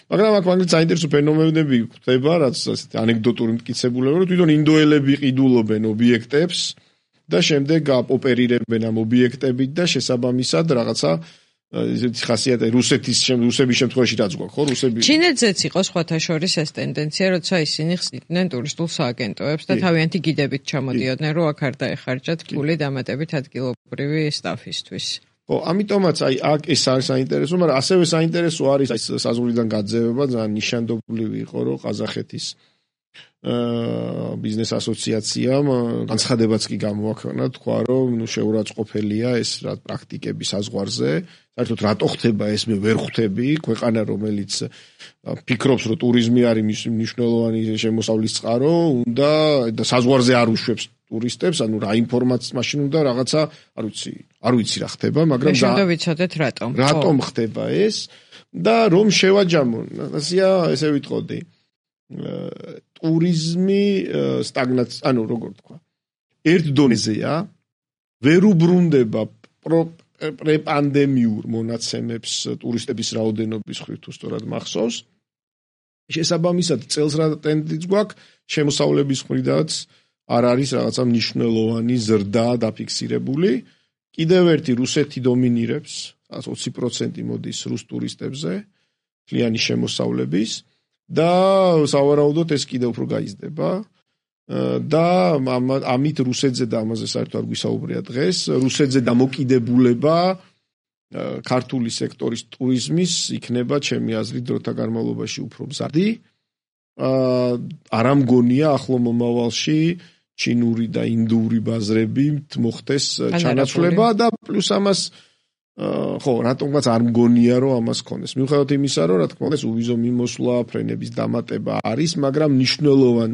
მაგრამ აქ მაგალითად საინტერესო ფენომენები ხდება, რაც ასეთი ანეკდოტური მტკიცებულებაა, რომ თვითონ ინდოელები ყიდულობენ ობიექტებს და შემდეგ ოპერირებენ ამ ობიექტებით და შესაბამისად რაღაცა ისეთი ხასიათი რუსების შემთხვევაში რაც გვაქვს, ხო, რუსები. ჩინეთზეც იყო სხვათა შორის ეს ტენდენცია, როცა ისინი ხსნიდნენ ტურისტულ სააგენტოებს და თავიანთი გიდებით ჩამოდიოდნენ, რომ აქ არ დაეხარჯათ ფული დამატებით ადგილობრივი სტაფისთვის. ხო, ამიტომაც აი აქ ეს არის საინტერესო, მაგრამ ასევე საინტერესო არის აი საზღვრიდან გაძევება, ძალიან ნიშანდობლივი იყო, რომ ყაზახეთის ბიზნეს ასოციაციამ განცხადებაც კი გამოაქვეყნა, თქვა რომ შეურაცხყოფელია ეს რა პრაქტიკები საზღვარზე. საერთოდ რატო ხდება ეს მე ვერ ხვდები, ქვეყანა რომელიც ფიქრობს რომ ტურიზმი არის მნიშვნელოვანი შემოსავლის წყარო, უნდა და საზღვარზე არ უშვებს ტურისტებს, ანუ რა ინფორმაცია მაშინ უნდა რაღაცა, არ ვიცი რა ხდება, მაგრამ და ვიცოდეთ რატომ ხდება ეს და რომ შევაჯამონ, ესე ვიტყოდი. ტურიზმი სტაგნაცია, ანუ როგორ თქვა, ერთ დონეზეა, ვერ უბრუნდება პრეპანდემიურ მონაცემებს ტურისტების რაოდენობის მხრივ თუ სწორად მახსოვს. შესაბამისად წელს რა ტენდენცია გვაქვს, შემოსავლების მხრიდანაც არ არის რაღაცა მნიშვნელოვანი ზრდა დაფიქსირებული. კიდევ ერთი რუსეთი დომინირებს, 20% მოდის რუს ტურისტებზე, მთლიანი შემოსავლების. და სავარაუდოდ ეს კიდევ უფრო გაიზრდება და ამით რუსეთზე და ამაზე საერთოდ არ გვისაუბრია დღეს, რუსეთზე დამოკიდებულება ქართული სექტორის ტურიზმის იქნება ჩემი აზრით დროთა განმავლობაში უფრო მზარდი. არ ამგონია ახლო მომავალში ჩინური და ინდური ბაზრები მოხდეს ჩანაცვლება და პლუს ამას ხო, რატომაც არ მგონია რომ ამას ქონდეს. მიუხედავად იმისა, რომ რა თქმა უნდა, უვიზო მიმოსვლა, ფრენების დამატება არის, მაგრამ მნიშვნელოვან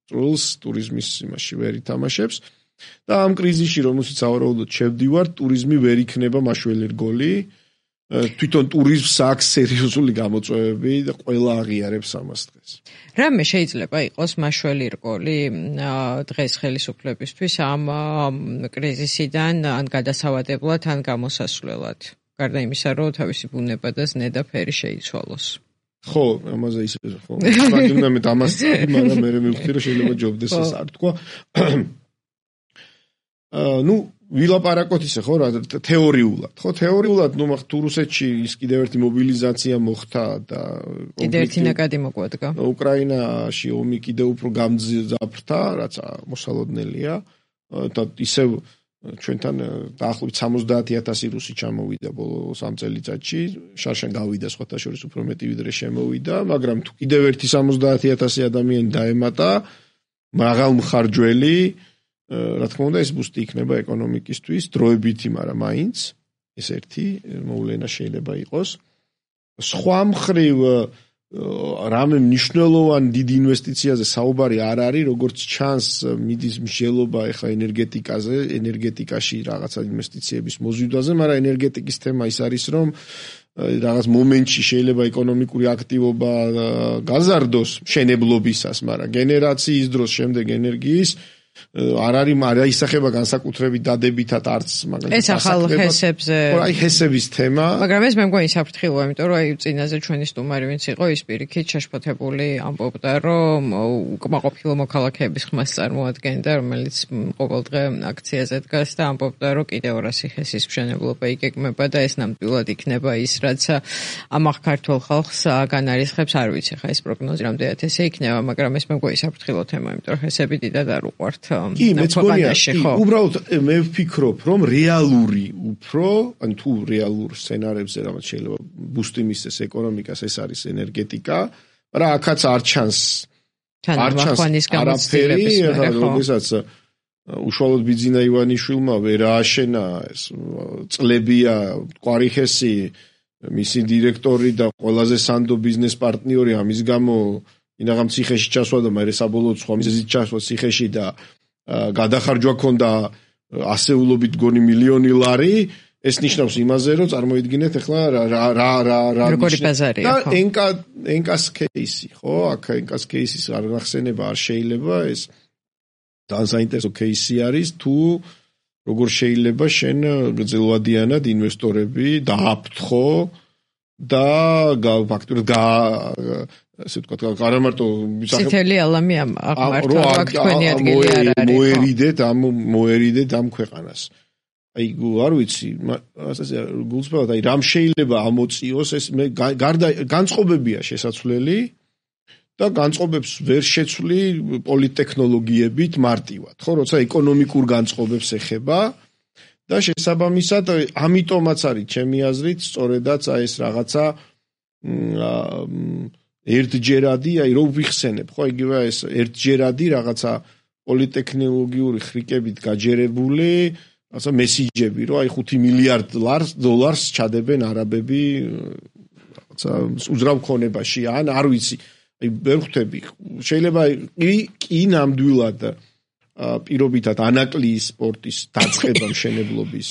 როლს ტურიზმის იმაში ვერ ითამაშებს. და ამ კრიზისში, რომელშიც სავარაუდოდ შევდივართ, ტურიზმი ვერ იქნება მაშველი რგოლი. თვითონ ტურიზმს აქვს სერიოზული გამოწვევები და ყველა აღიარებს ამას დღეს. რამე შეიძლება იყოს მაშველი რგოლი დღეს ხელისუფლებისთვის ამ კრიზისიდან ან გადასავადებლად ან გამოსასვლელად? გარდა იმისა, რომ თავისი ბუნება და ზნედა ფერი შეიცვალოს. ხო, ამაზე ისე ხო. მაგინა მე ამას წავი, მაგრამ მე მივხვდი რომ შეიძლება ჯობდეს ეს არ თქვა. ნუ ვილაპარაკოთ ისე ხო რა თეორიულად. ხო, თეორიულად ნუ მაგ თუ რუსეთში ის კიდევ ერთი მობილიზაცია მოხდა და კიდევ ერთი ნაკადი მოგვადგა. უკრაინაში ომი კიდევ უფრო გამძაფრდა, რაც მოსალოდნელია და ისევ ჩვენთან დაახლოებით 70,000 რუსი ჩამოვიდა ბოლო 3 წელიწადში, შარშან გავიდა სხვათა შორის უფრო მეტი ვიდრე შემოვიდა, მაგრამ თუ კიდევ ერთი 70,000 ადამიანი დაემატა, მაღალმხარჯველი, რა თქმა უნდა ეს ბუსტი იქნება ეკონომიკისთვის, დროებითი, მაგრამ მაინც ეს ერთი მოვლენა შეიძლება იყოს. სხვა მხრივ რამე მნიშვნელოვანი დიდი ინვესტიციაზე საუბარი არ არის, როგორც ჩანს მიდის მსჯელობა ეხლა ენერგეტიკაში რაღაცა ინვესტიციების მოზიდვაზე, მაგრამ ენერგეტიკის თემა ის არის, რომ რაღაც მომენტში შეიძლება ეკონომიკური აქტივობა გაზარდოს მშენებლობისას, მაგრამ გენერაციის დროს შემდეგ ენერგიის არ არის ისახება განსაკუთრებით დადებითად არც მაგალითად ეს ახალ ჰესებზე აი ჰესების თემა მაგრამ ეს მე მგონი საფრთხილოა იმიტომ რომ აი წინაზე ჩვენი სტუმარი ვინც იყო ის პირიქით შეშფოთებული ამბობდა რომ უკმაყოფილო მოქალაქეების ხმას წარმოადგენდა რომელიც ყოველდღე აქციაზე დგას და ამბობდა რომ კიდევ 200 ჰესის მშენებლობა იგეგმება და ეს ნამდვილად იქნება ის რაც ამახ ქართულ ხალხს განარისხებს არ ვიცი ხა ეს პროგნოზი რამდენად ესე იქნება მაგრამ ეს მე მგონი საფრთხილო თემა იმიტომ რომ ჰესები დიდად არ უყვართ კი, მეც გონია, უბრალოდ მე ვფიქრობ, რომ რეალური უფრო, ან თუ რეალურ სცენარებზე რაღაც შეიძლება ბუსტი მისცეს ეკონომიკას, ეს არის ენერგეტიკა, მაგრამ აქაც არ ჩანს არაფერი, როდესაც უშუალოდ ბიძინა ივანიშვილმა ვერ ააშენა ეს წლებია ყვარიხესი, მისი დირექტორი და ყველაზე სანდო ბიზნეს პარტნიორი ამის გამო ინაღამ ციხეში ჩასვა და მე საბოლოოდ სხვა მიზეზით ჩასვა ციხეში და გადახარჯვა ქონდა ასეულობით გონი მილიონი ლარი ეს ნიშნავს იმაზე რომ წარმოიდგინეთ ახლა რა როგორი ბაზარია ხო და ენკას кейსი ხო აქ ენკას кейსის არ გახსენება არ შეიძლება ეს ძალიან საინტერესო кейსი არის თუ როგორ შეიძლება შენ გრძელვადიანად ინვესტორები დააფრთხო და ფაქტურად ასე ვთქვათ, არა მარტო ცითელი ალამი აღმართვა, აქ თქვენი ადგილი არ არის. მოერიდეთ ამ ქვეყანას. აი, არ ვიცი, ასე გულწრფელად, აი, რამ შეიძლება ამოწიოს ეს მე გარდა განწყობებია შესაძლებელი და განწყობებს ვერ შეცვლი პოლიტექნოლოგიებით მარტივად, ხო, როცა ეკონომიკურ განწყობებს ეხება და შესაბამისად ამიტომაც არის ჩემი აზრით სწორედაც აი ეს რაღაცა ერთჯერადი, აი რო ვიხსენებ, ხო, იგივე ეს ერთჯერადი რაღაცა პოლიტექნოლოგიური ხრიკებით გაჯერებული, რაღაცა მესიჯები, რომ აი 5 მილიარდ დოლარს ჩადებენ არაბები რაღაცა უძრავ ქონებაში, ან არ ვიცი, აი ვერ ხვდები. შეიძლება კი ნამდვილად პირობითად ანაკლიის სპორტის დაწყება მშენებლობის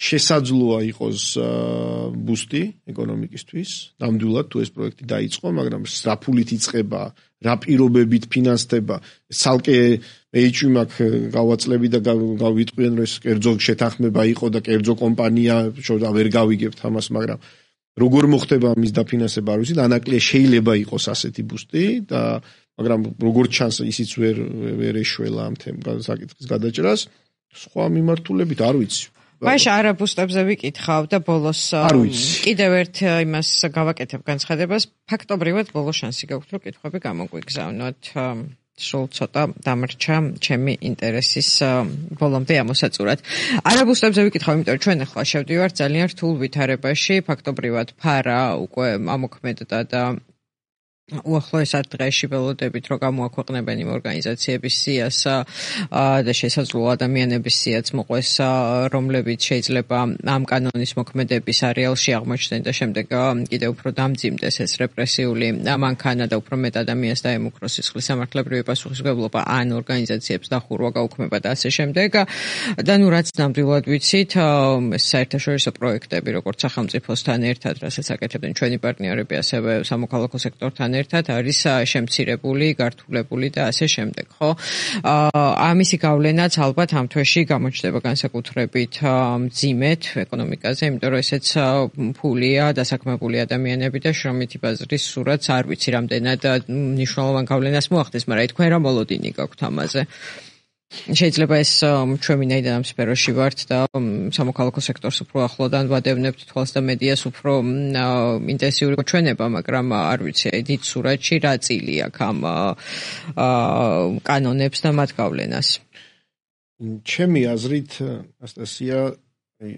შესაძლოა იყოს ბუსტი ეკონომიკისთვის, ნამდვილად თუ ეს პროექტი დაიწყო, მაგრამ რა ფულით იწყება, რა პირობებით ფინანსდება, ცალკე ეიჩვი მაქვს გავაწლები და გავიტყვიან რომ ეს კერძო შეთანხმება იყო და კერძო კომპანია, შორდა ვერ გავიგებთ ამას, მაგრამ როგორ მოხდება ამის დაფინანსება არ ვიცი, ანაკლია შეიძლება იყოს ასეთი ბუსტი და მაგრამ როგორ ჩანს ისიც ვერ ეშველა ამ საკითხის გადაჭრას, სხვა მიმართულებით არ ვიცი. მაშ არაბუსტებზე ვიკითხავ და ბოლოს კიდევ ერთ იმას გავაკეთებ განცხადებას ფაქტობრივად ბოლო შანსი გაქვთ რომ კითხვები გამოგვიგზავნოთ სულ ცოტა დამრჩა ჩემი ინტერესის ბოლომდე ამოსაწურად არაბუსტებზე ვიკითხავ იმიტომ რომ ჩვენ ახლა შევდივართ ძალიან რთულ ვითარებაში ფაქტობრივად ფარა უკვე ამოქმედდა და უახლოესად დღეში ველოდებით რომ გამოაქვეყნებენ იმ ორგანიზაციების სიას და შესაძლოა ადამიანების სიაც მოყვეს რომლებიც შეიძლება ამ კანონის მოქმედების არეალში აღმოჩნდნენ და შემდეგ კიდევ უფრო დამძიმდეს ეს რეპრესიული მანქანა და უფრო მეტ ადამიანს დაემუქროს სისხლის სამართლებრივი პასუხისმგებლობა ან ორგანიზაციებს დახურვა გაუქმება და ასე შემდეგ და ნუ რაც ნამდვილად ვიცით ეს საერთაშორისო პროექტები როგორც სახელმწიფოსთან ერთად რასაც აკეთებდნენ ჩვენი პარტნიორები ასევე სამოქალაქო სექტორთან ერთად არის შემცირებული, გართულებული და ასე შემდეგ, ხო? ამისი გავლენაც ალბათ ამ თვეში გამოჩნდება განსაკუთრებით მძიმედ ეკონომიკაზე, იმიტომ რომ ესეც ფულია, დასაქმებული ადამიანები და შრომითი ბაზრის სურათს არ ვიცი რამდენად მნიშვნელოვან გავლენას მოახდენს, მაგრამ თქვენ რა მოლოდინი გაქვთ ამაზე? შეიძლება ეს ჩვენ ვინაიდან ამ სფეროში ვართ და სამოქალაქო სექტორს უფრო ახლოდან ვადევნებთ თვალს და მედიას უფრო ინტენსიური ჩვენება, მაგრამ არ ვიცი, დიდ სურათში რა წილი აქვს ამ კანონებს და მათ გავლენას. ჩემი აზრით, ანასტასია,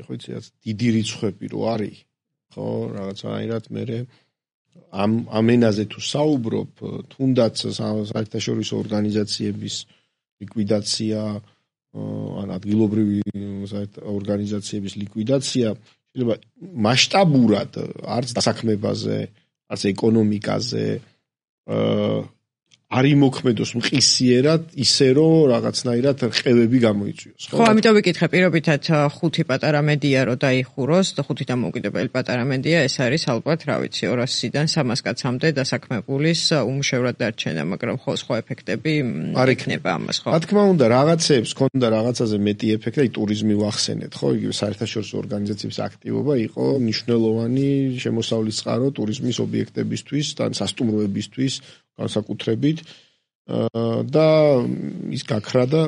ხო იცი, დიდი რიცხვები რო არის, ხო, რაღაცაირად მე ამ ენაზე თუ საუბრობ, თუნდაც საერთაშორისო ორგანიზაციების ლიკვიდაცია, ან ადგილობრივი ორგანიზაციების ლიკვიდაცია შეიძლება მასშტაბურად არც დასაქმებაზე, არც ეკონომიკაზე არ იმოქმედოს მყისიერად ისე რომ რაღაცნაირად რყევები გამოიწვიოს. ხო, ამიტომ ვიკითხე პირობითად 5 პატარა მედია რო დაიხუროს და 5 დამოუკიდებელი პატარა მედია ეს არის ალბათ, რა ვიცი, 200-დან 300 კაცამდე დასაქმებულის უმუშევრად დარჩენა, მაგრამ ხო სხვა ეფექტები იქნება ამას, ხო? რა თქმა უნდა, რაღაცებს ქონდა რაღაცაზე მეტი ეფექტი, აი ტურიზმი ვახსენეთ, ხო, იგივე საერთაშორისო ორგანიზაციების აქტივობა იყო მნიშვნელოვანი შემოსავლის წყარო ტურიზმის ობიექტებისთვის და სასტუმროებისთვის განსაკუთრებით და ის გაქრა და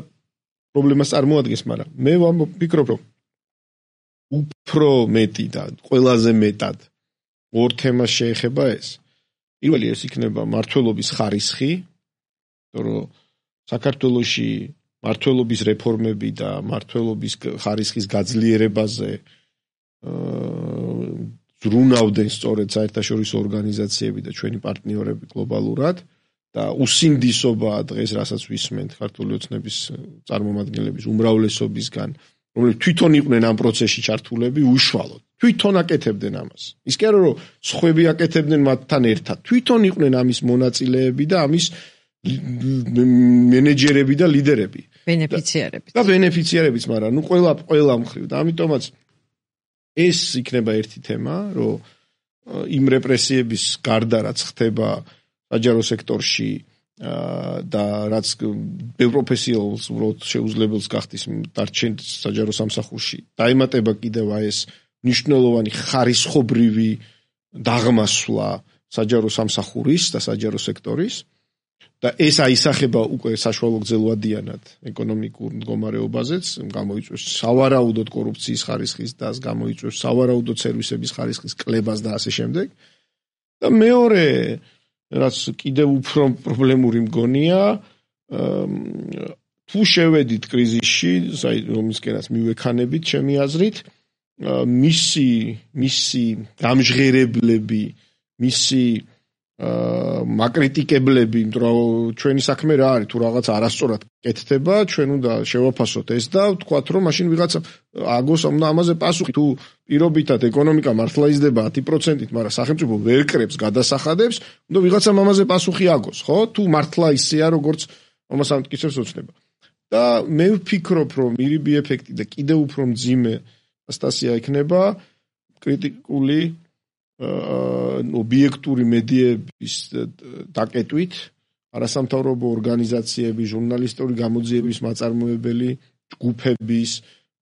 პრობლემას წარმოადგენს, მაგრამ მე ვფიქრობ, რომ უფრო მეტი და ყველაზე მეტად ორ თემას შეეხება ეს. პირველი ეს იქნება მმართველობის ხარისხი, რომ საქართველოში მმართველობის რეფორმები და მმართველობის ხარისხის გაძლიერებაზე ზრუნავდნენ სწორედ საერთაშორისო ორგანიზაციები და ჩვენი პარტნიორები გლობალურად და უსინდისობა დღეს რასაც ვისმენთ ქართული ოცნების წარმომადგენლების უმრავლესობისგან, რომლებიც თვითონ იყვნენ ამ პროცესში ჩართულები, უშუალოდ თვითონ აკეთებდნენ ამას. ის კი არა რომ სხვები აკეთებდნენ მათთან ერთად, თვითონ იყვნენ ამის მონაწილეები და ამის მენეჯერები და ლიდერები. ბენეფიციარებიც, მაგრამ ნუ ყველა მხრივ და ამიტომაც ეს იქნება ერთი თემა, რომ იმ რეპრესიების გარდა რაც ხდება საჯარო სექტორში და რაც პროფესიონალს უბრალოდ შეუძლებელს გახდის დარჩენის საჯარო სამსახურში, დაემატება კიდევ ეს მნიშვნელოვანი ხარისხობრივი დაღმასვლა საჯარო სამსახურის და საჯარო სექტორის და ეს აისახება უკვე საშუალო გრძელვადიანად ეკონომიკურ მდგომარეობაზეც, გამოიწვევს სავარაუდოდ კორუფციის ხარისხის და გამოიწვევს სავარაუდოდ სერვისების ხარისხის კლებას და ასე შემდეგ. და მეორე, რაც კიდევ უფრო პრობლემური მგონია, თუ შევედით კრიზისში, რომისკენაც მივექანებით, ჩემი აზრით, მისი გამჟღერებლები, მისი მაკრიტიკებლები, იმიტომ რომ ჩვენი საქმე რა არის, თუ რაღაც არასწორად კეთდება, ჩვენ უნდა შევაფასოთ ეს და ვთქვათ, რომ მაშინ ვიღაცა აგოს ამაზე პასუხი, თუ პირობითად ეკონომიკა მართლა იზრდება 10%-ით, მაგრამ სახელმწიფო ვერ კრებს, გადასახადებს, უნდა ვიღაცამ ამაზე პასუხი აგოს, ხო? თუ მართლა ისეა, როგორც ამას ამტკიცებს ოცნება. და მე ვფიქრობ, რომ მირიბი ეფექტი და კიდევ უფრო მძიმე ანასტასია იქნება კრიტიკული ობიექტური მედიების დაკეტვით, არასამთავრობო ორგანიზაციების, ჟურნალისტური გამოძიების მაწარმოებელი ჯგუფების,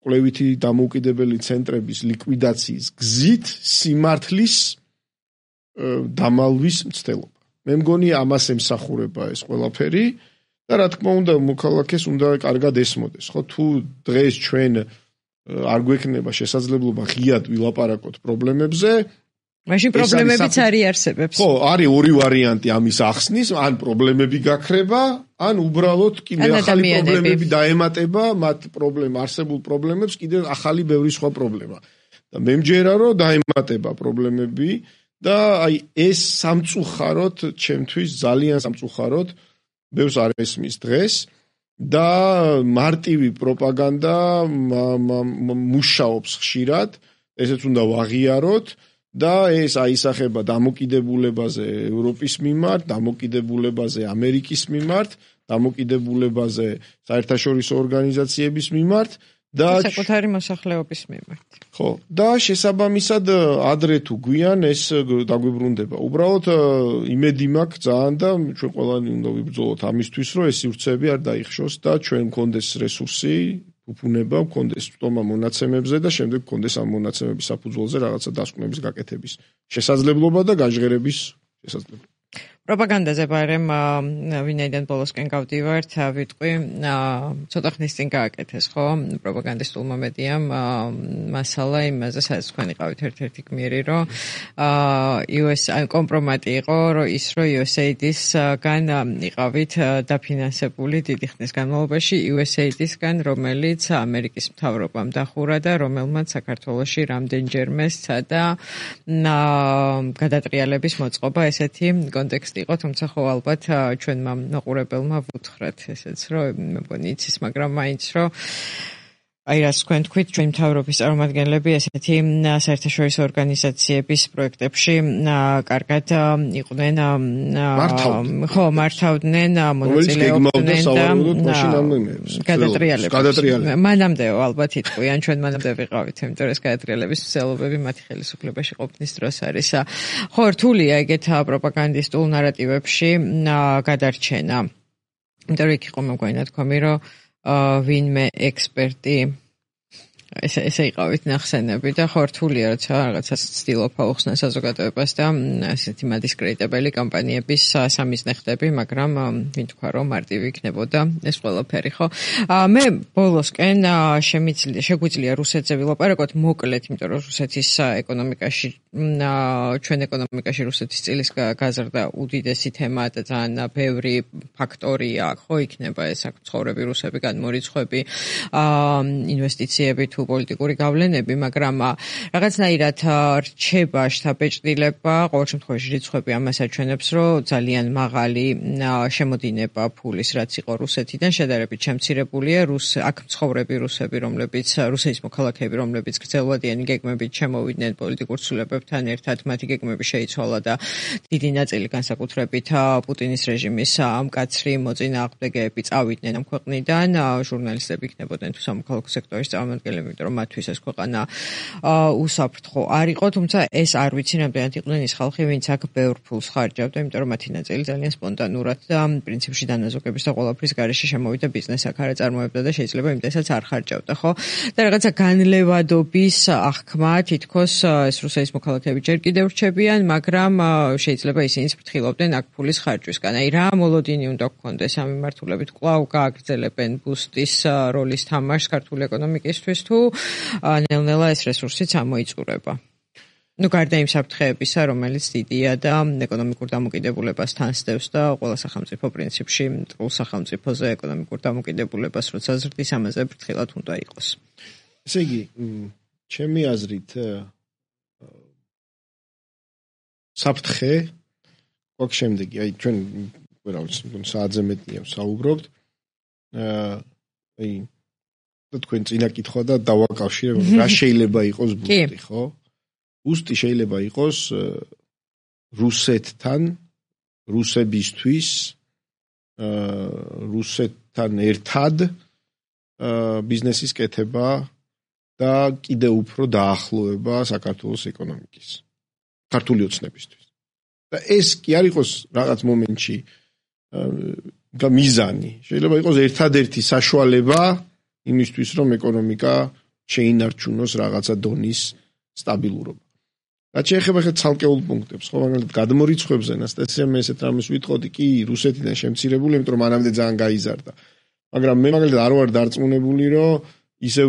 კვლევითი დამოუკიდებელი ცენტრების ლიკვიდაციის გზით სიმართლის დამალვის მცდელობა. მე მგონი ამას ემსახურება ეს ყველაფერი და რა თქმა უნდა მოქალაქეს უნდა კარგად ესმოდეს, ხო? თუ დღეს ჩვენ არ გვექნება შესაძლებლობა ღიად ვილაპარაკოთ პრობლემებზე, მაშინ პრობლემებიც არიარსებებს. ხო, არის ორი ვარიანტი ამის ახსნის, ან პრობლემები გაქრება, ან უბრალოდ კიდე ახალი პრობლემები დაემატება მათ არსებულ პრობლემებს კიდე ახალი ბევრი სხვა პრობლემა. და მე მჯერა რომ დაემატება პრობლემები და აი ეს სამწუხაროდ ჩემთვის ძალიან სამწუხაროდ ბევრს არ ესმის დღეს და მარტივი პროპაგანდა მუშაობს ხშირად, ესეც უნდა ვაღიაროთ. და ეს აისახება დამოკიდებულებაზე ევროპის მიმართ, დამოკიდებულებაზე ამერიკის მიმართ, დამოკიდებულებაზე საერთაშორისო ორგანიზაციების მიმართ და საკუთარი მოსახლეობის მიმართ. ხო, და შესაბამისად ადრე თუ გვიან ეს დაგვიბრუნდება. უბრალოდ იმედი მაქვს ძალიან და ჩვენ ყველანი უნდა ვიბრძოლოთ ამისთვის, რომ ეს სივრცეები არ დაიხშოს და ჩვენ მქონდეს რესურსი, უფუნება, მქონდეს წტომა მონაცემებზე და შემდეგ მქონდეს ამ მონაცემების საფუძველზე რაღაცა დასკვნების გაკეთების შესაძლებლობა და გაჟღერების შესაძლებლობა. პროპაგანდაზე ბარემ ვინაიდან ბოლოსკენ გავდივართ, ვიტყვი, ცოტა ხნის წინ გააკეთეს, ხო? პროპაგანდისტულმა მედიამ მასალა იმაზე, სადაც თქვენ იყავით ერთ-ერთი გმირი, რომ კომპრომატი იყო, რომ ის რომ USAID-ისგან იყავით დაფინანსებული დიდი ხნის განმავლობაში USAID-ისგან, რომელიც ამერიკის მთავრობამ დახურა და რომელმაც საქართველოში რამდენჯერმე სცადა გადატრიალების მოწყობა ესეთი კონტექსტი იყო, თუმცა ხო ალბათ ჩვენმა მოყურებელმა ვუთხრათ ესეც, რომ მე მგონი იცის, მაგრამ მაინც რომ აი რაც თქვენ თქვით, ჩვენ მთავრობის წარმომადგენლები ესეთი საერთაშორისო ორგანიზაციების პროექტებში კარგად იყვნენ ხო მართავდნენ მონაწილეობდნენ და გადატრიალებს. მანამდეო ალბათ იტყვიან, ჩვენ მანამდე ვიყავით, იმიტომ რომ ეს გადატრიალების მსვლელობები მათი ხელისუფლებაში ყოფნის დროს არის. ხო რთულია ეგეთ პროპაგანდისტულ ნარატივებში გადარჩენა. იმიტომ რომ იქ იყო მეგონი თქვამი, რომ ვინმე ექსპერტი ესე იყავით ნახსენები და ხო რთულია, როცა რაღაცას ცდილობ აუხსნა საზოგადოებას და ასეთი მადისკრედიტებელი კამპანიების სამიზნე ხდები, მაგრამ ვინ თქვა რომ მარტივი იქნებოდა ეს ყველაფერი, ხო? მე ბოლოსკენ შეგვიძლია რუსეთზე ვილაპარაკოთ მოკლედ, იმიტომ რომ რუსეთის ეკონომიკაში ჩვენ ეკონომიკაში რუსეთის წილის გაზრდა უდიდესი თემაა და ძალიან ბევრი ფაქტორია, ხო, იქნება ეს აქ ცხოვრები რუსები, განმორიცხვები, ინვესტიციები თუ პოლიტიკური გავლენები, მაგრამ რაღაცნაირად რჩება შთაბეჭდილება, ყოველ შემთხვევაში რიცხვები ამას აჩვენებს, რომ ძალიან მაღალი შემოდინება ფულის, რაც იყო რუსეთიდან, შედარებით შემცირებულია, აქ მცხოვრები რუსები, რომლებიც რუსეთის მოქალაქეები, რომლებიც გრძელვადიანი გეგმებით შემოვიდნენ პოლიტიკურ ცვლილებებთან ერთად, მათი გეგმები შეიცვალა და დიდი ნაწილი განსაკუთრებით პუტინის რეჟიმის მკაცრი მოწინააღმდეგეები წავიდნენ ამ ქვეყნიდან, ჟურნალისტები იქნებოდნენ თუ სამოქალაქო სექტორის წარმომადგენლები, იმიტომ რომ მათთვის ეს ქვეყანა უსაფრთხო არ იყო, თუმცა ეს არ ვიცი, რამდენად იყვნენ ის ხალხი, ვინც აქ ბევრ ფულს ხარჯავდა, იმიტომ რომ მათი ნაწილი ძალიან სპონტანურად და პრინციპში დანაზოგების და ყველაფრის გარეშე შემოვიდა ბიზნესს აქ არ აწარმოებდა და შეიძლება იმდესაც არ ხარჯავდა, ხო? და რაღაცა განლევადობის აღქმა თითქოს ეს რუსეთის მოქალაქეები ჯერ კიდევ რჩებიან, მაგრამ შეიძლება ისინიც ფრთხილობდნენ აქ ფულის ხარჯვისგან. აი რა მოლოდინი უნდა გქონდეს ამ მიმართულებით, კვლავ გააგრძელებენ ბუსტის როლის თამაშს ქართული ეკონომიკისთვის თუ ნელ-ნელა ეს რესურსიც ამოიწურება. გარდა იმ საფრთხეებისა, რომელიც დიდია და ეკონომიკურ დამოკიდებულებას თანსდევს და ყველა სახელმწიფო პრინციპში მტრულ სახელმწიფოზე ეკონომიკურ დამოკიდებულებას როცა ზრდის, ამაზე ფრთხილად უნდა იყოს. ესე იგი, ჩემი აზრით საფრთხე გვაქვს შემდეგი, აი ჩვენ რა ვიცი, საათზე მეტია საუბრობთ. აი თქვენ წინა კითხვა და დავაკავშირებ, რა შეიძლება იყოს ბუსტი, ხო? ბუსტი შეიძლება იყოს რუსეთთან, რუსებისთვის, რუსეთთან ერთად ბიზნესის კეთება და კიდევ უფრო დაახლოება საქართველოს ეკონომიკის, ქართული ოცნებისთვის. და ეს კი არ იყოს რაღაც მომენტში მიზანი, შეიძლება იყოს ერთადერთი საშუალება იმისთვის, რომ ეკონომიკა შეინარჩუნოს რაღაცა დონის სტაბილურობა. რაც შეეხება ხეთ ცალკეულ პუნქტებს, ხო, მაგალითად გადმორიცხვებზე ნასტასია მე ესეთ რამეს ვიტყოდი, კი რუსეთიდან შემცირებული, იმიტომ რომ მანამდე ძალიან გაიზარდა. მაგრამ მე მაგალითად არ ვარ დარწმუნებული, რომ ისევ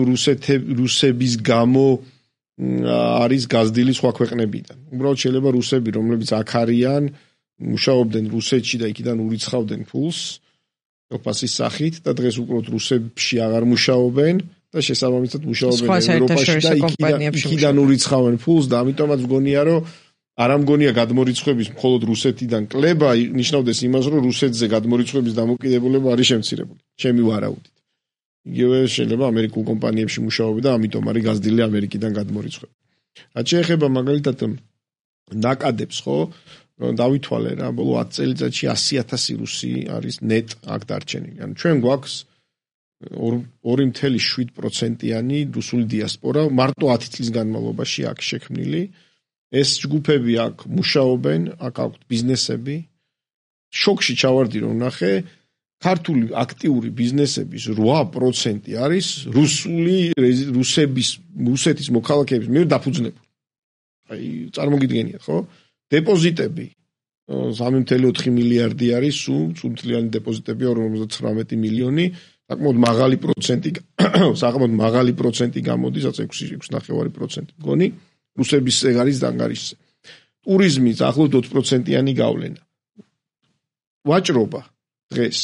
რუსების გამო არის გაზრდილი სხვა ქვეყნებიდან. უბრალოდ შეიძლება რუსები, რომლებიც აქ არიან, მუშაობდნენ რუსეთში და იქიდან ურიცხავდნენ ფულს ოპასის სახით და დღეს უბრალოდ რუსებში აღარ მუშაობენ და შესაბამისად მუშაობენ ევროპაში და იქიდან ურიცხავენ ფულს და ამიტომაც მგონია, რომ არ ამგონია გადმორიცხვების მხოლოდ რუსეთიდან კლება ნიშნავდეს იმას, რომ რუსეთზე გადმორიცხვების დამოკიდებულება არის შემცირებული. ჩემი ვარაუდით. იგივე შეიძლება ამერიკულ კომპანიებში მუშაობენ და ამიტომ არის გაზრდილი ამერიკიდან გადმორიცხვები. რაც შეეხება მაგალითად ნაკადებს, ხო? დავითვალე რა, ბოლო 10 წელიწადში 100,000 რუსი არის ნეტ აქ დარჩენილი. ანუ ჩვენ გვაქვს 2.7%-იანი რუსული დიასპორა მარტო 10 წლის განმავლობაში აქ შექმნილი. ეს ჯგუფები აქ მუშაობენ, აქ აქვთ ბიზნესები. შოქში ჩავარდი რომ ნახე, ქართული აქტიური ბიზნესების 8% არის რუსეთის მოქალაქეების მიერ დაფუძნებული. აი, წარმოგიდგენიათ, ხო? დეპოზიტები 3.4 მილიარდი არის, სულთლიანი დეპოზიტები 59 მილიონი, საკმაოდ მაღალი პროცენტი გამოდის, 6.9%. მგონი, რუსების ეგ არის დანგარიშზე. ტურიზმი ახლობთ 20%-იანი გავლენა. ვაჭრობა დღეს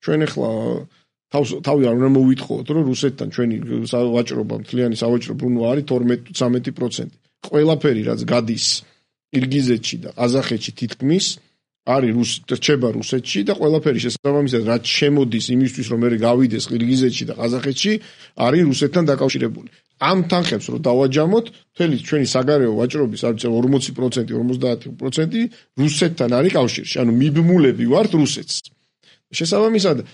ჩვენ ახლა თავი არ უნდა მოვიტყოთ, რომ რუსეთთან ჩვენი ვაჭრობა, მთლიანი სავაჭრო ბრუნვა არის 12-13%. ყველაფერი რაც გადის ყირგიზეთში და ყაზახეთში თითქმის არის რჩება რუსეთში და ყველაფერი შესაბამისად რაც შემოდის იმისთვის რომ მე გავიდეს ყირგიზეთში და ყაზახეთში არის რუსეთთან დაკავშირებული. ამ თანხებს რომ დავაჯამოთ, მთელი ჩვენი საგარეო ვაჭრობის არ ვიცი 40%, 50% რუსეთთან არის კავშირში. ანუ მიბმულები ვართ რუსეთს. შესაბამისად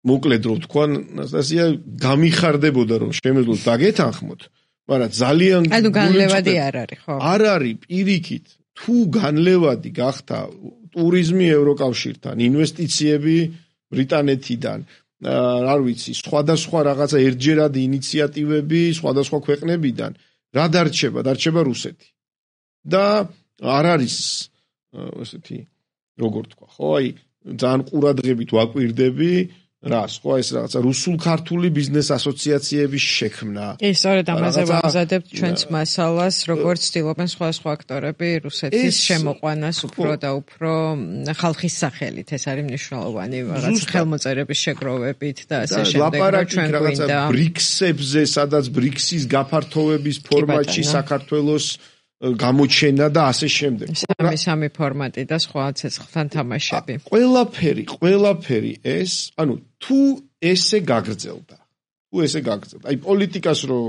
მოკლედ რო თქვა ნასტასია გამიხარდებოდა რომ შემეძლოთ დაგეთანხმოთ, მაგრამ ძალიან ანუ განლევადი არ არის, ხო? არ არის პირიქით. თუ განლევადი გახდა ტურიზმი ევროკავშირთან, ინვესტიციები ბრიტანეთიდან, არ ვიცი, სხვადასხვა რაღაცა ერთჯერადი ინიციატივები სხვადასხვა ქვეყნებიდან, რა დარჩება? დარჩება რუსეთი. და არ არის ესეთი როგორ თქვა, ხო? აი ძალიან ყურადღებით ვაკვირდები რას, ხო, ეს რაღაცა რუსულ-ქართული ბიზნეს ასოციაციების შექმნა. ის სწორედ ამაზე ვამზადებთ ჩვენს მასალას, როგორც ცდილობენ სხვა აქტორები რუსეთის შემოყვანას უფრო და უფრო ხალხის სახელით. ეს არის მნიშვნელოვანი, რაღაც ხელმოწერების შეგროვებით და ასე შემდეგ. ჩვენ გვინდა ბრიქსებზე, სადაც ბრიქსის გაფართოების ფორმატში საქართველოს გამოჩენა და ასე შემდეგ. სამი ფორმატი და სხვა ცეცხლთან თამაშები. ყველაფერი ეს, ანუ თუ ესე გაგრძელდა. აი პოლიტიკას რო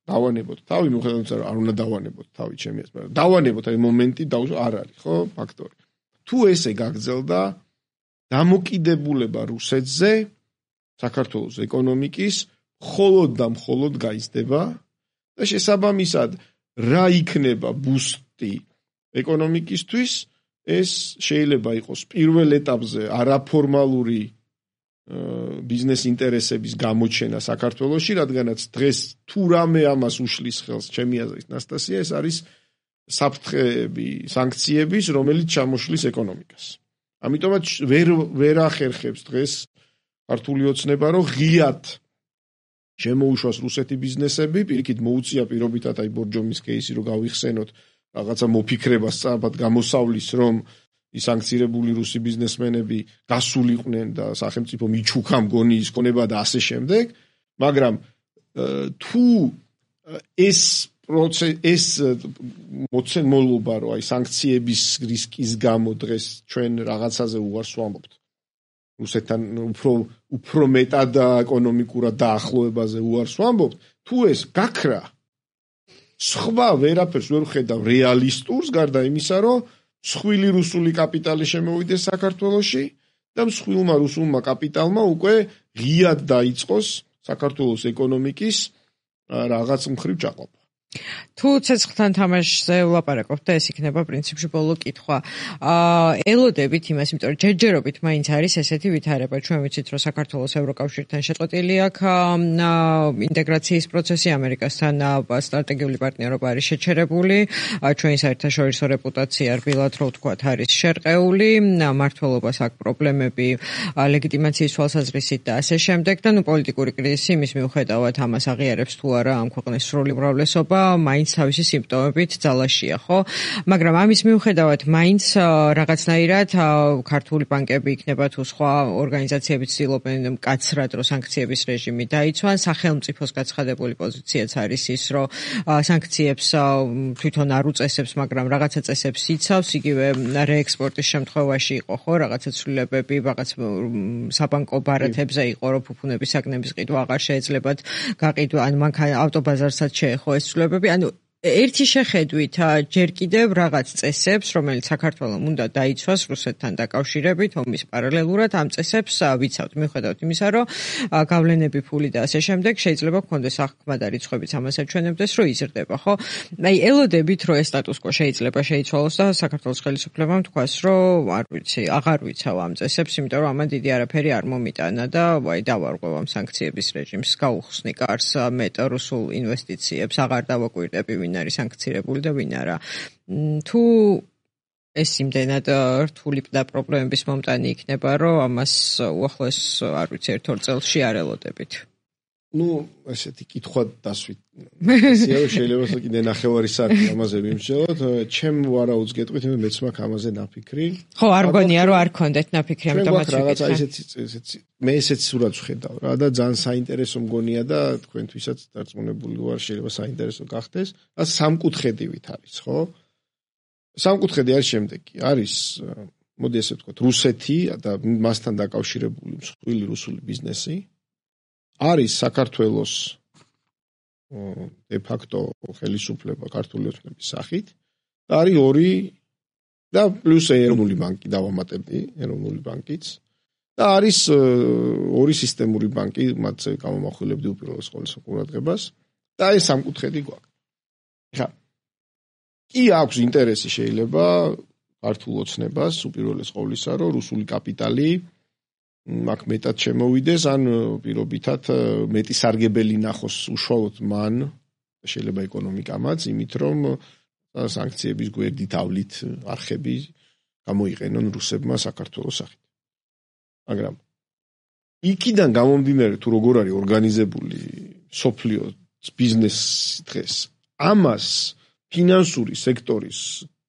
დავანებოთ თავი, მიუხედავად არ უნდა დავანებოთ თავი ჩემი ეს, მაგრამ დავანებოთ აი მომენტი არ არის, ხო, ფაქტორი. თუ ესე გაგრძელდა, დამოკიდებულება რუსეთზე საქართველოს ეკონომიკის მხოლოდ და მხოლოდ გაიზრდება და შესაბამისად რა იქნება ბუსტი ეკონომიკისთვის, ეს შეიძლება იყოს პირველ ეტაპზე არაფორმალური ბიზნეს ინტერესების გამოჩენა საქართველოში, რადგანაც დღეს თუ რამე ამას უშლის ხელს ჩემი აზრით ნასტასია, ეს არის საფრთხეები, სანქციების, რომელიც ჩამოშლის ეკონომიკას. ამიტომაც ვერ ახერხებს დღეს ქართული ოცნება, რომ ღიად შემოუშვას რუსეთი ბიზნესები, პირიქით მოუწია პირობითად აი ბორჯომის кейსი რომ გავიხსენოთ, რაღაცა მოფიქრებას სწრაფად გამოსავლის, რომ ის სანქცირებული რუსი ბიზნესმენები გასულიყვნენ და სახელმწიფო მიჩუქა მგონი ის ქონება და ასე შემდეგ, მაგრამ თუ ეს მოცემულობა რომ აი სანქციების რისკის გამო დღეს ჩვენ რაღაცაზე უარს ვამბობთ რუსეთთან უფრო მეტად ეკონომიკურად დაახლოებაზე უარს ვამბობთ, თუ ეს გაქრა სხვა ვერაფერს ვერ ხედავ რეალისტურს, გარდა იმისა, რომ მსხვილი რუსული კაპიტალი შემოვიდეს საქართველოში და მსხვილმა რუსულმა კაპიტალმა უკვე ღიად დაიწყოს საქართველოს ეკონომიკის რაღაც მხრივ ჩაყოფა. თუ ცეცხლთან თამაშზე ვლაპარაკობთ და ეს იქნება პრინციპში ბოლო კითხვა. ელოდებით იმას, იმიტომ რომ ჯერჯერობით მაინც არის ესეთი ვითარება. ჩვენ ვიცით, რომ საქართველოს ევროკავშირთან შეწყვეტილი აქვს ინტეგრაციის პროცესი, ამერიკასთან სტრატეგიული პარტნიორობა არის შეჩერებული, ჩვენი საერთაშორისო რეპუტაცია რბილად რო ვთქვათ არის შერყეული, მმართველობას აქვს პრობლემები ლეგიტიმაციის თვალსაზრისით და ასე შემდეგ და პოლიტიკური კრიზისი იმის მიუხედავად ამას აღიარებს თუ არა ამ ქვეყნის სრული უმრავლესობა მაინც თავისი სიმპტომებით ძალაშია, ხო? მაგრამ ამის მიუხედავად მაინც რაღაცნაირად ქართული ბანკები იქნება თუ სხვა ორგანიზაციები ცდილობენ მკაცრად რომ სანქციების რეჟიმი დაიცვან, სახელმწიფოს გაცხადებული პოზიციაც არის ის, რომ სანქციებს თვითონ არ უწესებს, მაგრამ რაღაცა წესებს იცავს, იგივე რეექსპორტის შემთხვევაში იყო, ხო, რაღაცა ცვლილებები, რაღაც საბანკო ბარათებზე იყო, რომ ფუფუნების საგნების ყიდვა აღარ შეეძლებათ გაყიდვა, ან მანქანა ავტობაზარსაც შეეხო ეს ცვლილებები, ანუ ერთი შეხედვით ჯერ კიდევ რაღაც წესებს, რომელიც საქართველოს უნდა დაიცვას რუსეთთან დაკავშირებით, ომის პარალელურად ამ წესებს ვიცავთ, მიუხედავად იმისა, რომ გავლენები, ფული და ასე შემდეგ შეიძლება გქონდეს აღქმად და რიცხვებიც ამას აჩვენებდეს, რომ იზრდება, ხო? აი, ელოდებით, რომ ეს სტატუს-კვო შეიძლება შეიცვალოს და საქართველოს ხელისუფლებამ თქვას, რომ არ ვიცი, აღარ ვიცავ ამ წესებს, იმიტომ რომ ამან დიდი არაფერი არ მომიტანა და აი დავარღვევ ამ სანქციების რეჟიმს, გაუხსნი კარს მეტ რუსულ ინვესტიციებს, აღარ დავაკვირდები ვინ არის სანქცირებული და ვინ არა. თუ ეს იმდენად რთული და პრობლემების მომტანი იქნება, რომ ამას უახლოეს, არ ვიცი, ერთ-ორ წელში არ ელოდებით. ესეთი კითხვა დასვით. შეიძლება კიდე ნახევარი საათი ამაზე ვიმსჯელოთ. ჩემ ვარაუდს გეტყვით, მეც მაქვს ამაზე ნაფიქრი. ხო, არ გონია, რომ არ გქონდეთ ნაფიქრი, ამიტომაც რაღაცა ესეთი მე ესეც სურათს ვხედავ რა და ძალიან საინტერესო მგონია და თქვენთვისაც დარწმუნებული ვარ, შეიძლება საინტერესო გახდეს. და სამკუთხედივით არის, ხო? სამკუთხედი არის შემდეგი. არის, მოდი ესე ვთქვათ, რუსეთი და მასთან დაკავშირებული მსხვილი რუსული ბიზნესი. არის საქართველოს de facto ხელისუფლება ქართული ოცნების სახით და არის ორი და პლუს ეროვნული ბანკი დავამატები, ეროვნული ბანკიც და არის ორი სისტემური ბანკი, მათზე გამომახვილებდი უპირველეს ყოვლისა ყურადღებას და ეს სამკუთხედი გვაქვს. ხა კი აქვს ინტერესი შეიძლება ქართულ ოცნებას უპირველეს ყოვლისა, რომ რუსული კაპიტალი აქ მეტად შემოვიდეს, ან პირობითად მეტი სარგებელი ნახოს უშუალოდ მან, შეიძლება ეკონომიკამაც, იმით რომ სანქციების გვერდით ავლით არხები გამოიყენონ რუსებმა საქართველოს სახით. მაგრამ იქიდან გამომდინარე თუ როგორ არის ორგანიზებული სოფლიო ბიზნესი დღეს, ამას ფინანსური სექტორის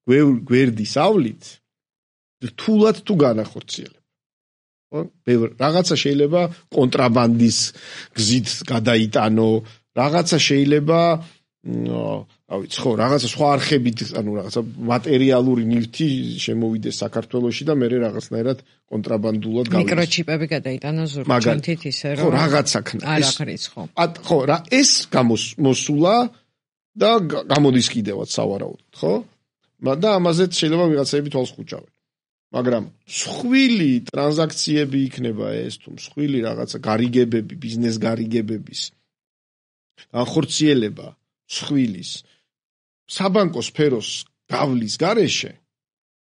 გვერდის ავლით რთულად თუ განახორციელებს. რაღაცა შეიძლება კონტრაბანდის გზით გადაიტანო, რაღაცა შეიძლება, რა ვიცი, ხო, რაღაცა სხვა არხებით, ანუ რაღაცა მატერიალური ნივთი შემოვიდეს საქართველოში და მერე რაღაცნაირად კონტრაბანდულად გავიდეს. მიკროჩიპები გადაიტანო ზურგჩანთით ისე რომ ხო, რაღაცა ქნა. არ აღრიც, ხო. ხო, რა ეს გამოსულა და გამოდის კიდევაც სავარაუდოდ, ხო? და ამაზეც შეიძლება ვიღაცები თვალს ხუჭავენ. მაგრამ მსხვილი ტრანზაქციები იქნება ეს თუ მსხვილი რაღაცა გარიგებები, ბიზნეს გარიგებების განხორციელება მსხვილის საბანკო სფეროს გავლის გარეშე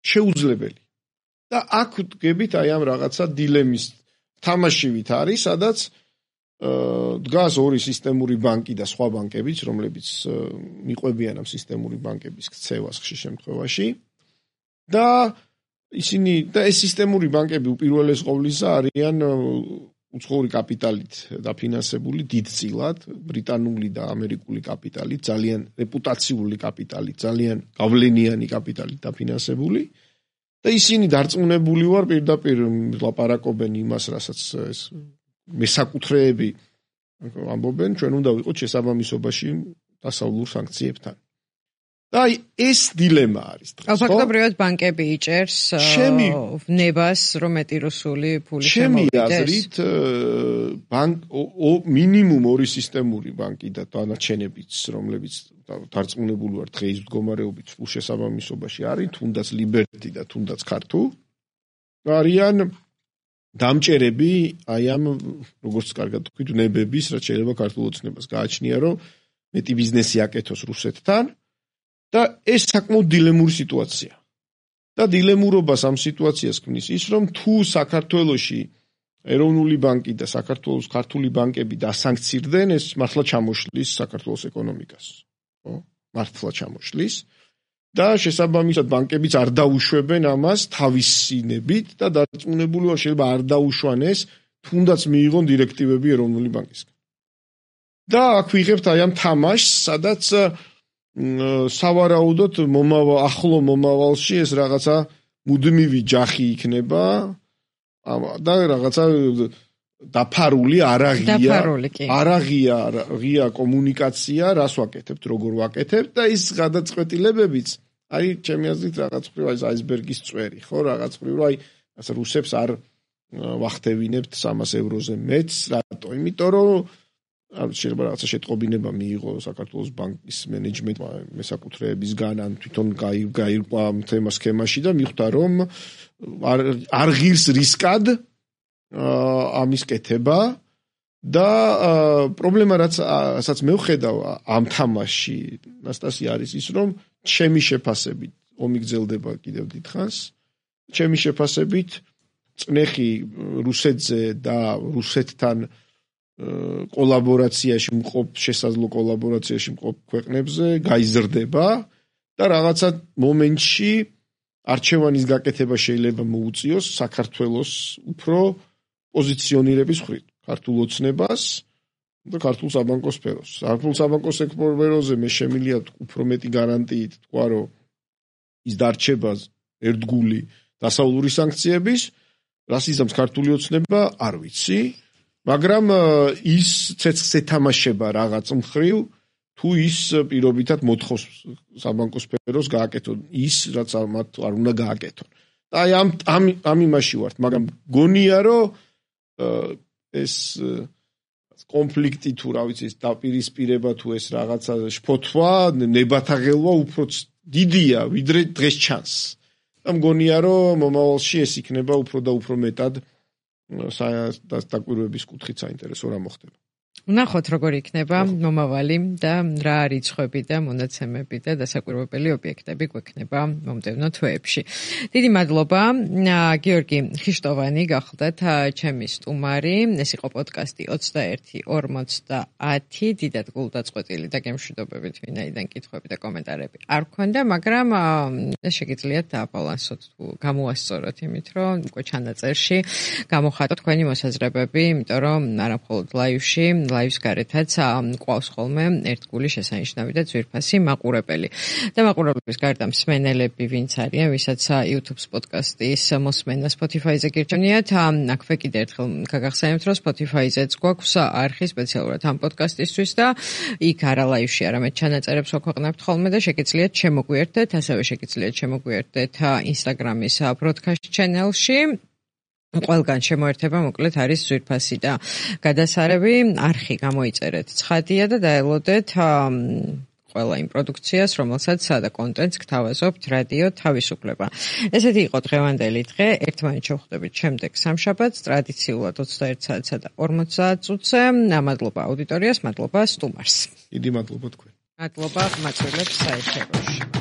შეუძლებელი. და აქ ვდგებით აი ამ რაღაცა დილემის თამაშივით არის, სადაც დგას ორი სისტემური ბანკი და სხვა ბანკებიც, რომლებიც მიყვებიან ამ სისტემური ბანკების ქცევას ხშირ შემთხვევაში. და ისინი და ეს სისტემური ბანკები უპირველეს ყოვლისა არიან უცხოური კაპიტალით დაფინანსებული დიდწილად, ბრიტანული და ამერიკული კაპიტალით, ძალიან რეპუტაციული კაპიტალით, ძალიან გავლენიანი კაპიტალით დაფინანსებული და ისინი დარწმუნებული ვარ პირდაპირ ლაპარაკობენ იმას, რასაც ეს მესაკუთრეები ამბობენ, ჩვენ უნდა ვიყოთ შესაბამისობაში დასავლურ სანქციებთან. და ეს დილემა არის დღეს, ხო? ფაქტობრივად ბანკები იჭერს ნებას, რომ მეტი რუსული ფული შემოვიდეს. ჩემი აზრით, მინიმუმ ორი სისტემური ბანკი და დანარჩენებიც, რომლებიც დარწმუნებული ვარ დღეის მდგომარეობით სულ შესაბამისობაში არის, თუნდაც ლიბერტი და თუნდაც ქართულ, არიან დამჭერები აი ამ როგორც კარგად თქვით, ნებების, რაც შეიძლება ქართულ ოცნებას გააჩნია, რომ მეტი ბიზნესი აკეთოს რუსეთთან. და ეს საკმაოდ დილემური სიტუაცია. და დილემურობას ამ სიტუაციას ქმნის ის, რომ თუ საქართველოში ეროვნული ბანკი და საქართველოს ქართული ბანკები დასანქცირდნენ, ეს მართლა ჩამოშლის საქართველოს ეკონომიკას. ხო? მართლა ჩამოშლის. და შესაბამისად ბანკებიც არ დაუშვებენ ამას თავისინებით და დარწმუნებული ვარ შეიძლება არ დაუშვან ეს, თუნდაც მიიღონ დირექტივები ეროვნული ბანკისგან. და აქ ვიღებთ აი ამ თამაშს, სადაც სავარაუდოდ ახლო მომავალში ეს რაღაცა მუდმივი ჯახი იქნება და რაღაცა დაფარული არაღია კომუნიკაცია, რას ვაკეთებთ, როგორ ვაკეთებთ და ის გადაწყვეტილებებიც არის ჩემი აზრით რაღაც მხრივ აი აისბერგის წვერი, ხო, რაღაც მხრივ რომ აი რუსებს არ ვახტევინებთ 300 ევროზე მეც, რატო? იმიტომ რომ შეიძლება რაღაცა შეტყობინება მიიღო საქართველოს ბანკის მენეჯმენტმა მესაკუთრეებისგან ან თვითონ გაირკვა თემა სქემაში და მიხვდა რომ არ ღირს რისკად ამის კეთება და პრობლემა რასაც მე ვხედავ ამ თამაშში ნასტასია არის ის რომ ჩემი შეფასებით ომი გრძელდება კიდევ დიდხანს ჩემი შეფასებით წნეხი რუსეთზე და რუსეთთან კოლაბორაციაში მყოფ შესაძლო კოლაბორაციაში მყოფ ქვეყნებზე გაიზრდება და რაღაცა მომენტში არჩევანის გაკეთება შეიძლება მოუწიოს საქართველოს უფრო პოზიციონირების მხრივ ქართულ ოცნებას და ქართულ საბანკო სფეროს. ქართულ საბანკო სფეროზე მე შემიძლია უფრო მეტი გარანტიით თქვა რომ ის დარჩება ერთგული დასავლური სანქციების, რას იზამს ქართული ოცნება, არ ვიცი, მაგრამ ის ცეცხლს ეთამაშება რაღაც მხრივ თუ ის პირობითად მოთხოვს საბანკო სფეროს გააკეთონ ის, რაც მათ არ უნდა გააკეთონ. და აი ამ იმაში ვართ, მაგრამ გონია რომ ეს კონფლიქტი თუ რა ვიცი, ეს დაპირისპირება თუ ეს რაღაცა შფოთვა, ნებათაღელვა უფრო დიდია, ვიდრე დღეს ჩანს. და მგონია რომ მომავალში ეს იქნება უფრო და უფრო მეტად დაკვირვების კუთხით საინტერესო რა მოხდება. ვნახოთ როგორ იქნება მომავალი და რა რიცხვები და მონაცემები და დასაკვირვებელი ობიექტები გვექნება მომდევნო თვეებში. დიდი მადლობა გიორგი ხიშტოვანი გახლდათ ჩემი სტუმარი. ეს იყო პოდკასტი 21:50. დიდად გულდაწყვეტილი და გემშვიდობებით ვინაიდან კითხვები და კომენტარები არ გქონდა, მაგრამ შეგიძლიათ დააბალანსოთ თუ გამოასწოროთ იმით, რომ უკვე ჩანაწერში გამოხატოთ თქვენი მოსაზრებები, იმიტომ რომ არა მხოლოდ ლაივში ლაივს გარეთაც ყვავს ხოლმე ერთგული შესანიშნავი და ძვირფასი მაყურებელი. და მაყურებლების გარდა მსმენელები ვინც არიან, ვისაც YouTube-ს პოდკასტის მოსმენა Spotify-ზე გირჩევნიათ, აქვე კიდე ერთხელ გაგახსენებთ, რომ Spotify-ზეც გვაქვს არხი სპეციალურად ამ პოდკასტისთვის და იქ არა ლაივში, არამედ ჩანაწერებს ვაქვეყნებთ ხოლმე და შეგიძლიათ შემოგვიერთდეთ, ასევე შეგიძლიათ შემოგვიერთდეთ Instagram-ის broadcast channel-ში. ყველგან შემოერთება მოკლედ არის ძვირფასი და გადასარევი არხი გამოიწერეთ ცხადია და დაელოდეთ ყველა იმ პროდუქციას, რომელსაც და კონტენტს გთავაზობთ რადიო თავისუფლება. ესეთი იყო დღევანდელი დღე. ერთმანეთს შევხვდებით შემდეგ სამშაბათს, ტრადიციულად 21 საათსა და 50 წუთზე. მადლობა აუდიტორიას, მადლობა სტუმარს. დიდი მადლობა თქვენ. მადლობა ყმაწვილებს საერთაშორისო.